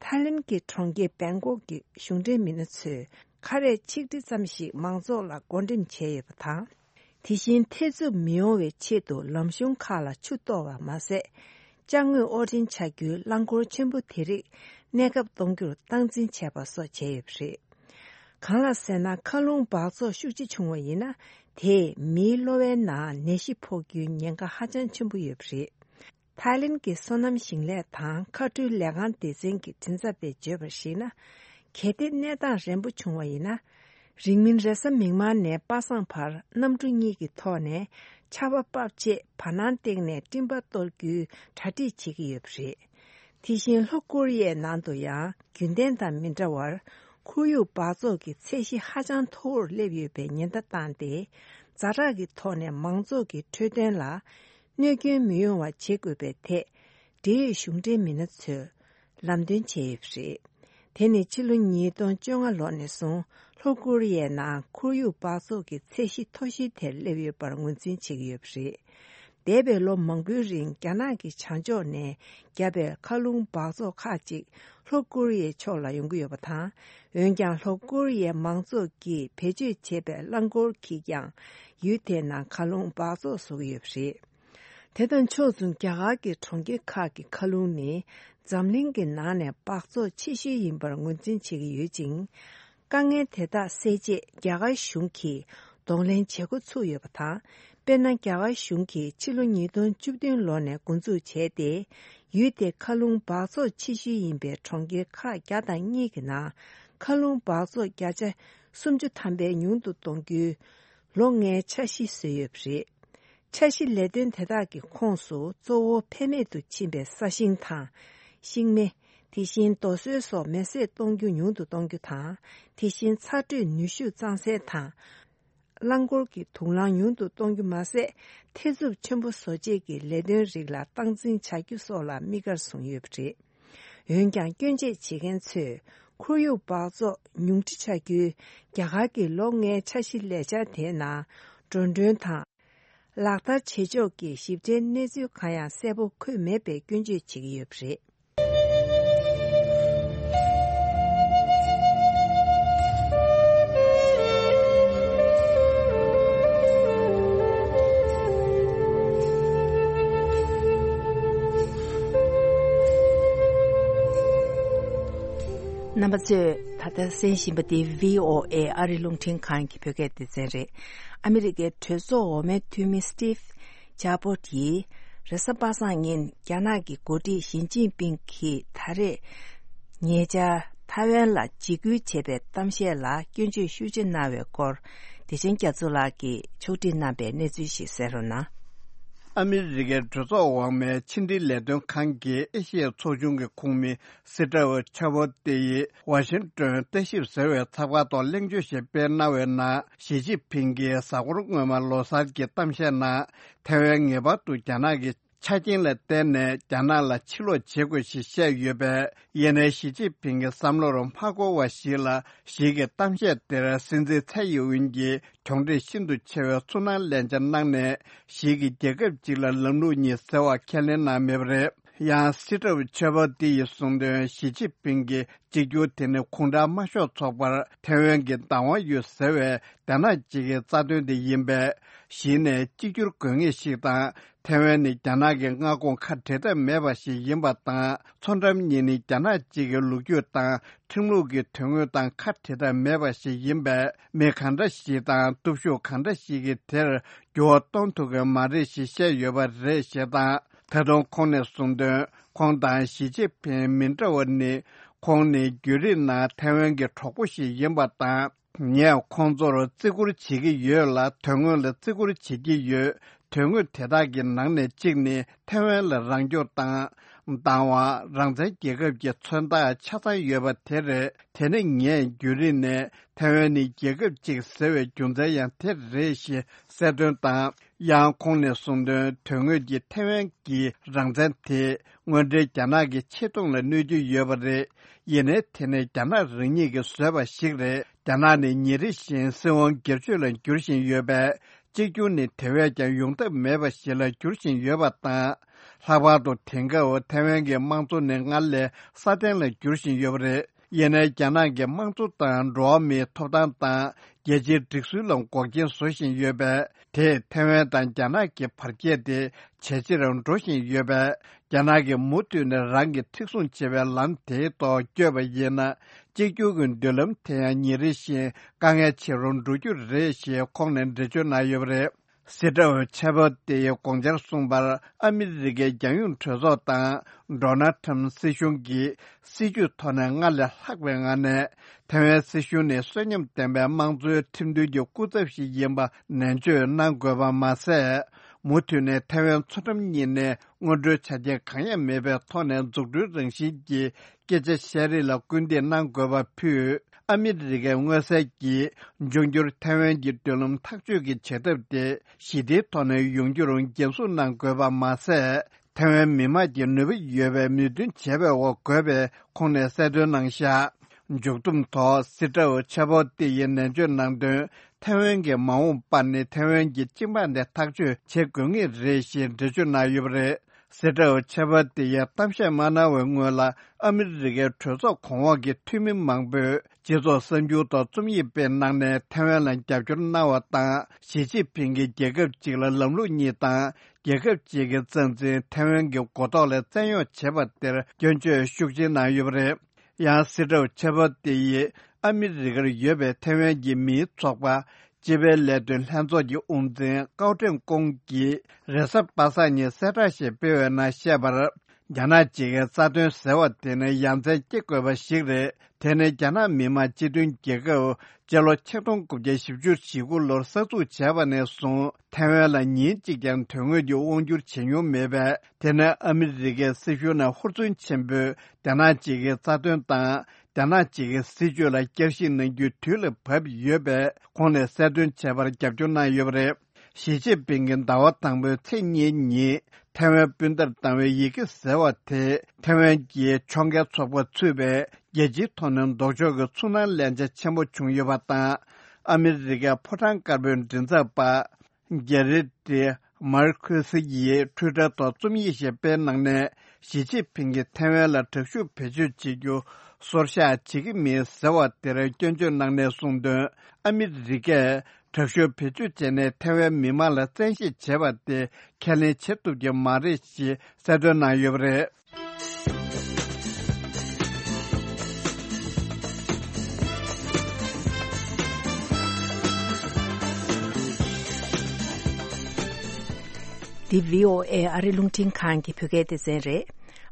ཐའི་ལེན་གྱི་གྲོང་ཁྱེར་བེང་ཀོག་གི་གཞུང་འབྲེལ་མི་སྣ་ཚོས་ཁ་རས་ཆིག་ཁྲི་ཙམ་ཞིག་མང་ཚོགས་ལ་བགོ་འགྲེམས་བྱས་ཡོད་པ་དང་། དེ་བཞིན་ཐེ་ཚུབ་མི་ཡོང་བའི་ཆེད་དུ་ལམ་གཞུང་ཁག་ལ་ཆུ་གཏོར་བ་མ་ཟད། ཅ་དངོས་དབོར་འདྲེན་བྱ་རྒྱུའི་རླངས་འཁོར་ཆེན་པོ་དེ་རིགས་གནས་སྐབས་གཏོང་རྒྱུར་སྟངས་འཛིན་བྱས་པ་སོགས་བྱས་ཡོད་པ་རེད། གང་ལགས་ཟེར་ན། མཁའ་རླུང་འབག་བཙོག་ཤུགས་ཆེ་བྱུང་བ་ཡིན་ན། དེས་མིའི་གློ་བའི་ནང་ནད་གཞི་ཕོག་རྒྱུའི་ཉེན་ཁ་ཧ་ཅང་ཆེན་པོ་ཡོད་པ་རེད། ཐའི་ལེན་གྱི་སོ་ནམ་ཞིང་ལས་དང་མཁའ་འགྲུལ་ལས་ཁང་སྡེ་ཚན་གྱི་མགྲིན་ཚབ་པས་བརྗོད་པར་གཞིགས་ན། གལ་ཏེ་གནས་སྟངས་རན་པོ་བྱུང་བ་ཡིན་ན། རིང་མིན་རེས་གཟའ་མིག་དམར་ནས་པ་སངས་བར་གནམ་གྲུ་གཉིས་ཀྱི་ཐོག་ནས་ཆར་པ་ཕབ་རྗེས་བར་སྣང་སྟེང་ནས་སྤྲིན་པ་གཏོར་རྒྱུའི་གྲ་སྒྲིག་བྱེད་ཀྱི་ཡོད་པ་རེད། དེ་བཞིན་ལྷོ་ཀོ་རི་ཡའི་ནང་དུ་ཡང་རྒྱུན་ལྡན་དང་མི་འདྲ་བར་ཁོར་ཡུག་འབག་བཙོག་གི་ཚད་གཞི་ཧ་ཅང་མཐོ་བོར་སླེབས་ཡོད་པའི་ཉེན་བརྡ་བཏང་སྟེ། ཛ་དྲག་གི་ཐོག་ནས་མང་ཚོགས་ཀྱི་འཕྲོད་བསྟེན་ལ་གནོད་སྐྱོན་མི་ཡོང་བ་བྱེད་དགོས་པའི་ཐད། འབྲེལ་ཡོད་གཞུང་འབྲེལ་མི་སྣ་ཚོས་ལམ་སྟོན་བྱས་ཡོད་པ་རེད། དེ་ནི་ཕྱི་ལོ་ཉིས་སྟོང་བཅོ་ལྔ་ལོ་ནས་བཟུང་ལྷོ་ཀོ་རི་ཡའི་ནང་ཁོར་ཡུག་འབག་བཙོག་གི་ཚད་གཞི་མཐོ་ཤོས་དེར་སླེབས་ཡོད་པར་ངོས་འཛིན་བྱེད་ཀྱི་ཡོད་པ་རེད། འདས་པའི་ལོ་མང་པོའི་རིང་རྒྱ་ནག་གི་བྱང་ཕྱོགས་ནས་བརྒྱབ་པའི་མཁའ་རླུང་འབག་བཙོག་ཁག་ཅིག་ལྷོ་ཀོ་རི་ཡའི་ཕྱོགས་ལ་ཡོང་གི་ཡོད་པ་དང་། འོན་ཀྱང་ལྷོ་ཀོ་རི་ཡའི་མང་ཚོགས་ཀྱིས་བེད་སྤྱོད་བྱེད་པའི་རླངས་འཁོར་གྱིས་ཀྱང་ཡུལ་དེའི་ནང་མཁའ་རླུང་འབག་བཙོག་བཟོ་གི་ཡོད་པ་རེད། དེ་དང་ཕྱོགས་མཚུངས། རྒྱ་གར་གྱི་གྲོང་ཁྱེར་ཁག་གི་མཁའ་རླུང་ནི་འཛམ་གླིང་གི་ནང་ནས་འབག་བཙོག་ཆེ་ཤོས་ཡིན་པར་ངོས་འཛིན་བྱེད་ཀྱི་ཡོད་ཅིང་། དཀའ་ངལ་དེ་དག་སེལ་ཆེད་རྒྱ་གར་གཞུང་གིས་གདོང་ལེན་བྱེད་འགོ་ཚུགས་ཡོད་པ་དང་། དཔེར་ན། རྒྱ་གར་གཞུང་གིས་ཕྱི་ལོ་ཉིས་སྟོང་བཅུ་བདུན་ལོ་ནས་འགོ་འཛུགས་བྱས་ཏེ། ཡུལ་དེའི་མཁའ་རླུང་འབག་བཙོག་ཆེ་ཤོས་ཡིན་པའི་གྲོང་ཁྱེར་ཁག་བརྒྱ་དང་གཉིས་ཀྱི་ནང་། མཁའ་རླུང་འབག་བཙོག་བརྒྱ་ཆ་སུམ་ཅུ་ཐམ་པ་ཉུང་དུ་གཏོང་རྒྱུའི་ལོ་ལྔའི་འཆར་གཞི་བཟོས་ཡོད་པ་རེད། འཆར་གཞི་ལས་དོན་དེ་དག་གི་ཁོངས་སུ་གཙོ་བོ་ཕན་མེད་དུ་ཕྱིན་པའི་ས་ཞིང་དང་། ཤིང་མེ། དེ་བཞིན་རྡོ་སོལ་སོགས་མེ་བསྲེགས་གཏོང་རྒྱུ་ཉུང་དུ་གཏོང་རྒྱུ་དང་། དེ་བཞིན་ཚ་དྲོད་ནུས་ཤུགས་གཙང་སེལ་དང་། རླངས་འཁོར་གྱི་དུག་རླངས་ཉུང་དུ་གཏོང་རྒྱུ་མ་ཟད། ཐེ་ཚོམ་ཆེན་པོ་བཟོ་བྱེད་ཀྱི་ལས་དོན་རིགས་ལ་སྟངས་འཛིན་བྱ་རྒྱུ་སོགས་ལ་དམིགས་བཀར་བཟུང་ཡོད་པ་རེད། འོན་ཀྱང་། སྐྱོན་བརྗོད་བྱེད་མཁན་ཚོས། ཁོར་ཡུག་འབག་བཙོག་ཉུང་འཕྲི་བྱ་རྒྱུའི་རྒྱ་གར་གྱི་ལོ་ལྔའི་འཆར་གཞི་ལས་འཆར་དེའི་ནང་། འགྲོ་གྲོན་དང་། ལག་བསྟར་བྱེད་ཕྱོགས་ཀྱི་ཞིབ་ཕྲའི་གནས་ཚུལ་གང་ཡང་གསལ་པོ་འཁོད་མེད་པའི་སྐྱོན་བརྗོད་བྱེད་ཀྱི་ཡོད་པ་རེད། རྣམ་པ་ཚོས་ད་ལྟ་གསན་བཞིན་པ་འདི་བྷི་ཨོ་ཨེ་ཨ་རིའི་རླུང་འཕྲིན་ཁང་གི་བོད་སྐད་སྡེ་ཚན་རེད། ཨ་མི་རི་ཀའི་གྲོས་ཚོགས་འོག་མའི་འཐུས་མི་སི་ཊིབ་ཇ་པོར་ཡིས་རེས་གཟའ་པ་སངས་ཉིན་རྒྱ་ནག་གི་འགོ་ཁྲིད་ཞི་ཅིན་ཕིང་གིས་ད་རེས་ཉེ་ཆར་ཐའེ་ཝན་ལ་འཇིགས་སྐུལ་བྱས་པའི་གཏམ་བཤད་ལ་སྐྱོན་བརྗོད་ཤུགས་ཆེ་གནང་བའི་སྐོར། བདེ་ཆེན་རྒྱ་མཚོ་ལགས་ཀྱིས་ཕྱོགས་སྒྲིག་གནང་པའི་གནས་ཚུལ་ཞིག་གསན་རོགས་གནང་། ཨ་མི་རི་ཀའི་གྲོས་ཚོགས་འོག་མའི་ཕྱི་འབྲེལ་ལས་དོན་ཁང་གི་ཨེ་ཤི་ཡའི་ཚོགས་ཆུང་གི་ཁོངས་མི་སི་ཀྲའོ་ཆ་བོ་ཏེ་ཡིས་ཝ་ཤིང་ཏོན་ལྟ་ཞིབ་ཟེར་བའི་ཚགས་པར་ཐོག་གླེང་བརྗོད་ཞིག་སྤེལ་གནང་བའི་ནང་། ཞི་ཅིན་ཕིང་གིས་གཟའ་འཁོར་སྔོན་མ་ལོ་གསར་གྱི་གཏམ་བཤད་ནང་། ཐའེ་ཝན་ངེས་པར་དུ་རྒྱ་ནག་གི་ཆ་རྐྱེན་ལ་བརྟེན་ནས་རྒྱ་ནག་ལ་ཕྱིར་ལོག་བྱེད་དགོས་ཞེས་བཤད་ཡོད་པས། ཡིན་ནའི་ཞི་ཅིན་ཕིང་གི་བསམ་བློར་མ་འགོར་བ་ཞིག་ལ། ཞིག་གི་གཏམ་བཤད་དེར་སྲིད་འཛིན་ཚའེ་ཡིན་ཝིན་གྱིས། གྱོང་འཕྲད་ཤིན་ཏུ་ཆེ་བའི་ཚུར་སྣང་ལན་ཆ་གནང་ནས། ཞིག་གིས་རྒྱལ་ཁབ་ཅིག་ལ་ལམ་ལུགས་གཉིས་ཟེར་བ་ཁས་ལེན་གནང་མེད་པ་རེད། ཡང་སི་ཀྲའོ་ཆ་བོ་ཏེ་ཡིས་གསུངས་དོན། ཞི་ཅིན་ཕིང་གིས་གཅིག་གྱུར་དེ་ནི་ཁོང་ཁྲོ་མ་ཤོར་ཚོགས་པར་ཐའེ་ཝན་གྱི་བདག་དབང་ཡོད་ཟེར་བའི་རྒྱ་ནག་ཅིག་གི་རྩ་དོན་དེ་ཡིན་པས། གཞི་ནས་གཅིག་གྱུར་དགོས་ངེས་ཤིག་དང་། ཐའེ་ཝན་ནི་རྒྱ་ནག་གི་མངའ་ཁོངས་ཁ་བྲལ་ཐབས་མེད་པ་ཞིག་ཡིན་པ་དང་། མཚོ་འགྲམ་གཉིས་ནི་རྒྱ་ནག་གཅིག་གི་ལོ་རྒྱུས་དང་ཁྲིམས་ལུགས་ཀྱི་དོན་དངོས་དང་ཁ་བྲལ་ཐབས་མེད་པ་ཞིག་ཡིན་པས། མི་གང་འདྲ་ཞིག་དང་སྟོབས་ཤུགས་གང་འདྲ་ཞིག་གིས་དེར་འགྱུར་བ་གཏོང་ཐུབ་ཀྱི་མ་རེད་ཞེས་བཤད་ཡོད་པ་རེད་ཞེས་དང་། ད་དུང་ཁོང་ནས་གསུངས་དོན། ཁོང་དང་ཞི་ཅིན་ཕིང་མི་འདྲ་བ་ནི། ཁོང་ནི་རྒྱུན་རིང་ནང་ཐའེ་ཝན་གྱི་གྲོགས་པོ་ཞིག་ཡིན་པ་དང་། ངས་ཁོང་ཚོར་བརྩི་བཀུར་བྱེད་ཀྱི་ཡོད་ལ། དོན་དངོས་ལ་བརྩི་བཀུར་བྱེད་ཀྱི་ཡོད། དོན་དངོས་དེ་དག་གི་ནང་ནས་གཅིག་ནི་ཐའེ་ཝན་ལ་རང་སྐྱོང་དང་། བདག་དབང་། རང་བཙན་རྒྱལ་ཁབ་ཀྱི་མཚོན་རྟགས་ཆ་ཚང་ཡོད་པ་དེ་རེད། དེ་ནི་ངས་རྒྱུན་རིང་ནས་ཐའེ་ཝན་ནི་རྒྱལ་ཁབ་ཅིག་ཟེར་བའི་རྒྱུ་མཚན་ཡང་དེ་རེད་ཞེས་གསལ་སྟོན་དང་། ཡང་ཁོང་ནས་གསུངས་དོན། དོན་དངོས་ཀྱི་ཐའེ་ཝན་གྱི་རང་བཙན་དེ་དངོས་འབྲེལ་རྒྱ་ནག་གི་ཆེ་མཐོང་ལ་གནོད་ཀྱི་ཡོད་པ་རེད། ཡིན་ནའི་དེ་ནི་རྒྱ་ནག་རང་ཉིད་ཀྱིས་བཟོས་པ་ཞིག་རེད། རྒྱ་ནག་ནི་ཉིན་རེ་བཞིན་སྲིད་དབང་སྒེར་གཅོད་ལ་འགྱུར་བཞིན་ཡོད་པས། གཅིག་གྱུར་ནི་དེ་བས་ཀྱང་ཡོང་ཐབས་མེད་པ་ཞིག་ལ་འགྱུར་བཞིན་ཡོད་པ་དང་། ལྷག་པར་དུ་དེང་སྐབས་ཐའེ་ཝན་གྱི་དམངས་གཙོ་ནི་སྔར་ལས་སྲ་བརྟན་ལ་འགྱུར་བཞིན་ཡོད་པ་རེད། ཡིན་ནའི་རྒྱ་ནག་གི་དམངས་གཙོ་དང་འགྲོ་བ་མིའི་ཐོབ་ཐང་དང་རྒྱལ་སྤྱིའི་སྒྲིག་སྲོལ་ལ་འགོག་རྐྱེན་བཟོ་བཞིན་ཡོད་པས། དེས་ཐའེ་ཝན་དང་རྒྱ་ནག་གི་བར་ཁྱད་དེ་ཇེ་ཆེར་འགྲོ་བཞིན་ཡོད་པས། རྒྱ་ནག་གིས་མུ་མཐུད་ནས་རང་གིས་མཁྲེགས་བཟུང་བྱེད་པའི་ལམ་དེའི་ཐོག་བསྐྱོད་པ་ཡིན་ན། གཅིག་གྱུར་གྱི་མདུན་ལམ་དེ་ཡང་ཉིན་རེ་བཞིན་དཀའ་ངལ་ཆེ་རུ་འགྲོ་རྒྱུ་རེད་ཞེས་ཁོང་ནས་འགྲེལ་བརྗོད་གནང་ཡོད་པ་རེད། སི་ཀྲའོ་ཆ་བོ་ཏེ་ཡིས་དགོངས་འཆར་གསུངས་པར། ཨ་མི་རི་ཀའི་རྒྱལ་ཡོངས་གྲོས་ཚོགས་དང་ཌོ་ནལ་ཁྲམ་སྲིད་གཞུང་གིས་སྲིད་ཇུས་ཐོག་ནས་སྔར་ལས་ལྷག་པའི་ངང་ནས་ཐའེ་ཝན་སྲིད་གཞུང་ནི་གསོན་ཉམས་ལྡན་པའི་དམངས་གཙོའི་ཁྲིམས་མཐུན་གྱི་སྐུ་ཚབ་ཞིག་ཡིན་པ་ནན་བརྗོད་གནང་དགོས་པ་མ་ཟད། མུ་མཐུད་ནས་ཐའེ་ཝན་མཚོ་འགྲམ་གཉིས་ནས་སྔོན་འགྲོའི་ཆ་རྐྱེན་གང་ཡང་མེད་པའི་ཐོག་ནས་འཛུགས་སྐྲུན་རང་བཞིན་གྱི་སྐད་ཆ་བཤད་རེས་ལ་སྐུལ་འདེད་གནང་དགོས་པ་ཕུད། ཨ་མི་རི་ཀའི་མངོན་གསལ་གྱིས་འབྱུང་འགྱུར་ཐའེ་ཝན་གྱི་མདུན་ལམ་ཐག་གཅོད་ཀྱི་བྱེད་ཐབས་དེ་ཞི་བདེའི་ཐོག་ནས་ཡོང་རྒྱུར་འགན་སྲུང་གནང་དགོས་པ་མ་ཟད། ཐའེ་ཝན་མི་དམངས་ཀྱི་ནུས་པ་ཡོད་པའི་མོས་མཐུན་བྱས་པའི་འོག་དགོས་པའི་ཁོང་ནས་གསལ་སྟོན་གནང་བཞག་མཇུག་བསྡོམས་ཐོག་སི་ཀྲའོ་ཆ་བོ་ཏི་ཡིས་ནན་བརྗོད་གནང་དོན། ཐའེ་ཝན་གྱི་མ་འོངས་པར་ནི་ཐའེ་ཝན་གྱི་སྤྱི་འབངས་དེ་ཐག་གཅོད་བྱེད་དགོས་ངེས་རེད་ཞེས་འགྲེལ་བརྗོད་གནང་ཡོད་པ་རེད། སྲིད་ཁྲིམས་ཆད་པ་དེ་ཡི་གཏམ་བཤད་མ་གནང་བའི་སྔོན་ལ། ཨ་མི་རི་ཀའི་གྲོས་ཚོགས་གོང་འོག་གི་འཐུས་མི་མང་པོས་སྤྱི་ཚོགས་གསར་འགྱུར་ཐོག་རྩོམ་ཡིག་སྤེལ་གནང་ནས། ཐའེ་ཝན་ལ་རྒྱབ་སྐྱོར་གནང་བ་དང་། ཞི་ཅིན་ཕིང་གིས་རྒྱལ་ཁབ་གཅིག་ལ་ལམ་ལུགས་གཉིས་དང་། རྒྱལ་ཁབ་གཅིག་གི་རྩ་འཛིན་ཐའེ་ཝན་གྱི་མགོ་ཐོག་ལ་བཙན་གཡོག་བྱས་པ་དེར་སྐྱོན་བརྗོད་ཤུགས་ཆེ་གནང་ཡོད་པ་རེད། ཡང་སྲིད་ཁྲིམས་ཆད་པ་དེ་ཡིས་ཨ་མི་རི་ཀར་ཡོད་པའི་ཐའེ་ཝན་གྱི་མིའི་ཚོགས་པ། སྤྱི་པའི་ལས་དོན་ལྷན་ཚོགས་ཀྱི་དབུ་འཛིན་ཀའོ་ཀྲེང་ཀུང་གིས་རེས་གཟའ་པ་སངས་ཉིན་གསལ་བསྒྲགས་ཤིག་སྤེལ་བའི་ནང་བཤད་པར། རྒྱ་ནག་གཅིག་གི་རྩ་དོན་ཟེར་བ་དེ་ནི་ཡ་མཚན་སྐྱེ་དགོས་པ་ཞིག་རེད། དེ་ནི་རྒྱ་ནག་མི་དམངས་སྤྱི་མཐུན་རྒྱལ་ཁབ་སྤྱི་ལོ་ཆིག་སྟོང་དགུ་བརྒྱ་བཞི་བཅུ་ཞེ་དགུ་ལོར་གསར་འཛུགས་བྱས་པ་ནས་བཟུང་། ཐའེ་ཝན་ལ་ཉིན་གཅིག་ཀྱང་དོན་དངོས་ཀྱི་དབང་སྒྱུར་བྱེད་མྱོང་མེད་པས། དེ་ནི་ཨ་མི་རི་ཀའི་སྲིད་གཞུང་ནས་ཧུར་བརྩོན་ཆེན་པོས་རྒྱ་ནག་གཅིག་གི་རྩ་དོན་དང་། རྒྱ་ནག་གཅིག་གི་སྲིད་བྱུས་ལ་བསྐྱར་ཞིབ་གནང་རྒྱུའི་དུས་ལ་བབ་ཡོད་པས། ཁོང་ནས་གསལ་སྟོན་བྱས་པར་རྒྱབ་སྐྱོར་གནང་ཡོད་པ་རེད། ཞི་ཅིན་ཕིང་གིས་ཟླ་བ་དང་པོའི་ཚེས་གཉིས་ཉིན་ཐའེ་ཝན་སྤུན་ཟླར་བཏང་བའི་ཡི་གེ་ཟེར་བ་དེ། ཐའེ་ཝན་གྱི་ཕྱོགས་འགལ་ཚོགས་པ་ཚུད་པའི་རྒྱལ་སྤྱིའི་ཐོག་ནས་ལྡོག་ཕྱོགས་ཀྱི་ཚོར་སྣང་ལན་ཆ་ཆེན་པོ་བྱུང་ཡོད་པ་དང་། ཨ་མི་རི་ཀའི་ཕོ་བྲང་དཀར་པོའི་མགྲིན་ཚབ་པ། གྷེ་རི་ཏི་མར་ཁུ་སི་ཡིས་ཊུའི་ཊར་ཐོག་རྩོམ་ཡིག་ཞིག་སྤེལ་གནང་ནས། ཞི་ཅིན་ཕིང་གིས་ཐའེ་ཝན་ལ་དྲག་ཤུགས་བེད་སྤྱོད་བྱེད་རྒྱུ་སོར་བཞག་བྱེད་ཀྱི་མིན་ཟེར་བ་དེར་སྐྱོན་བརྗོད་གནང་ནས་གསུངས་དོན། ཨ་མི་རི་ཀས་དྲག་ཤུགས་བེད་སྤྱོད་བྱས་ནས་ཐའེ་ཝན་མི་མང་ལ་བཙན་ཤེད་བྱས་པ་དེ་ཁས་ལེན་བྱེད་ཐུབ་ཀྱི་མ་རེད་ཞེས་གསལ་སྟོན་གནང་ཡོད་པ་རེད། འདི་བྷི་ཨོ་ཨེ་ཨ་རི་རླུང་འཕྲིན་ཁང་གི་བོད་སྐད་སྡེ་ཚན་རེད།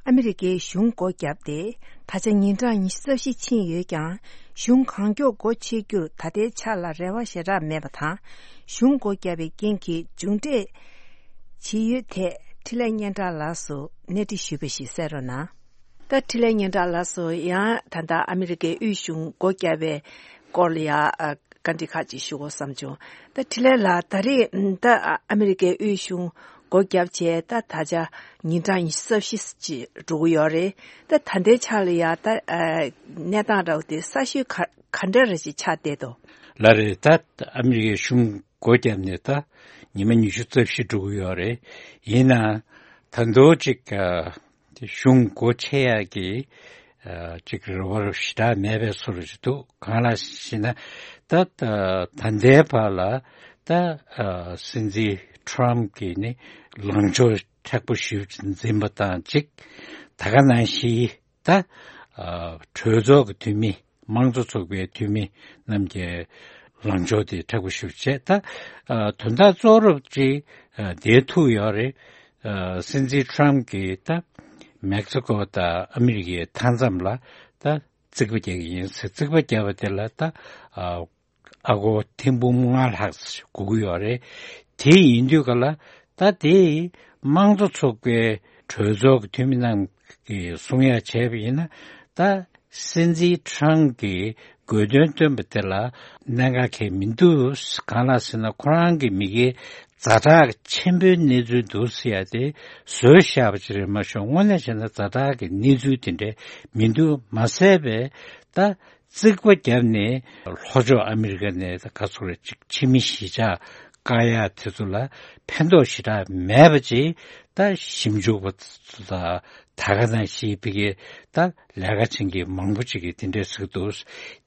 ཨ་མི་རི་ཀའི་གཞུང་སྒོ་བརྒྱབ་སྟེ། ད་ཆ་ཉིན་གྲངས་ཉི་ཤུ་རྩ་བཞི་ཕྱིན་ཡོད་ཀྱང་། གཞུང་གང་མགྱོགས་སྒོ་ཕྱེ་རྒྱུར་ད་ལྟའི་ཆ་ལ་རེ་བ་ཞེ་དྲག་མེད་པ་དང་། གཞུང་སྒོ་བརྒྱབ་པའི་རྐྱེན་གྱིས་མཇུག་འབྲས་ཇི་ཡོད་ཐད་འཕྲིན་ལས་སྙན་གྲགས་ལགས་སུ་གནས་འདྲི་ཞུས་པ་ཞིག་གསན་རོགས་གནང་། ད་འཕྲིན་ལས་སྙན་གྲགས་ལགས་སུ་ཡང་ད་ལྟ་ཨ་མི་རི་ཀའི་དབུས་གཞུང་སྒོ་བརྒྱབ་པའི་སྐོར་ལ་ཡང་བཀའ་འདྲི་ཁག་ཅིག་ཞུ་དགོས་བསམ་བྱུང་། ད་འཕྲིན་ལས་ལགས། ད་རེས་ད་ཨ་མི་རི་ཀའི་དབུས་གཞུང་སྒོ་བརྒྱབ་བྱས་ད་ད་ཆ་ཉིན་གྲངས་ཉི་ཤུ་རྩ་བཞི་ཅིག་འགྲོ་གི་ཡོད་རེད། ད་ད་ལྟའི་ཆ་ལ་ཡང་ད་གནས་སྟངས་འདྲ་བོ་དེ་གསར་ཤོས་ག་ག་འདྲ་རེ་ཞིག་ཆགས་བསྡད་འདུག་ལགས་རེད། ད་ཨ་མི་རི་ཀའི་གཞུང་སྒོ་བརྒྱབ་ནས་ད་ཉི་མ་ཉི་ཤུ་རྩ་བཞི་འགྲོ་གི་ཡོད་རེད། ཡིན་ནའང་ད་དུང་ཅིག་གཞུང་སྒོ་ཕྱེ་ཡག་གི་ཅིག་རེ་བ་ཞེ་དྲག་མེད་པའི་བཟོ་འདྲ་ཅིག་འདུག་གང་ལགས་ཞེ་ན། ད་ད་ལྟའི་བར་ལ་ད་སྲིད་འཛིན་ཊམ་གྱིས་ནི་ལངས་ཕྱོགས་མཁྲེགས་པོ་ཞེ་པོ་འཛིན་པ་དང་གཅིག་ད་ག་ནང་བཞིན་ད་གྲོས་ཚོགས་ཀྱི་འཐུས་མི། དམངས་གཙོ་ཚོགས་པའི་འཐུས་མི་རྣམས་ཀྱི་ལངས་ཕྱོགས་དེ་མཁྲེགས་པོ་ཞེ་པོ་བྱས། ད་དོན་དག་གཙོ་བོ་ཅིག་འདིར་ཐུག་ཡོད་རེད། སྲིད་འཛིན་ཊམ་གྱིས་ད་མེག་སི་ཀོ་དང་ཨ་མི་རི་ཀའི་མཐའ་མཚམས་ལ་ད་རྩིག་པ་རྒྱག་གི་ཡིན་ཟེར། རྩིག་པ་རྒྱག་པ་དེ་ལ་ད་ཨ་སྒོར་ཐེར་འབུམ་ལྔ་ལྷག་དགོས་ཀྱི་ཡོད་རེད། དེ་ཡིན་དུས་ག་ལ་ད་དེ་དམངས་གཙོ་ཚོགས་པའི་གྲོས་ཚོགས་ཀྱི་འཐུས་མི་རྣམས་ཀྱིས་གསུང་ཡ་བྱས་པ་ཡིན་ན། ད་སྲིད་འཛིན་ཊམ་གྱིས་དགོས་འདུན་བཏོན་པ་དེ་ལ་གནད་འགག་གང་ཡང་མི་འདུག་གང་ལགས་ཟེར་ན། ཁོ་རང་གི་མི་སྒེར་ཛ་དྲག་ཆེན་པོའི་གནས་ཚུལ་འདུག་ཟེར་ཡ་དེ་བཟོས་བཞག་པ་ཅིག་རེད་མ་གཞི། དངོས་གནས་བྱས་ན་ཛ་དྲག་གི་གནས་ཚུལ་དེ་འདྲ་མི་འདུག་མ་ཟད་པའི་ད་རྩིག་པ་བརྒྱབ་ནས་ལྷོ་ཕྱོགས་ཨ་མི་རི་ཀ་ནས་ད་ག་ཚོད་རེད་ཅིག་ཕྱི་མི་གཞིས་ཆགས་བཀག་ཡ་དེ་ཚོ་ལ་ཕན་ཐོགས་ཞེ་དྲག་མེད་པ་ཅིག་ད་ཞིབ་འཇུག་པ་ཚོ་དང་ད་ག་ནང་བཞིན་ཕ་གིའི་ད་ལས་ཀ་བྱེད་མཁན་མང་པོ་ཅིག་གིས་དེ་འདྲས་ཟེར་གྱི་འདུག་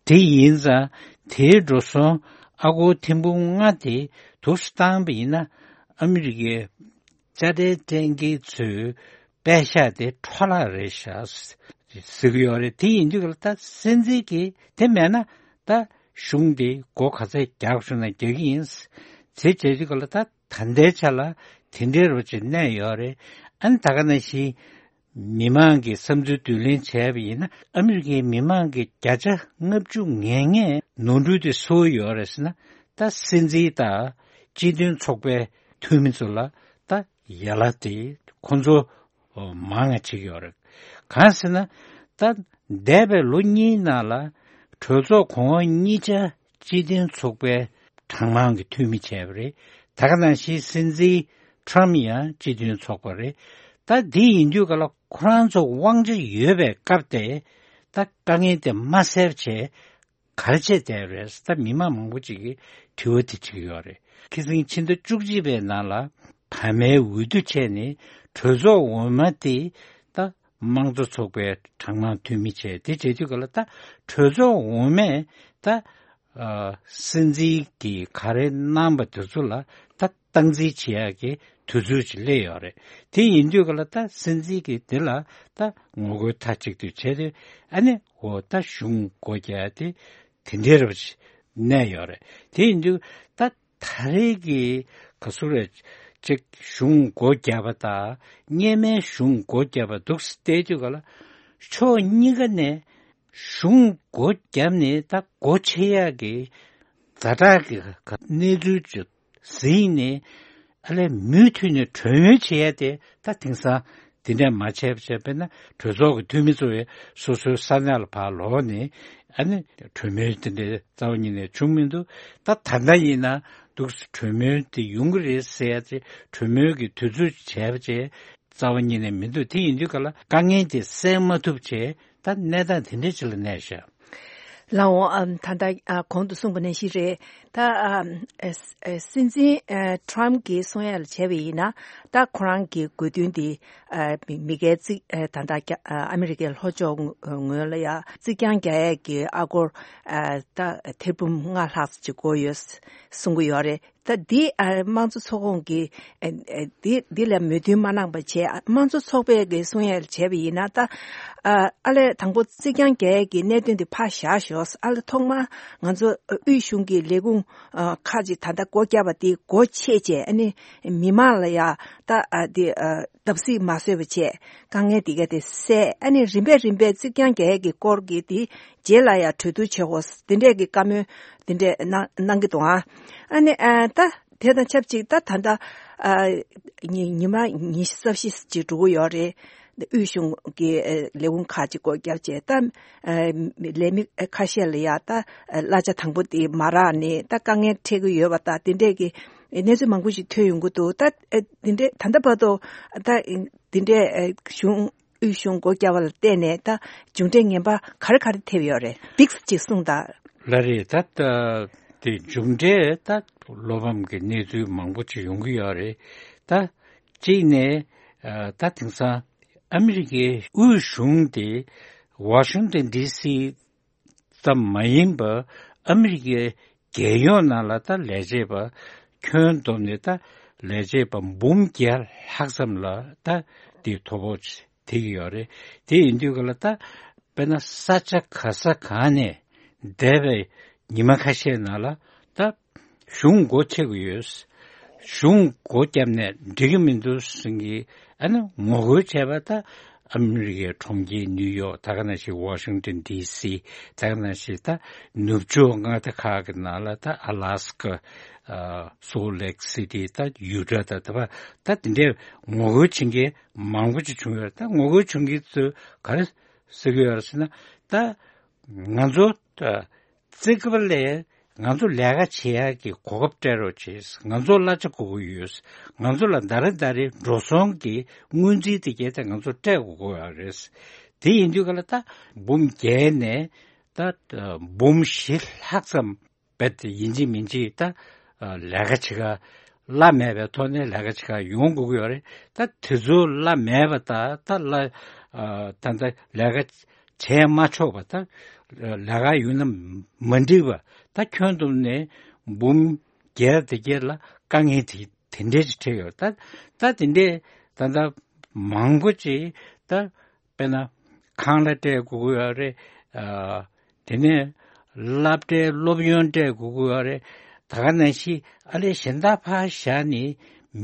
དེ་ཡིན་ཙང་དེའི་འགྲོ་སོང་ཨ་སྒོར་ཐེར་འབུམ་ལྔ་དེ་འདུག་སེ་བཏང་པ་ཡིན་ན། ཨ་མི་རི་ཀའི་དཔྱ་ཁྲལ་སྤྲད་མཁན་ཚོའི་པད་ཤག་དེ་འཕྲོ་བརླག་རེད་ཤག་ཟེར་གྱི་ཡོད་རེད། དེ་ཡིན་དུས་ཀ་ལ་ད་སྲིད་འཛིན་གྱིས་དེ་མེད་ན་ད་གཞུང་དེ་སྒོ་ག་ཚད་རྒྱག་བཅུག་ན་རྒྱག་གི་ཡིན་ཟེར་བྱེད་དུས་ཀ་ལ། ད་ད་ལྟའི་ཆ་ལ་དེ་འདྲའི་རོ་ཅིག་གནས་ཡོད་རེད། ཨ་ནི་ད་ག་ནང་བཞིན་མི་མང་གི་བསམ་ཚུལ་བསྡུ་ལེན་བྱས་པ་ཡིན་ན། ཨ་མི་རི་ཀའི་མི་མང་གི་བརྒྱ་ཆ་ལྔ་བཅུ་ང་ལྔས་ནོར་འཁྲུལ་དེ་སུ་ཡོད་རེད་ཟེར་ན། ད་སྲིད་འཛིན་དང་སྤྱི་མཐུན་ཚོགས་པའི་འཐུས་མི་ཚོ་ལ་ད་ཡ་ལ་དེ་ཁོང་ཚོ་མང་ང་བྱེད་ཀྱི་ཡོད་རེད། གང་ཟེར་ན། ད་འདས་པའི་ལོ་གཉིས་ནང་ལ་གྲོས་ཚོགས་གོང་འོག་གཉིས་ཆ་སྤྱི་མཐུན་ཚོགས་པའི་གྲངས་མང་གི་འཐུས་མི་བྱས་པ་རེད། ད་ག་ནང་བཞིན་སྲིད་འཛིན་ཊམ་ཡང་སྤྱི་མཐུན་ཚོགས་པ་རེད། ད་འདི་ཡིན་དུས་ག་ལ་ཁོ་རང་ཚོ་དབང་ཆ་ཡོད་པའི་སྐབས་དེ་ད་དཀའ་ངལ་དེ་མ་སེལ་བྱས་ག་རེ་བྱས་བསྡད་རེད། ད་མི་མང་མང་པོ་ཅིག་གིས་དྲི་བ་དེ་དྲི་གི་ཡོད་རེད། ཁ་སང་ཕྱི་ཟླ་བཅུ་གཅིག་པའི་ནང་ལ་བར་མའི་འོས་བསྡུ་བྱས་ནས་ གྲོས་ཚོགས་འོག་མ་དེ་ད་དམངས་གཙོ་ཚོགས་པའི་གྲངས་མང་འཐུས་མི་བྱས། དེ་བྱེད་དུས་ག་ལ་ད་གྲོས་ཚོགས་འོག་མས་ད་ཨ་སྲིད་འཛིན་གྱིས་ག་རེ་གནང་པ་དེ་ཚོ་ལ་ད་སྟངས་འཛིན་བྱེད་ཡག་གི་དུས་ཚོད་ཅིག་སླེབས་ཡོད་རེད། དེ་ཡིན་དུས་ག་ལ་ད་སྲིད་འཛིན་གྱིས་དེ་ལ་ད་ངོ་རྒོལ་མཐའ་གཅིག་ཏུ་བྱས་ཏེ། ཨ་ནི་འོ་ད་གཞུང་སྒོ་རྒྱག་དེ་དེ་འདྲའི་རབ་ཅིག་གནས་ཡོད་རེད། དེ་ཡིན་དུས་ད་ད་རེས་ཀྱི་ག་ཚོད་རེད། ཅིག་གཞུང་སྒོ་བརྒྱབ་པ་དང་སྔོན་མའི་གཞུང་སྒོ་བརྒྱབ་པ་འདུག་སེ་བལྟས་དུས་ག་ལ་ཕྱོགས་གཉིས་ཀ་ནས་གཞུང་སྒོ་བརྒྱབ་ནས་ད་སྒོ་ཕྱེ་ཡག་གི་ཛ་དྲག་གི་གནས་ཚུལ་ཅིག་གཟིགས་ནས་ཨ་ལས་མུ་མཐུད་ནས་གྲོས་མོལ་བྱེད་ཡ་དེ་ད་དེང་སང་དེ་འདྲ་མ་བྱས་པ་བྱས་པས་ན། གྲོས་ཚོགས་ཀྱི་འཐུས་མི་ཚོ་ཡང་སོ་སོའི་ས་གནས་ལ་ཕར་ལོག་ནས་ཨ་ནི་གྲོས་མོལ་དེ་འདྲ་རྩ་བ་ཉིད་ནས་བྱུང་མི་འདུག་ད་ད་ལྟ་ཡིན་ན་འདུག་གྲོས་མོལ་དེ་ཡོང་གི་རེད་ཟེར་ཡ་དེ། གྲོས་མོལ་གྱི་དུས་ཚོད་བྱས་པ་བྱས་རྩ་བ་ཉིད་ནས་མི་འདུག་དེ་ཡིན་དུས་ག་ལ་དཀའ་ངལ་དེ་སེལ་མ་ཐུབ་བྱས་ད་གནས་སྟངས་དེ་འདྲ་ཅིག་ལ་གནས་ཤག་ལགས་འོང་། ཨ་ད་ལྟ་ཨ་གོང་དུ་གསུངས་པ་ནང་བཞིན་རེད། ད་ཨ་ཨ་ཨ་སྲིད་འཛིན་ཨ་ཊམ་གྱིས་གསུང་ཡ་ལ་བྱས་པ་ཡིན་ན། ད་ཁོ་རང་གི་དགོས་འདུན་དེ་ཨ་མི་མི་སྒེར་གཅིག་ཨ་ད་ལྟ་རྒྱ་ཨ་ཨ་མི་རི་ཀའི་ལྷོ་ཕྱོགས་ངོས་ལ་ཡ་རྩིག་གྱང་རྒྱག་ཡས་ཀྱི་ཨ་སྒོར་ཨ་ད་ཐེར་འབུམ་ལྔ་ལྷག་ཅིག་དགོས་ཡོད་གསུང་གི་ཡོད་རེད། ད་འདི་ཨ་དམངས་གཙོ་ཚོགས་ཁོངས་ཀྱི་ཨ་ཨ་འདི་འདི་ལ་མོས་མཐུན་མ་གནང་པ་བྱས། དམངས་གཙོ་ཚོགས་པས་ཀྱི་གསུང་ཡས་བྱས་པ་ཡིན་ན། ད་ཨ་ཨ་ལས་དང་པོ་རྩིག་གྱང་རྒྱག་ཡས་ཀྱི་གནད་དོན་དེ་ཕར་བཞག་ཞོག་ཨ་ལས་ཐོག་མར་ང་ཚོ་དབུས་གཞུང་གི་ལས་ཁུངས་ཨ་ཁག་ཅིག་ད་ལྟ་སྒོ་བརྒྱབ་པ་དེ་སྒོ་ཕྱེ་བྱས། ཨ་ནི་མི་མང་ལ་ཡ་ད་ཨ་དེ་ཨ་བརྡབ་གསིག་མ་བཟོས་པ་བྱས། དཀའ་ངལ་དེ་ག་དེ་སེལ། ཨ་ནི་རིམ་པས་རིམ་པས་རྩིག་གྱང་རྒྱག་ཡས་ཀྱི་སྐོར་གྱི་དེ་རྗེས་ལ་ཡ་གྲོས་བསྡུར་བྱེད་དགོས། དེ་འདྲས་ཀྱི་བཀའ་མོལ་དེ་འདྲས་གནང་གནང་གི་འདུག་ཨ་ཨ་ནི་ཨ་ད་དེ་དང་ཆབས་ཅིག་ད་ད་ལྟ་ཨ་ཉི་ཉི་མ་ཉི་ཤུ་རྩ་བཞི་ཅིག་འགྲོ་གི་ཡོད་རེད། དབུས་གཞུང་གི་ཨ་ལས་ཁུངས་ཁག་ཅིག་སྒོ་བརྒྱབ་བྱས། ད་ཨ་ལས་མི་ཁ་ཤས་ལ་ཡ་ད་གླ་ཆ་དང་པོ་དེ་མ་རག་ནས་ད་དཀའ་ངལ་འཕྲད་ཀྱི་ཡོད་པ་དང་། དེ་འདྲས་ཀྱི་གནས་ཚུལ་མང་པོ་ཞིག་ཐོན་ཡོང་གི་འདུག་ད་ཨ་དེ་འདྲས་ད་ལྟ་བར་དུ་ད་དེ་འདྲས་ཨ་གཞུང་དབུས་གཞུང་སྒོ་བརྒྱབ་པ་ལ་བརྟེན་ནས་ད་མཇུག་འབྲས་ངན་པ་ག་རེ་ག་རེ་ཐེབས་ཡོད་རེད། འདི་ཅིག་གསུངས་དང་། ལགས་རེད། ད་ལྟ་དེ་མཇུག་འབྲས་ད་བློ་ཕམ་གྱི་གནས་ཚུལ་མང་པོ་ཅིག་ཡོང་གི་ཡོད་རེད། ད་གཅིག་ནས་ཨ་ད་དེང་སང་ཨ་མི་རི་ཀའི་དབུས་གཞུང་དེ་ཝ་ཤིང་ཏོན་ཌི་སི་ཙམ་མ་ཡིན་པར་ཨ་མི་རི་ཀའི་རྒྱལ་ཡོངས་ནང་ལ་ད་ལས་བྱེད་པ་ཁྱོན་བསྡོམས་ནས་ད་ལས་བྱེད་པ་འབུམ་བརྒྱ་ལྷག་ཙམ་ལ་ད་དེ་ཐོ་ཕོག་ཐེབས་ཀྱི་ཡོད་རེད། དེ་ཡིན་དུས་ག་ལ་ད་དཔེར་ན་ས་ཆ་ག་ས་གང་ནས་འདས་པའི་ཉི་མ་ཁ་ཤས་ནང་ལ་ད་གཞུང་སྒོ་ཕྱེ་དགོས་ཡོད། གཞུང་སྒོ་བརྒྱབ་ནས་འགྲིག་གི་མི་འདུག་ཟེར་གྱི་ཨ་ནི་ངོ་རྒོལ་བྱས་པ། ད་ཨ་མི་རི་ཀའི་གྲོང་ཁྱེར་ནིའུ་ཡོག་ད་ག་ནང་བཞིན་ཝ་ཤིང་ཏོན་ཌི་སི། ད་ག་ནང་བཞིན་ད་ནུབ་ཕྱོགས་མངའ་སྡེ་ཁག་གི་ནང་ལ་ད་ཨ་ལ་སི་ཀ། ཨ་སོལ་ལེག་སི་ཊི། ད་ཡུ་ཊ། ད་ད་ད་དེ་འདྲའི་ངོ་རྒོལ་བྱེད་མཁན་མང་པོ་ཅིག་བྱུང་ཡོད་རེད། ད་ངོ་རྒོལ་བྱེད་མཁན་ཚོས་ག་རེ་ཟེར་གྱི་ཡོད་རེད་ཟེར་ན། ད་ང་ཚོ་ད་བརྩི་བཀུར་ལས་ང་ཚོ་ལས་ཀ་བྱེད་ཡག་གི་གོ་སྐབས་སྤྲད་རོགས་བྱེད། ང་ཚོ་གླ་ཆ་དགོས་ཀྱི་ཡོད། ང་ཚོ་ལ་ཟླ་རེ་ཟླ་རེ་འགྲོ་སོང་གི་སྔོན་རྩིས་དེ་གྱད་དེ་ང་ཚོ་སྤྲད་དགོས་ཀྱི་ཡོད་རེད། དེ་ཡིན་དུས་ག་ལ་ད་འབུམ་བརྒྱད་ནས་ད་འབུམ་བཞི་ལྷག་ཙམ་རྦད་དེ་ཡིན་གཅིག་མིན་གཅིག་ད་ལས་ཀ་བྱེད་ག་གླ་མེད་པའི་ཐོག་ནས་ལས་ཀ་བྱེད་ག་ཡོང་དགོས་ཀྱི་ཡོད་རེད། ད་དེ་ཚོ་གླ་མེད་པ་དང་ད་གླ་ད་ད་ལས་ཀ་བྱས་མ་ཆོག་པ། ད་ལས་ཀ་ཡོང་ན་མ་འགྲིག་པ། ད་ཁྱོན་བསྡོམས་ནས་འབུམ་བརྒྱད་དེ་གྱད་ལ་དཀའ་ངལ་དེ་དེ་འདྲས་ཅིག་འཕྲད་ཡོད། ད་ད་དེ་འདྲས་ད་ད་མང་པོ་ཅིག་ད་དཔེར་ན་ཁང་གླ་སྤྲད་དགོས་ཀྱི་ཡོད་རེད། ཨ་དེ་ནས་སློབ་གྲྭའི་སློབ་ཡོན་སྤྲད་དགོས་ཀྱི་ཡོད་རེད། ད་ག་ནང་བཞིན་ཨ་ལས་གཞན་དག་ཕར་བཞག་ནས་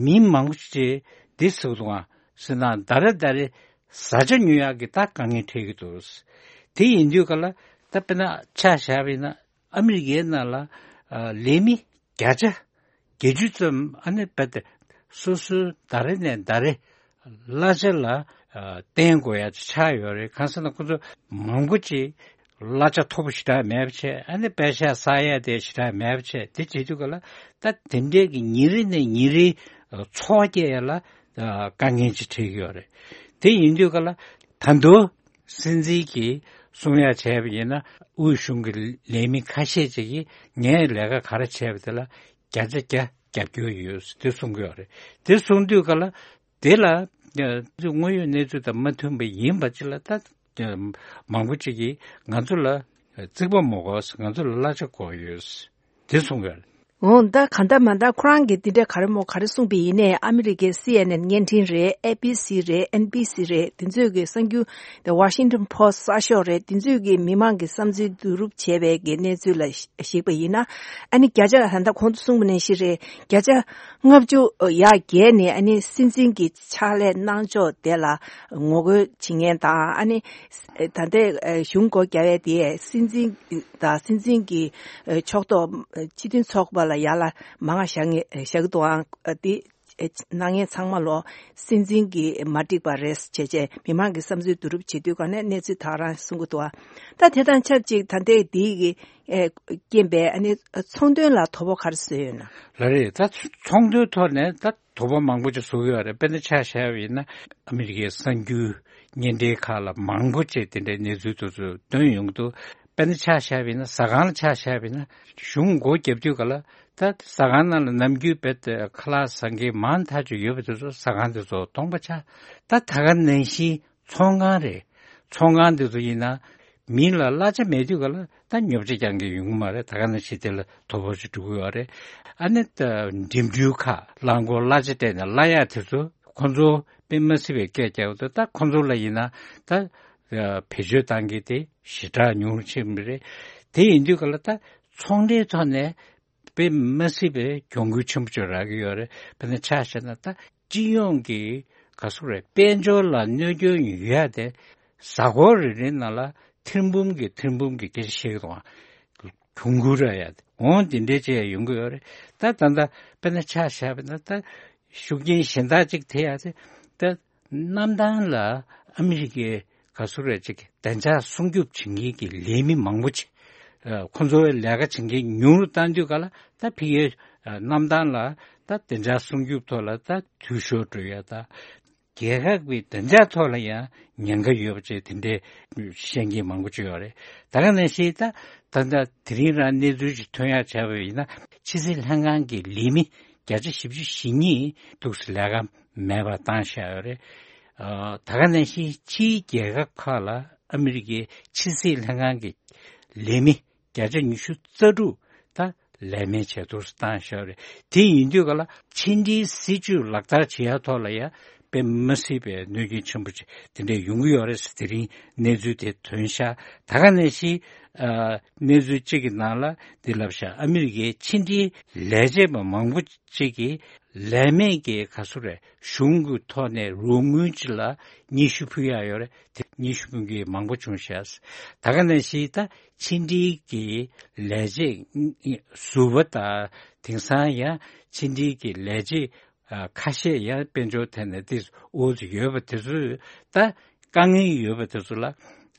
མི་མང་པོ་ཅིག་འདི་ཟེར་གྱི་འདུག་ག་ཟེར་ན་ཟླ་རེ་ཟླ་རེ་བཟའ་བཅའ་ཉོ་ཡག་གི་ད་དཀའ་ངལ་འཕྲད་ཀྱི་འདུག་དེ་ཡིན་དུས་ག་ལ་ད་དཔེར་ན་ཆ་བཞག་པ་ཡིན་ན་ཨ་མི་རི་ཀའི་ནང་ལ་ཨ་ལས་མི་བརྒྱ་ཆ་བརྒྱད་ཅུ་ཙམ་ཨ་ནི་རྦད་དེ་སོ་སོའི་ཟླ་རེ་ནས་ཟླ་རེ་གླ་ཆ་ལ་ཨ་བརྟེན་དགོས་ཡ་ཆགས་ཡོད་རེད། གང་ཟེར་ན་ཁོ་ཚོ་མང་པོ་ཅིག་གླ་ཆ་མཐོ་པོ་ཞེ་དྲག་མེད་པ་བྱས། ཨ་ནི་པད་ཤག་བསག་ཡ་དེ་ཞེ་དྲག་མེད་པ་བྱས། དེ་བྱེད་དུས་ག་ལ་ད་དེ་འདྲའི་གི་ཉིན་རེ་ནས་ཉིན་རེའི་འཚོ་བ་སྐྱེལ་ཡ་ལ་ཨ་དཀའ་ངལ་ཅིག་འཕྲད་ཀྱི་ཡོད་རེད། དེ་ཡིན་དུས་ག་ལ་ད་དུང་སྲིད་འཛིན་གྱིས་གསུང་ཡ་བྱས་པ་ཡིན་ན། དབུས་གཞུང་གི་ལས་མི་ཁ་ཤས་ཅིག་གིས་ངས་ལས་ཀ་ག་རེ་བྱས་པ་དེ་ལ་བརྒྱ་ཆ་བརྒྱ་རྒྱབ་སྐྱོར་ཡོད་དེ་གསུང་གི་ཡོད་རེད། དེ་གསུང་དུས་ག་ལ་དེ་ལ་ དངོས་ཡོད་གནས་ཚུལ་དང་མ་མཐུན་པ་ཡིན་པ་ཅིག་ལ་ད་མང་པོ་ཅིག་གིས་ང་ཚོ་ལ་རྩིག་པ་མ་དགོས། ང་ཚོ་ལ་གླ་ཆ་དགོས་ཡོད། དེ་གསུང་གི་ཡོད་རེད། འོ་ད་ག་འདྲ་མ་འདྲ་ཁོ་རང་གིས་འདི་འདྲ་ག་རེ་མོ་ག་རེ་གསུངས་པ་ཡིན་ནའི། ཨ་མི་རི་ཀའི་སི་ཨེན་ཨེན་བརྙན་འཕྲིན་རེད། ཨེ་བི་སི་རེད། ཨེན་བི་སི་རེད། དེ་ཚོས་གི་གསར་འགྱུར། The Washington Post གསར་ཤོག་རེད། དེ་ཚོས་གི་མི་མང་གི་བསམ་ཚུལ་བསྡུ་རུབ་བྱས་པའི་གི་གནས་ཚུལ་ལ་གཞིགས་པ་ཡིན་ན། ཨ་ནི་བརྒྱ་ཆ་ད་ལྟ་གོང་དུ་གསུངས་པ་ནང་བཞིན་རེད། བརྒྱ་ཆ་ལྔ་བཅུ་ཡར་བརྒལ་ནས་ཨ་ནི་སྲིད་འཛིན་གྱི་ཕྱག་ལས་གནང་ཕྱོགས་དེ་ལ་ངོ་རྒོལ་བྱེད་མཁན་དང་། ཨ་ནི་ད་ལྟའི་གཞུང་སྒོ་བརྒྱབ་ཡས་དེ་སྲིད་འཛིན་དང་སྲིད་འཛིན་གྱི་ཕྱོགས་གཏོགས་སྤྱི་མཐུན་ཚོགས་པ་ལ་ཡར་ལ་མང་ང་བཞག་ངེས་བཞག་གི་འདུག་ཨང་། དེ་གནང་མཁན་ཚང་མ་ལོ་སྲིད་འཛིན་གྱི་མ་འགྲིག་པ་རེད་བྱས་བྱས་མི་མང་གི་བསམ་ཚུལ་བསྡུ་རུབ་བྱེད་དུས་ག་ནས་གནས་ཚུལ་དག་རང་གསུང་གི་འདུག་ཨ། ད་དེ་དང་ཆབས་ཅིག་ད་ལྟའི་འདི་གི་རྐྱེན་པས་ཨ་ནི་ཚོང་དོན་ལ་དོ་ཕོག་ག་རེ་བཟོས་ཡོད་ན། ལགས་རེད། ད་ཚོང་དོན་ཐོག་ནས་ད་དོ་ཕོག་མང་པོ་ཅིག་བཟོ་གི་ཡོད་རེད། དཔེར་ན་ཆ་བཞག་པ་ཡིན་ན་ཨ་མི་རི་ཀའི་གསར་འགྱུར་བརྙན་འཕྲིན་ཁག་ལ་མང་པོ་ཅིག་དེ་འདྲའི་གནས་ཚུལ་དེ་ཚོ་བཏོན་ཡོང་གི་འདུག་དཔེར་ན་ཆ་བཞག་པ་ཡིན་ན་ཟ་ཁང་ལ་ཆ་བཞག་པ་ཡིན་ན་གཞུང་སྒོ་བརྒྱབ་དུས་ག་ལ་ད་ཟ་ཁང་ནང་ལ་ནམ་རྒྱུན་རྦད་དེ་ཁ་ལག་ཟ་མཁན་མང་ཐག་ཆོད་ཡོད་པ་དེ་ཚོ་ཟ་ཁང་དེ་ཚོ་སྟོང་པ་ཆགས། ད་ད་ག་ནང་བཞིན་ཚོང་ཁང་རེད། ཚོང་ཁང་དེ་ཚོ་ཡིན་ན་མི་ལ་གླ་ཆ་མེད་དུས་ག་ལ་ད་ཉོ་ཆ་རྒྱག་མཁན་ཡོང་གི་མ་རེད། ད་ག་ནང་བཞིན་དེ་ལ་དོ་ཕོག་ཅིག་འགྲོ་གི་ཡོད་རེད། ཨ་ནི་ད་འགྲིམ་འགྲུལ་ཁག་རླངས་འཁོར་གླ་ཆ་སྤྲད་ནས་གླ་ཡག་དེ་ཚོ་ཁོ་ཚོ་དཔེ་མ་སྲིད་པའི་སྐད་རྒྱག་འདུག་ད་ཁོ་ཚོ་ལ་ཡིན་ན་ད་བེད་སྤྱོད་བཏང་གི་དེ་ཞེ་དྲག་ཉུང་རུ་ཕྱིན་པ་རེད། དེ་ཡིན་དུས་ག་ལ་ད་ཚོང་འབྲེལ་ཐོག་ནས་དཔེ་མ་སྲིད་པའི་གྱོང་གུད་ཆེན་པོ་ཅིག་རག་གི་ཡོད་རེད། དཔེར་ན་ཆ་བཞག་ན་ད་སྤྱི་ཡོངས་ཀྱི་ག་ཚོད་རེད། དཔལ་འབྱོར་ལ་གནོད་སྐྱོན་ཡོད་ཡ་དེ་གཟའ་འཁོར་རེ་རེའི་ནང་ལ་ཐེར་འབུམ་གྱི་ཐེར་འབུམ་གྱི་སྐད་ཆ་བཤད་ཀྱི་འདུག་ཨ། གྱོང་གུད་རག་ཡ་དེ་འོང་དེ་འདྲའི་བྱས་ཡོང་གི་ཡོད་རེད། ད་ད་ལྟ་དཔེར་ན་ཆ་བཞག་པ་ན་ད་ཤུགས་རྐྱེན་གཞན་དག་ཅིག་ཐེབས་ཡ་དེ་ད་གནམ་ཐང་ལ་ཨ་མི་རི་ཀའི་ག་ཚོད་རེད་ཅིག་བདེ་འཇགས་སྲུང་སྐྱོབ་བྱེད་མཁན་གྱི་ལས་མི་མང་པོ་ཅིག་ཨ། ཁོ་ཚོའི་ལས་ཀ་བྱེད་མཁན་ཉུང་རུ་བཏང་དུས་ག་ལ་ད་ཕ་གིའི་ཨ། གནམ་ཐང་ལ་ད་བདེ་འཇགས་སྲུང་སྐྱོབ་ཐོག་ལ་ད་འཐུས་ཤོར་འགྲོ་ཡ་ད་རྒྱལ་ཁབ་ཀྱི་བདེ་འཇགས་ཐོག་ལ་ཡང་ཉེན་ཁ་ཡོད་པ་བཅས་དེ་འདྲའི་བཤད་མཁན་མང་པོ་ཅིག་ཡོད་རེད། ད་ག་ནང་བཞིན་ད་ད་ལྟ་དེ་རིང་རང་གནས་ཚུལ་ཞིག་ཐོན་ཡག་བྱས་པ་ཡིན་ན་ཕྱི་སྲིད་ལྷན་ཁང་གི་ལས་མི་བརྒྱ་ཆ་བཞི་བཅུ་ཞེ་གཉིས་འདུག་སེ་ལས་ཀ་མེད་པར་བཏང་བཞག་ཡོད་རེད། ཨ། ད་ག་ནང་བཞིན་ཕྱིའི་རྒྱལ་ཁབ་ཁག་ལ་ཨ་མི་རི་ཀའི་ཕྱི་སྲིད་ལྷན་ཁང་གི་ལས་མི་བརྒྱ་ཆ་ཉི་ཤུ་རྩ་དྲུག་ད་ལས་མེད་བྱས་འདུག་སེ་བཏང་བཞག་ཡོད་རེད། དེ་ཡིན་དུས་ག་ལ་ཕྱི་འབྲེལ་སྲིད་ཇུས་ལག་བསྟར་བྱེད་ཡ་ཐོག་ལ་ཡ་དཔེ་མ་སྲིད་པའི་གནོད་སྐྱོན་ཆེན་པོ་ཅིག་དེ་འདྲ་ཡོང་གི་ཡོད་རེད་ཟེར་དེ་རིང་གནས་ཚུལ་དེ་ཐོན་ཤག་ད་ག་ནང་བཞིན་ཨ། གནས་ཚུལ་གཅིག་གི་ནང་ལ་འདི་ལབ་ཤག་ཨ་མི་རི་ཀའི་ཕྱི་འབྲེལ་ལས་བྱེད་པ་མང་པོ་ཅིག་གིས་ལས་མེད་ཀྱི་ག་ཚོད་རེད། གཞུང་གི་ཐོག་ནས་རོགས་དངུལ་ཅིག་ལ་སྙན་ཞུ་ཕུལ་ཡ་ཡོད་རེད། དེ་སྙན་ཞུ་ཕུལ་མཁན་མང་པོ་བྱུང་ཤག་ད་ག་ནང་བཞིན་ད་ཕྱི་འབྲེལ་གྱི་ལས་བྱེད་ཟུར་པ་དང་དེང་སང་ཡང་ཕྱི་འབྲེལ་གྱི་ལས་བྱེད་ཨ། ཁ་ཤས་ཡང་དཔལ་འབྱོར་ཐད་ནས་དེ་འོག་ཏུ་ཡོད་པ་དེ་ཚོས་ད་དཀའ་ངལ་ཡོད་པ་དེ་ཚོ་ལ་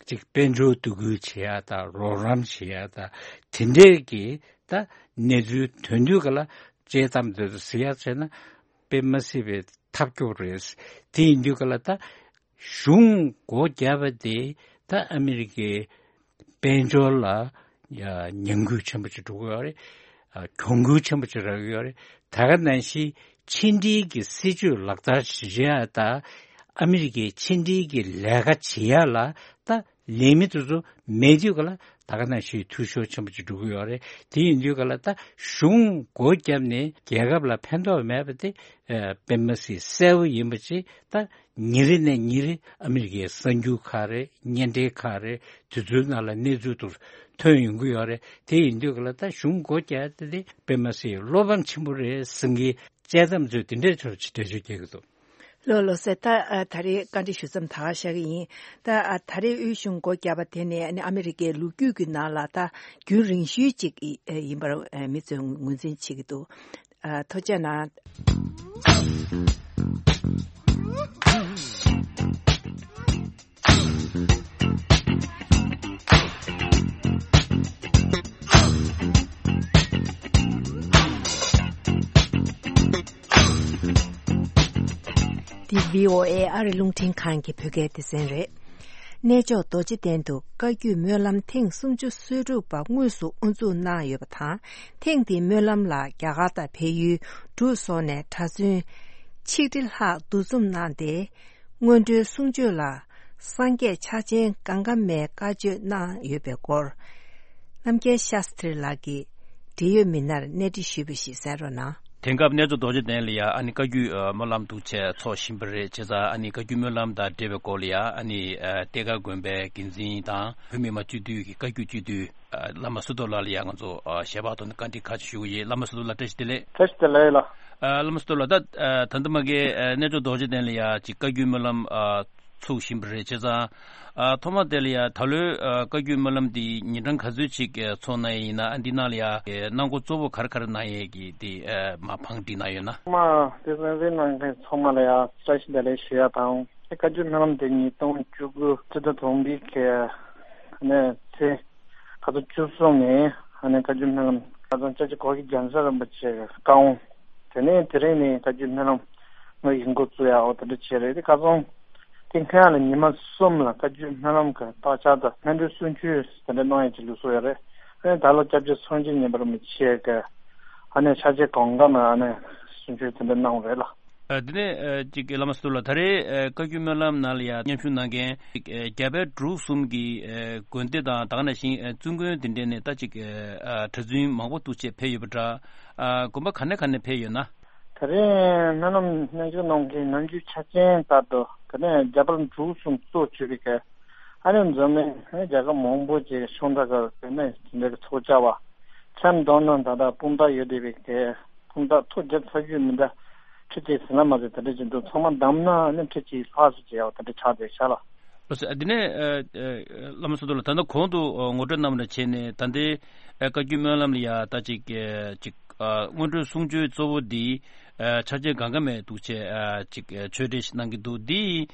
ཅིག་དཔལ་འབྱོར་བསྡུ་སྐུལ་བྱེད་ཡ་དང་རོགས་རམ་བྱེད་ཡ་དང་དེ་འདྲས་ཀྱི་ད་གནས་ཚུལ་ཐོན་དུས་ག་ལ་དཔྱད་གཏམ་དེ་ཚོ་གཟིགས་ཡ་བྱས་ན་དཔེ་མ་སྲིད་པའི་ཐབས་སྐྱོ་རེད། དེ་ཡིན་དུས་ག་ལ་ད་གཞུང་སྒོ་བརྒྱབ་པ་དེ་ད་ཨ་མི་རི་ཀའི་དཔལ་འབྱོར་ལ་ཡ་ཉམས་རྒུད་ཆེན་པོ་ཅིག་འགྲོ་གི་ཡོད་རེད། ཨ། གྱོང་གུད་ཆེན་པོ་ཅིག་རག་གི་ཡོད་རེད། ད་ག་ནང་བཞིན་ཕྱི་འབྲེལ་གྱི་སྲིད་ཇུས་ལག་བསྟར་བྱེད་ཡ་དང་ཨ་མི་རི་ཀའི་ཕྱི་འབྲེལ་གྱི་ལས་ཀ་བྱེད་ཡ་ལ་ད་ལས་མི་དེ་ཚོ་མེད་དུས་ག་ལ་ད་ག་ནང་བཞིན་འཐུས་ཤོར་ཆེན་པོ་ཅིག་འགྲོ་གི་ཡོད་རེད། དེ་ཡིན་དུས་ག་ལ་ད་གཞུང་སྒོ་བརྒྱབ་ནས་རྒྱལ་ཁབ་ལ་ཕན་ཐོགས་མེད་པ་དེ་ཨ། དཔེ་མ་སྲིད་གསལ་པོ་ཡིན་པ་ཅིག་ད་ཉིན་རེ་ནས་ཉིན་རེ་ཨ་མི་རི་ཀའི་གསར་འགྱུར་ཁག་རེད། བརྙན་འཕྲིན་ཁག་རེད། དེ་ཚོའི་ནང་ལ་གནས་ཚུལ་དེ་ཐོན་ཡོང་གི་ཡོད་རེད། དེ་ཡིན་དུས་ག་ལ་ད་གཞུང་སྒོ་བརྒྱབ་སྟེ་དེ་དཔེ་མ་སྲིད་བློ་ཕམ་ཆེན་པོ་རེད་ཟེར་མཁན་དཔྱད་གཏམ་ཚོས་དེ་འདྲའི་ཚོར་ཅིག་འགྲེལ་བརྗོད་རྒྱག་གི་འདུག་ལགས་ལགས་སོ། ད་ཨ། ད་རེས་བཀའ་འདྲི་ཞུ་མཚམས་ད་ག་བཞག་གི་ཡིན། ད་ཨ། ད་རེས་དབུས་གཞུང་སྒོ་བརྒྱབ་པ་དེ་ནས་ཨ་ནི་ཨ་མི་རི་ཀའི་ལོ་རྒྱུས་ཀྱི་ནང་ལ་ད་རྒྱུན་རིང་ཤོས་ཅིག་ཨེ། ཡིན་པར་ཨེ། མི་ཚོས་ངོས་འཛིན་བྱེད་ཀྱི་འདུག་ཨ། ཐུགས་རྗེ་གནང་། འདི་བྷི་ཨོ་ཨེ་ཨ་རི་རླུང་འཕྲིན་ཁང་གི་བོད་སྐད་སྡེ་ཚན་རེད། གནས་མཆོག་རྡོ་རྗེ་གདན་དུ་བཀའ་བརྒྱུད་སྨོན་ལམ་ཐེངས་སུམ་ཅུ་སོ་དྲུག་པ་དངོས་སུ་དབུ་འཛུགས་གནང་ཡོད་པ་དང་། ཐེངས་འདིའི་སྨོན་ལམ་ལ་རྒྱ་གར་དང་བལ་ཡུལ་འབྲུག་སོགས་ནས་གྲྭ་བཙུན་ ཆིག་ཁྲི་ལྷག་འདུ་འཛོམས་གནང་སྟེ། སྔོན་འགྲོའི་གསུང་ཆོས་ལ་སངས་རྒྱས་ཕྱག་ཆེན་གངྒཱ་མའི་བཀའ་ཆོས་གནང་ཡོད་པའི་སྐོར། རྣམ་རྒྱལ་ཤཱསྟྲི་ལགས་ཀྱིས་འབྲེལ་ཡོད་མི་སྣར་གནས་འདྲི་ཞུས་པ་ཞིག་གསན་རོགས་གནང་། དེང་སྐབས་གནས་མཆོག་རྡོ་རྗེ་གདན་ལ་ཡ་ཨ་ནི་བཀའ་བརྒྱུད་ཨ་སྨོན་ལམ་འདུ་བྱེད་ཚོགས་བཞིན་པ་རེད། བྱས་ཙང་ཨ་ནི་བཀའ་བརྒྱུད་སྨོན་ལམ་དང་འབྲེལ་བའི་སྐོར་ལ་ཡ་ཨ་ནི་ཨ་གཏེར་སྒར་དགོན་པའི་འགན་འཛིན་དང་བོད་མི་མང་སྤྱི་འཐུས་ཀྱི་བཀའ་བརྒྱུད་སྤྱི་འཐུས་ཨ་བླ་མ་བསོད་རྡོར་ལགས་ལ་ཡ་ང་ཚོ་ཨ་ཞལ་པར་ཐོག་ནས་བཀའ་འདྲི་ཁ་ཅིག་ཞུ་གི་ཡིན། བླ་མ་བསོད་རྡོར་ལགས་བཀྲ་ཤིས་བདེ་ལེགས། བཀྲ་ཤིས་བདེ་ལེགས་ལགས། ཨ་བླ་མ་བསོད་རྡོར་ལགས། ད་ཨ་ད་ལྟ་མ་གི་ཨ་གནས་མཆོག་རྡོ་རྗེ་གདན་ལ་ཡ་ཅིག་བཀའ་བརྒྱུད་སྨོན་ལམ་ཨ་ཚོགས་བཞིན་པ་རེད། བྱས་ཙང་ཨ་ཐོག་མ་དེ་ལ་ཡ་ད་ལོའི་ཨ་བཀའ་བརྒྱུད་སྨོན་ལམ་འདི་ཉིན་གྲངས་ག་ཚོད་ཅིག་ཨ་ཚོགས་གནང་ཡིན་ན། ཨ་འདི་ནང་ལ་ཡ་ཨེ་གནང་སྒོ་གཙོ་བོ་ག་རེ་ག་རེ་གནང་ཡས་ཀྱི་དེ་ཨ་མ་བང་སྒྲིག་གནང་ཡོད་ན། མ་དེ་གསན་གཟིགས་གནང་མཁན་ཚང་མ་ལ་ཡ་བཀྲ་ཤིས་བདེ་ལེགས་ཞུ་ཡ་དང་། དེ་བཀའ་བརྒྱུད་སྨོན་ལམ་དེ་ཉིས་སྟོང་བཅུ་དགུ་སྤྱི་ཟླ་དང་པོའི་གི་ནས་ཚེས་ཁ་ཚོ་བཅུ་གསུམ་ནས་ཨ་ནི་བཀའ་བརྒྱུད་སྨོན་ལམ་ཁ་སང་སྐྱབས་རྗེ་གོ་གི་རྒྱལ་མཚན་རིན་པོ་ཆེ་གི་བཀའ་དབང་། དེ་ནས་དེ་རིང་ནས་བཀའ་བརྒྱུད་སྨོན་ལམ་ངོས་ཀྱི་འགོ་བཙུགས་ཡག་འོ་དེ་འདྲ་བྱས་རེད། དེ་ཁ་སང་དེ་སྔོན་ལ་ཉི་མ་གསུམ་ལ་བཀའ་བརྒྱུད་སྨོན་ལམ་གི་བརྟག་བྱ་དང་སྔ་འགྲོའི་གསུང་ཆོས་དེ་འདྲ་གནང་ཡག་གི་ལུགས་སྲོལ་ཡོད་རེད། ཨ་ནི་ད་ལོ་སྐྱབས་རྗེ་སངས་རྒྱས་མཉན་པ་རིན་པོ་ཆེ་གི་ཨ་ནི་ཕྱག་ཆེན་གོང་ཁ་ནས་ཨ་ནི་གསུང་ཆོས་དེ་འདྲ་གནང་བ་རེད་ལ། ཨ་དེ་ནས་ཨ་ཅིག་བླ་མ་བསོད་རྡོར་ལགས། ད་རེས་ཨ་བཀའ་བརྒྱུད་སྨོན་ལམ་ནང་ལ་ཡ་མཉམ་ཞུགས་གནང་མཁན་ཅིག་ཨ་རྒྱ་བལ་འབྲུག་གསུམ་གྱི་ཨ་དགོན་སྡེ་དང་ད་ག་ནང་བཞིན་ཨ་བཙུན་དགོན་དེ་འདྲ་ནས་ད་ཅིག་ཨ་གྲྭ་བཙུན་མང་པོ་འདུ་བྱེད་ཕེབས་ཡོད་པ་འདྲ། ཨ་དགོན་པ་ག་ནས་ག་ནས་ཕེབས་ཡོད་ན། ད་རེས་སྨོན་ལམ་མཉམ་ཞུགས་གནང་མཁན་ནམ་རྒྱུན་ཆ་རྐྱེན་ལྟར་དུ་དེ་ནས་རྒྱ་བལ་འབྲུག་གསུམ་གཙོ་བྱས་པའི་གི་ཨ་ནི་འཛམ་གླིང་ཨ་ནི་རྒྱལ་ཁབ་མང་པོ་ཅིག་ཤོང་ད་ག་དེ་ནས་དེ་འདྲ་གི་ཚོགས་བཅར་བ། མཚན་བསྡོམས་ན་ད་ལྟ་སྤུན་ཟླ་ཡོད་བསྡད་པའི་གི་སྤུན་ཟླ་ཐོ་བརྒྱབ་ཚར་རྒྱུ་མི་འདྲ་ཁྲི་གཅིག་ཟིན་ན་མ་ཟད་དེ་འདྲ་ཅིག་འདུག་ཚང་མ་བསྡོམས་ན་ནི་ཁྲི་གཅིག་ལྷག་ཙམ་ཅིག་ཡོད་དེ་འདྲ་ཆགས་བསྡད་ཤག་ལ། ལགས་སོ། ཨ་དེ་ནས་ཨ་ཨ་བླ་མ་བསོད་རྡོར་ལགས། ད་ལྟ་གོང་དུ་ཨ་ངོ་སྤྲོད་གནང་བ་འདྲ་བྱས་ནས་ད་ལྟའི་ཨ་བཀའ་བརྒྱུད་སྨོན་ལམ་ལ་ཡ་ད་ཅིག་ཨ་ཅིག་ཨ་སྔོན་འགྲོའི་གསུང་ཆོས་གཙོ་བོ་འདི་ཨ་ཕྱག་ཆེན་གངྒཱ་མའི་འདུ་བྱེད་ཨ་ཅིག་ཨ་ཆོས་འབྲེལ་ཞིག་གནང་གི་འདུག་འདི་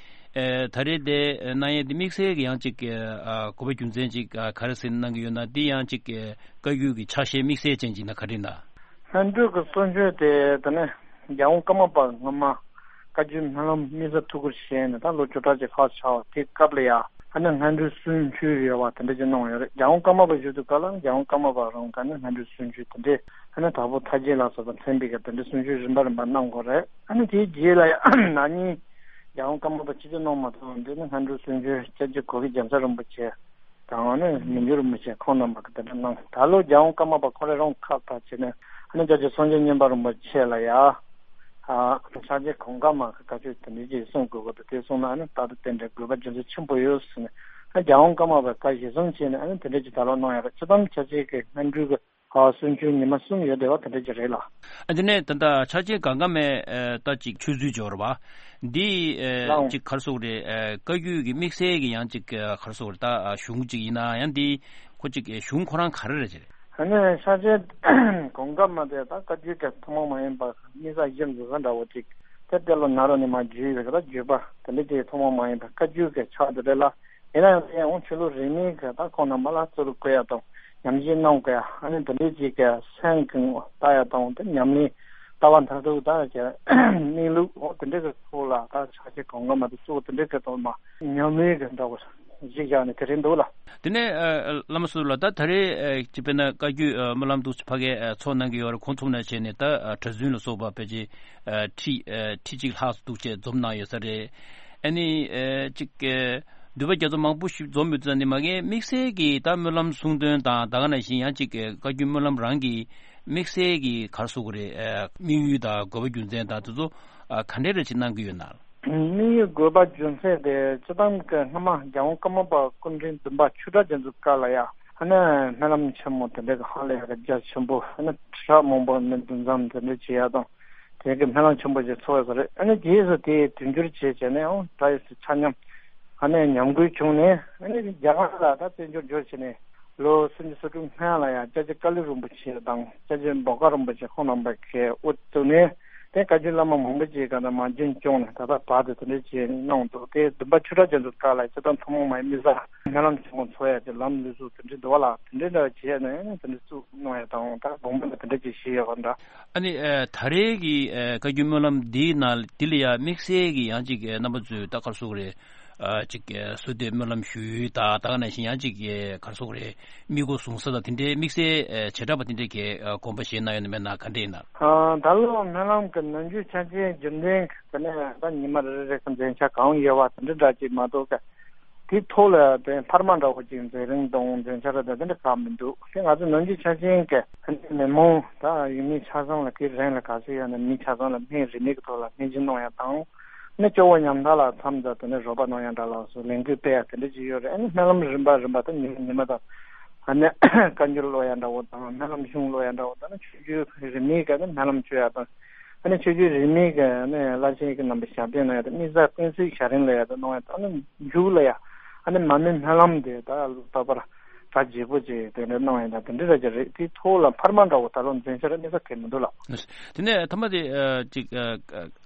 ཨ་ད་རེས་དེ་གནང་ཡས་འདི་དམིགས་བསལ་གྱི་ཡང་ཅིག་ཨ་དགོས་པ་རྒྱུ་མཚན་ཅིག་ཨ་ག་རེ་ཟེར་གནང་གི་ཡོད་ན། འདི་ཡང་ཅིག་ཨ་བཀའ་བརྒྱུད་ཀྱི་ཕྱག་བཞེས་དམིགས་བསལ་ཅན་ཅིག་ན་ག་རེ་ན། སྔོན་འགྲོའི་གི་གསུང་ཆོས་དེ་དེ་ནས་རྒྱལ་དབང་ཀརྨ་པ་སྔོན་མ་བཀའ་བརྒྱུད་སྨོན་ལམ་དམིགས་བསལ་ཐུགས་ཁུར་བཞེས་ནས་ད་ལོ་བཅུ་ཕྲག་ཅིག་ལྷག་ཆགས་པ་དེ་སྐབས་ལ་ཡ་ཨ་ནི་སྔོན་འགྲོའི་གསུང་ཆོས་ཡོད་པ་དེ་འདྲ་ཅིག་གནང་ཡོད་རེད། རྒྱལ་དབང་ཀརྨ་པ་བཞུགས་དུས་སྐབས་ལ་རྒྱལ་དབང་ཀརྨ་པ་རང་ག་ནས་སྔོན་འགྲོའི་གསུང་ཆོས་དེ་འདྲས་ཨ་ནི་དྭགས་པོ་ཐར་རྒྱན་ལ་སོགས་པ་མཚན་པའི་གི་དེ་འདྲའི་གསུང་ཆོས་རིམ་པ་རིམ་པ་གནང་དགོས་རེད། ཨ་ནི་དེའི་རྗེས་ལ་ཡ་ན་ནིང་རྒྱལ་དབང་ཀརྨ་པ་ཆིག་སྟོང་ནང་མ་ཐོན་འདི་ནི་སྔོན་འགྲོའི་གསུང་ཆོས་སྐྱབས་རྗེ་གོ་གི་རྒྱལ་མཚན་རིན་པོ་ཆེ་དང་ནི་མི་འགྱུར་རིན་པོ་ཆེ་ཁོང་རྣམ་པ་གི་དེ་འདྲ་གནང་། ད་ལོ་རྒྱལ་དབང་ཀརྨ་པ་ཁོ་རང་རང་ཁག་ཐག་བྱས་ནས་ཨ་ནི་སྐྱབས་རྗེ་སངས་རྒྱས་མཉན་པ་རིན་པོ་ཆེ་ལ་ཡ་ཨ་ཕྱག་ཆེན་གོང་ཁ་མ་གི་བཀའ་ཆོས་དེ་འདྲ་ཅིག་གསུང་དགོས་ཀྱི་འདུག་དེ་གསུང་ན་ཨ་ནི་རྟག་ཏུ་རྟེན་འབྲེལ་དགོས་པ་རྒྱུ་མཚན་ཆེན་པོ་ཡོད་ཟེར་ནས་ཨ་རྒྱལ་དབང་ཀརྨ་པའི་བཀའ་གཞིར་བཟུང་བྱས་ནས་ཨ་ནི་དེ་འདྲ་ཅིག་ད་ལོ་གནང་ཡོད་རེད། སྤྱིར་བཏང་ཕྱག་ཆེན་གྱི་སྔོན་འགྲོའི་གི་ཨ་གསུང་ཆོས་ཉི་མ་གསུམ་ཡོད་བསྡད་པ་དེ་འདྲ་ཅིག་རེད་ལ། ཨ་དེ་ནས་ད་ལྟ་ཕྱག་ཆེན་གངྒཱ་མའི་ཨ་ད་ཅིག་ཆོས་ཚུལ་འབྱོར་བ་འདི་ཨ་ལའང་ཅིག་ག་རེ་ཟེར་དགོས་རེད། ཨ་བཀའ་བརྒྱུད་ཀྱི་དམིགས་བསལ་གྱི་ཡང་ཅིག་ཨ་ག་རེ་ཟེར་དགོས་རེད། ད་ཨ་གཞུང་ཅིག་ཡིན་ན་ཡང་འདི་ཁོ་ཅིག་ཨ་གཞུང་ཁོ་རང་ག་རེ་རེད་ཅེ། ཨ་ནི་ཕྱག་ཆེན་གངྒཱ་མ་དེ་ད་བཀའ་བརྒྱུད་ཀྱི་ཐུན་མོང་མ་ཡིན་པ་དམིགས་བསལ་གཞི་འཛིན་ས་འདྲ་བོ་ཅིག་དེ་དེ་ལོ་ན་རོ་ནས་མ་བརྒྱུད་པའི་ད་བརྒྱུད་པ་དེ་འདྲ་ཅིག་ཐུན་མོང་མ་ཡིན་པ་བཀའ་བརྒྱུད་ཀྱི་ཕྱག་དེ་རེད་ལ། ཡིན་ན་ཡང་དེ་ཡང་ཆོས་ལུགས་རིས་མེད་ཀྱི་ད་ཁོང་རྣམ་པ་ལ་གཙོ་རུ་བཀོད་ཡ་དང་ཉམས་ཞིབ་གནང་དགོས་ཡ། ཨ་ནི་དེ་འདྲའི་ཅིག་གི་སེམས་ཀྱི་ལྟ་ཡ་དང་དེ་ཉམས་ལེན་ལྟ་བ་མཐར་ཐུག་ད་ཀྱི་གནས་ལུགས་འོ་དེ་འདྲའི་གི་ཐོག་ལ་ད་ཕྱག་ཆེན་གང་ག་མ་དེ་གཙོ་བོ་དེ་འདྲའི་གི་ཐོག་མ་ཉམས་ལེན་གི་འདྲ་བོ་གཞི་བཞག་ནས་དེ་རེད་འདུག་ལ། དེ་ནས་ཨ་བླ་མ་སུ་ལ་ད་ད་རེས་ཨ་ཅི་དཔེར་ན་བཀའ་བརྒྱུད་ཨ་སྨོན་ལམ་འདུག་ཕ་གའི་ཨ་ཚོགས་གནང་གི་ཡོད་རེད། ཁོང་ཚོ་ནས་བྱས་ནས་ད་ཨ་གྲྭ་བཙུན་ལ་སོགས་པ་ཕལ་ཆེར་ཨ་ཁྲི་ཨ་ཁྲི་གཅིག་ལྷག་འདུག་བྱས་འཛོམས་གནང་ཡོད་ས་རེད། ཨ་ནི་ཨ་ཅིག་ཨ་འདུས་པ་རྒྱ་མཚོ་མང་པོ་ཞིག་འཛོམས་ཡོད་ཙང་ནི་མ་གིའི་དམིགས་བསལ་གྱི་ད་སྨོན་ལམ་གསུང་དོན་དང་ད་ག་ནང་བཞིན་ཡང་ཅིག་བཀའ་བརྒྱུད་སྨོན་ལམ་རང་གི་དམིགས་བསལ་གྱི་ག་རེ་ཟེར་དགོས་རེད། དམིགས་ཡུལ་དང་དགོས་པ་རྒྱུ་མཚན་དང་དེ་ཚོ་ག་འདྲས་རེ་ཅིག་གནང་གི་ཡོད་ན། དམིགས་ཡུལ་དགོས་པ་རྒྱུ་མཚན་དེ་སྤྱིར་བཏང་གི་སྔ་མ་རྒྱལ་དབང་ཀརྨ་པ་སྐུ་ཕྲེང་བདུན་པ་ཆོས་གྲགས་རྒྱ་མཚོའི་སྐབས་ལ་ཡ་ཨ་ནི་སྨོན་ལམ་ཆེན་མོ་དེ་འདྲ་གི་ཧ་ལས་ཡ་གི་རྒྱ་ཆེན་པོ་ཨ་ནི་ཁྲི་ཕྲག་མང་པོ་ནས་འདུ་འཛོམས་དེ་འདྲ་བྱེད་ཡ་དང་། དེ་གི་སྨོན་ལམ་ཆེན་པོ་ཞིག་ཚོགས་ཡོད་ས་རེད། ཨ་ནི་རྗེས་སུ་དེའི་དུས་འགྱུར་བྱས་བྱས་ནས་ཨང་ད་ཡོད་སུ་ཆ་མཉམ་ཨ་ནི་ཉམས་རྒུད་བྱུང་ནས་ཨ་ནི་རྒྱ་གར་ལ་ད་བཙན་བྱོལ་འབྱོར་བྱས་ནས་ལོ་སུམ་ཅུ་སོ་དྲུག་སྔོན་ལ་ཡང་སྐྱབས་རྗེ་ཀ་ལི་རིན་པོ་ཆེ་དང་སྐྱབས་རྗེ་འབོ་དཀར་རིན་པོ་ཆེ་ཁོང་རྣམ་པ་གིས་དབུ་བཙུགས་ནས་དེ་བཀའ་བརྒྱུད་བླ་མ་མང་པོ་ཅིག་ག་ད་མ་འཇོན་བྱུང་ནས་ད་ལྟ་བར་དུ་དེ་འདྲ་བྱས་གནང་འདུག་དེ་བདུན་པ་ཆོས་གྲགས་རྒྱ་མཚོའི་སྐབས་ལ་སྤྱིར་བཏང་ཐུན་མོང་མ་ཡིན་དམིགས་བསལ་སྨོན་ལམ་ཆེན་མོ་ཚོགས་ཡ་དེ་ལམ་ལུགས་སྲོལ་དེ་འདྲ་འདུག་བ་ལ་དེ་འདྲ་འདྲ་བྱས་ནས་དེ་འདྲ་བཙུགས་གནང་ཡ་དང་ད་དགོངས་པ་ལ་དེ་འདྲ་ཅིག་བཞེས་ཡོད་པ་འདྲ། ཨ་ནི་ཨ་ད་རེས་ཀྱི་ཨ་བཀའ་བརྒྱུད་སྨོན་ལམ་འདིའི་ནང་འདི་ལ་ཡ་དམིགས་བསལ་གྱི་ཡང་ཅིག་ཨ་རྣམ་པ་ཚོས་ད་ག་རེ་ཟེར་དགོས་རེད། ཨ་ཅིག་ཨ་བཟོ་འདོད་སྨོན་ལམ་ཞུ་ཡུལ་དང་། ད་ག་ནང་བཞིན་ཡང་ཅིག་ཨ་ག་རེ་ཟེར་དགོས་རེད། དམིགས་སྒོ་བཟུང་ས་དང་དེ་འདྲའི་དམིགས་བསལ་ཨ་བྱེ་བྲག་པ་དེ་འདྲའི་གི་ཨ་དགོངས་པ་བཞེས་གནང་ཡོད་ན་མེད་ན་ག་འདྲ་ཡིན་ན། ཨ་ད་ལོ་སྨོན་ལམ་གྱི་ནམ་རྒྱུན་ཆ་ཅན་རྒྱུན་ལྡན་གྱི་དེ་ནས་ད་ཉི་མ་རེ་རེ་གི་མཛད་འཆར་གང་ཡོད་པ་དེ་འདྲ་འདྲ་ཅིག་མ་གཏོགས་ག་དེའི་ཐོག་ལ་དེ་འཕར་མ་འདྲ་བོ་ཅིག་མཛད་རིམ་དང་མཛད་འཆར་དང་དེ་འདྲ་གང་མི་འདུག་དེ་ང་ཚོ་ནམ་རྒྱུན་ཆ་ཅན་གྱི་མི་མང་དང་ཡུལ་མི་ཆ་ཚང་ལ་དེའི་རིང་ལ་ག་ཚོད་ཡོད་ན་མི་ཆ་ཚང་ལ་སྨན་རིན་མེད་ཀྱི་ཐོག་ལ་སྨན་སྦྱིན་གནང་ཡ་དང་། ནི་སྐྱོ་བོ་ཉམ་ཐག་ལ་མཚམས་དང་དེ་ནས་རོགས་པ་གནང་ཡ་འདྲ་ལ་སོགས་ལས་འགུལ་སྤེལ་ཡ་དེ་འདྲ་ཅིག་ཡོད་རེད། ཨ་ནི་སྨོན་ལམ་རིམ་པ་རིམ་པ་དང་ཉི་མ་ཉི་མ་དང་། ཨ་ནི་བཀའ་འགྱུར་ཀློག་ཡ་འདྲ་བོ་དང་སྨོན་ལམ་གཞུང་ཀློག་ཡ་འདྲ་བོ་དང་ནི་ཆོས་བརྒྱུད་རིས་མེད་ཀྱི་ནི་སྨོན་ལམ་བརྗོད་ཡ་དང་། ཨ་ནི་ཆོས་བརྒྱུད་རིས་མེད་ཀྱི་ནི་བླ་ཆེན་གྱི་རྣམ་པའི་ཞབས་བརྟན་གནང་ཡ་དང་དམིགས་བསལ་དཔེ་མཛོད་ཞལ་རིམ་ལ་ཡ་དང་གནང་ཡ་དང་ནི་མཇུག་ལ་ཡ་ཨ་ནི་མར་མེ་སྨོན་ལམ་དེ་ད་ལྟ་བར་གྲ་རྒྱས་པོ་ཅིག་དེ་འདྲ་གནང་ཡ་དང་དེ་འདྲ་ར་ཅིག་རེད། དེའི་ཐོག་ལ་འཕར་མ་འདྲ་བོ་ད་ལོ་མཛད་འཆར་དམིགས་བསལ་གང་མི་འདུག་ལགས། དེ་ནས་ཐ་མ་དེ་ཨ་ཅིག་ཨ་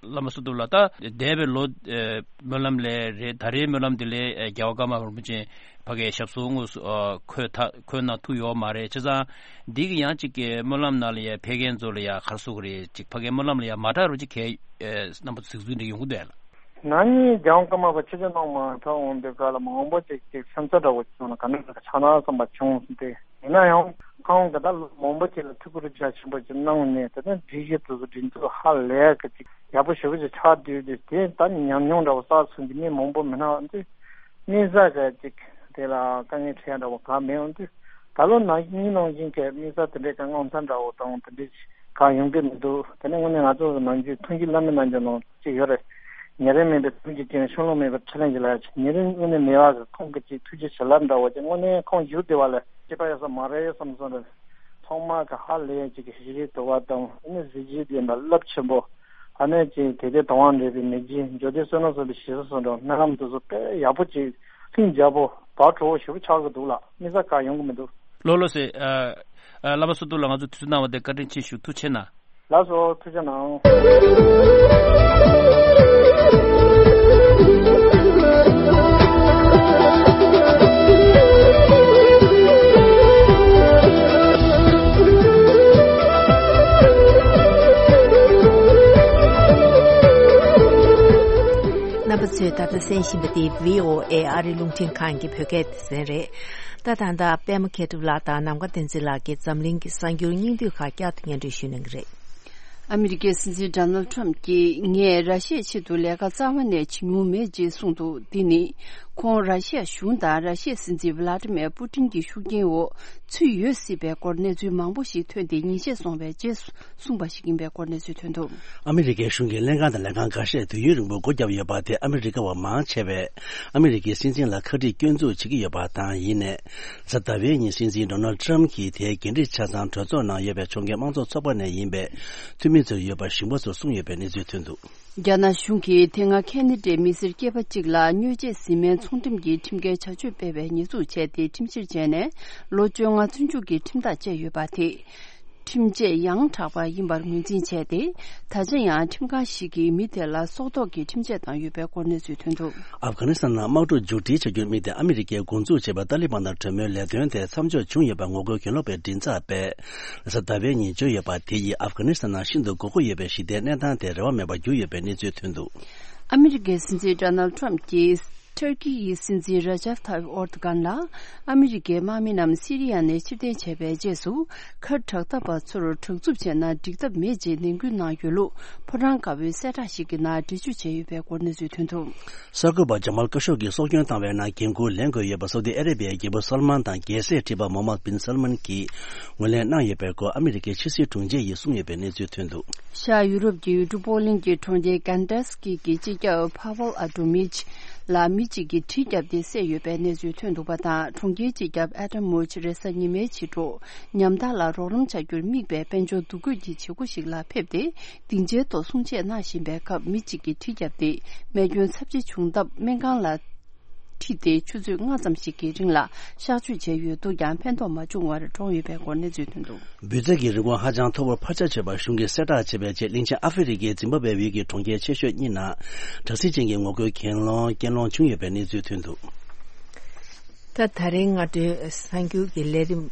བླ་མ་བསོད་སྟོབས་ལགས། ད་འདས་པའི་ལོ་ཨ་སྨོན་ལམ་ལས་རེད། ད་རེས་སྨོན་ལམ་དེ་ལས་ཨ་རྒྱལ་བ་ཀརྨ་པ་རིན་པོ་ཆེ་ཕ་གིའི་ཞབས་སོར་དངོས་སུ་ཨ་འཁོད་ཐ་འཁོད་གནང་ཐུབ་ཡོད་མ་རེད། བྱས་ཙང་འདི་གི་ཡང་ཅིག་གི་སྨོན་ལམ་ནང་ལ་ཡ་ཕེབས་མཁན་ཚོ་ལ་ཡ་ག་རེ་ཟེར་དགོས་རེད། ཅིག་ཕ་གིའི་སྨོན་ལམ་ལ་ཡ་མ་གྲགས་རོགས་ཅིག་གལ་ཨ་རྣམ་པ་ཚོ་གཟིགས་ཚུལ་འདི་ཡོང་གི་འདུག་ཨ་ལགས། ན་ནིང་རྒྱལ་བ་ཀརྨ་པ་ཆིབས་བསྒྱུར་གནང་མ་ཐག་འོང་དུས་སྐབས་ལ་མང་པོ་ཅིག་ཅིག་སེམས་འཚབ་འདྲ་བོ་བྱུང་ན་ག་འདྲ་འདྲ་ཆགས་སྣང་བསམ་པ་བྱུང་སྟེ། ཡིན་ན་ཡང་ཁོང་གིས་ད་ལོ་མང་པོ་ཅིག་ལ་ཐུགས་ཁུར་རྒྱ་ཆེན་པོ་ཅིག་གནང་ནས་དེ་ནས་སྒྲིག་གཞི་དེ་ཚོ་སྒྲིག་འཛུགས་ཧ་ལས་ཀྱི་ཅིག་ཡག་པོ་ཞེ་པོ་ཅིག་ཆགས་བསྡད་དུས་དེ་ད་ཉམས་མྱོང་འདྲ་བོ་བསགས་ཚུལ་གྱི་མི་མང་པོ་མི་སྣང་དུས་དམིགས་བསལ་གྱི་ཅིག་དེ་ལ་དཀའ་ངལ་འཕྲད་ཡ་འདྲ་བོ་གང་མེད་འོང་དུས་ད་ལོ་ན་ནིང་ནང་བཞིན་གྱི་དམིགས་བསལ་དེ་འདྲའི་གི་དངངས་འཚབ་འདྲ་བོ་དང་དེ་འདྲའི་གང་ཡོང་གི་མི་འདུག་དེ་ནས་དངོས་གནས་ང་ཚོ་གི་ནམ་རྒྱུན་ཐུགས་རྗེ་བླ་མའི་རྣལ་འབྱོར་ནང་ཅིག་ཡོད་རེད། ཉེ་རིང་མེད་པའི་ཐུགས་རྗེ་ཅན། ཕྱོགས་ལྷུང་མེད་པའི་ཕྲིན་ལས་ཀྱི་ལྷ། ཉེ་རིང་དངོས་གནས་མེད་པ་གི་ཁོང་གི་ཅིག་ཐུགས་རྗེ་བྱིན་རླབས་འདྲ་བོ་ཅིག་དངོས་གནས་ཁོང་བཞུགས་བསྡད་པ་ལ་སྐྱེས་པ་ཡོད་ས་མ་རེད་བསམ་སོང་རེད། ཐོག་མར་གི་ཧ་ལས་ཅིག་གི་ཤེས་རིག་དུལ་བ་དང་ཨ་ནི་གཟི་བརྗིད་ལྡན་པ་རླབས་ཆེན་པོ། ཨ་ནི་ཅིག་དད་ལྡན་དང་བ་འདྲེས་པའི་མི་རྗེ། འཇུ་སྟེ་བསོད་ནམས་གསོག་པའི་ཞེ་ས་སོགས་འདྲ་སྨོན་ལམ་དེ་ཚོ་དཔེ་ཡག་པོ་ཅིག་ལྷིང་འཇགས་པོ་བག་དྲོ་བོ་ཞེ་པོ་ཆགས་ཀྱི་འདུག་ལགས། དམིགས་བསལ་གང་ཡོང་གི་མི་འདུག་ལགས་ལགས་སེ། ཨ་ཨ་བླ་མ་བསོད་སྟོབས་ལགས་ང་ཚོ་དུས་ཚོད་གནང་བ་དེ་བཀའ་དྲིན་ཆེ་ཞུ། ཐུགས་རྗེ་གནང་། ལགས་སོ། ཐུགས་རྗེ་གནང་། རྣམ་པ་ཚོས་ད་ལྟ་གསན་བཞིན་པ་འདི་བྷི་ཨོ་ཨེ་ཨ་རིའི་རླུང་འཕྲིན་ཁང་གི་བོད་སྐད་སྡེ་ཚན་རེད། ད་ད་ལྟ་པད་མ་མཁས་གྲུབ་ལགས་དང་ནམ་མཁའ་བསྟན་འཛིན་ལགས་ཀྱིས་འཛམ་གླིང་གི་གསར་འགྱུར་སྙིང་བསྡུས་ཁག་བསྐྱར་དུ་སྙན་སྒྲོན་ཞུ་གནང་གི་རེད། ཨ་མི་རི་ཀའི་སྲིད་འཛིན་ཌོ་ནལ་ཌི་ཊརམ་ཕུ་གྱིས་ངས་ར་ཤི་ཡའི་ཆེད་དུ་ལས་ཀ་རྩ་བ་ནས་བྱེད་མྱོང་མེད་ཅེས་གསུངས་འདུག་འདི་ནི་ཁོང་ར་ཤི་ཡ་གཞུང་དང་ར་ཤི་ཡའི་སྲིད་འཛིན་ཝི་ལ་ཏི་མེར་པུ་ཏིན་གྱི་ཤུགས་རྐྱེན་འོག་ཚུད་ཡོད་སྲིད་པའི་སྐོར་གནས་ཚུལ་མང་པོ་ཞིག་ཐོན་ཏེ་ཉིན་ཤས་སོང་བའི་རྗེས་སུ། གསུངས་པ་ཞིག་ཡིན་པའི་སྐོར་གནས་ཚུལ་ཐོན་འདུག་ཨ་མི་རི་ཀའི་གཞུང་གི་ལྷན་ཁང་དང་ལྷན་ཁང་འགའ་ཤས་དུས་ཡུན་རིང་པོ་སྒོ་བརྒྱབ་ཡོད་པ་དེ་ཨ་མི་རི་ཀ་བ་མང་ཆེ་བས་ཨ་མི་རི་ཀའི་སྲིད་འཛིན་ལ་ཁ་དཀྲིས་སྐྱོན་འཛུགས་བྱེད་ཀྱི་ཡོད་པ་དང་། ཡིན་ནའི་གཟའ་ཟླ་བའི་ཉིན་སྲིད་འཛིན་ཌོ་ནལ་ཌི་ཊརམ་ཕུ་གྱིས་དེའི་འགན་འཁྲི་ཆ་ཚང་གྲོས་ཚོགས་ནང་ཡོད་པའི་ཕྱོགས་འགལ་དམངས་གཙོ་ཚོགས་པ་ནས་ཡིན་པའི་འཐུས་མི་ཚོར་ཡོད་པ་ཞིབ་མོ་ཚོར་གསུངས་ཡོད་པའི་གནས་ཚུལ་ཐོན་འདུག་རྒྱ་ནག་གཞུང་གིས་དེ་སྔ་ཁེ་ན་ཌའི་མི་སེར་སྐྱེས་པ་གཅིག་ལ་མྱོས་རྫས་བཟི་སྨན་ཚོང་འགྲེམས་ཀྱི་ཁྲིམས་འགལ་བྱ་སྤྱོད་སྤེལ་བའི་ཉེས་འཛུགས་བྱས་ཏེ་ཁྲིམས་བཤེར་བྱས་ནས་ལོ་བཅོ་ལྔ་བཙོན་འཇུག་གི་ཁྲིམས་ཐག་བཅད་ཡོད་པ་དེ། ཁྲིམས་ཆད་ཡང་དྲག་པ་ཡིན་པར་ངོས་འཛིན་བྱས་ཏེ། ད་ཆ་ཡང་ཁྲིམས་ཁང་ཞིག་གིས་མི་དེ་ལ་སྲོག་ཐོག་གི་ཁྲིམས་ཆད་བཏང་ཡོད་པའི་སྐོར་གནས་ཚུལ་ཐོན་འདུག་ཨབ་གྷ་ནི་སི་ཐན་ནང་དམག་འཁྲུག་མཇུག་སྒྲིལ་བྱ་རྒྱུར་དམིགས་ཏེ་ཨ་མི་རི་ཀས་འགོ་འཛུགས་བྱས་པའི་ཏཱ་ལི་བན་དང་གྲོས་མོལ་ལས་དོན་དེ་མཚམས་འཇོག་བྱུང་ཡོད་པ་ངོ་རྒོལ་གྱེན་ལོག་པའི་མགྲིན་ཚབ་པས་གཟའ་ཟླ་བའི་ཉིན་བརྗོད་ཡོད་པ་དེ་ཡིས་ཨབ་གྷ་ནི་སི་ཐན་ནང་ཤིན་ཏུ་དགོས་མཁོ་ཡོད་པའི་ཞི་བདེའི་གནས་སྟངས་དེ་རེ་བ་མེད་པར་གྱུར་ཡོད་པའི་གནས་ཚུལ་ཐོན་འདུག་ཨ་མི་རི་ཀའི་སྲིད་འཛིན་ཌོ་ནལ་ཌི་ཊརམ་ཕུ་གྱིས། ཊར་ཀི་ཡི་སྲིད་འཛིན་ར་ཇབ་ཐ་ཡིབ་ཨོར་དུ་གྷན་ལ་ཨ་མི་རི་ཀའི་དམག་མི་རྣམས་སི་རི་ཡ་ནས་ཕྱིར་འཐེན་བྱས་པའི་རྗེས་སུ། ཁ་དྲག་འཐབ་པ་ཚོར་དྲག་རྩུབ་བྱས་ན་འགྲིག་ཐབས་མེད་ཅེས་ནན་སྐུལ་གནང་ཡོད་ལུགས་ཕོ་བྲང་དཀར་པོའི་གསལ་བསྒྲགས་ཤིག་གི་ནང་འགྲེལ་བརྗོད་བྱས་ཡོད་པའི་སྐོར་གནས་ཚུལ་ཐོན་འདུག་གསར་འགོད་པ་ཇ་མལ་ཀ་ཤོག་གིས་སྲོག་སྐྱོན་བཏང་བའི་ནང་འགན་འཁུར་ལེན་དགོས་ཡོད་པ་སོག་དི་ཨ་རེ་བྷི་ཡའི་རྒྱལ་པོ་སོལ་མན་དང་རྒྱལ་སྲས་ཁྲི་པ་མོ་ཧམ་མད་བིན་སོལ་མན་གྱིས་ངོས་ལེན་གནང་ཡོད་པའི་སྐོར་ཨ་མི་རི་ཀའི་ཕྱི་སྲིད་དྲུང་ཆེ་ཡིས་གསུངས་ཡོད་པའི་གནས་ཚུལ་ཐོན་འདུག་ཤར་ཡུ་རོབ་ཀྱི་ཡུལ་གྲུ་པོ་ལིན་གྱི་གྲོང་ཁྱེར་ཀན་ཏཱ་སི་ཀི་གི་སྤྱི་ཁྱབ་ཕ་ཝལ་ཨ་ཏོ་མིཆ་ལ་མི་གཅིག་གིས་གྲི་བརྒྱབ་སྟེ་བསད་ཡོད་པའི་གནས་ཚུལ་ཐོན་འདུག་པ་དང་། གྲོང་ཁྱེར་སྤྱི་ཁྱབ་ཨ་ཏམ་མུ་ཆི་རེས་གཟའ་ཉི་མའི་ཕྱི་དྲོ་ཉམ་ཐག་ལ་རོགས་རམ་བྱ་རྒྱུར་དམིགས་པའི་དཔལ་འབྱོར་འདུ་འགོད་ཀྱི་བྱེད་སྒོ་ཞིག་ལ་ཕེབས་ཏེ། སྡིངས་ཆའི་ཐོག་གསུང་བཤད་གནང་བཞིན་པའི་སྐབས་མི་གཅིག་གིས་གྲི་བརྒྱབ་སྟེ་རྨས་སྐྱོན་ཚབས་ཆེ་བྱུང་སྟབས་སྨན་ཁང་ལ་ཁྲིད་དེ་ཆུ་ཚོད་ལྔ་ཙམ་ཞིག་གི་རིང་ལ་གཤག་བཅོས་བྱས་ཡོད་འདུག་ཀྱང་ཕན་ཐོགས་མ་བྱུང་བར་གྲོངས་ཡོད་པའི་སྐོར་གནས་ཚུལ་ཐོན་འདུག་འབུད་རྫས་ཀྱི་རིན་གོང་ཧ་ཅང་མཐོ་པོར་འཕར་ཆག་བྱས་པ་གཞུང་གིས་གསལ་བསྒྲགས་བྱས་པའི་རྗེས། གླིང་ཆེན་ཨ་ཧྥེ་རི་ཁའི་འཛིན་པ་བའི་ཡུལ་གྱི་གྲོང་ཁྱེར་ཆེ་ཤོས་གཉིས་ནང་དྲག་ཟིང་ཅན་གྱི་ངོ་རྒོལ་གྱེན་ལོག་གྱེན་ལོག་བྱུང་ཡོད་པའི་གནས་ཚུལ་ཐོན་འདུག་ད་ད་རིང་སྔ་དྲོའི་གསར་འགྱུར་གྱི་ལས་རིམ་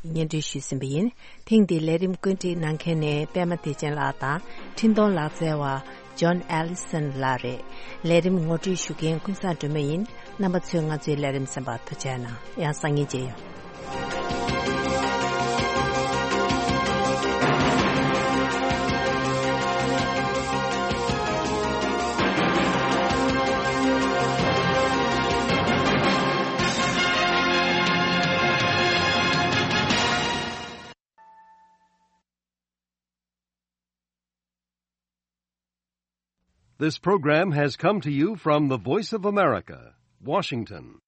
སྙན་སྒྲོན་ཞུས་ཟིན་པ་ཡིན། ཐེངས་འདིའི་ལས་རིམ་བཀོད་སྒྲིག་གནང་མཁན་ནི་པད་མ་བདེ་ཆེན་ལགས་དང་འཕྲིན་གཏོང་ལག་རྩལ་བ། ཇོན་ཨེ་ལི་སན་ལགས་རེད། ལས་རིམ་ངོ་སྤྲོད་ཞུ་མཁན་ཀུན་བཟང་སྒྲོལ་མ་ཡིན། རྣམ་པ་ཚོས་ང་ཚོའི་ལས་རིམ་གསན་པར་ཐུགས་རྗེ་གནང་། ཡང་སང་ཉིན་མཇལ་ཡོང་། This program has come to you from the Voice of America, Washington.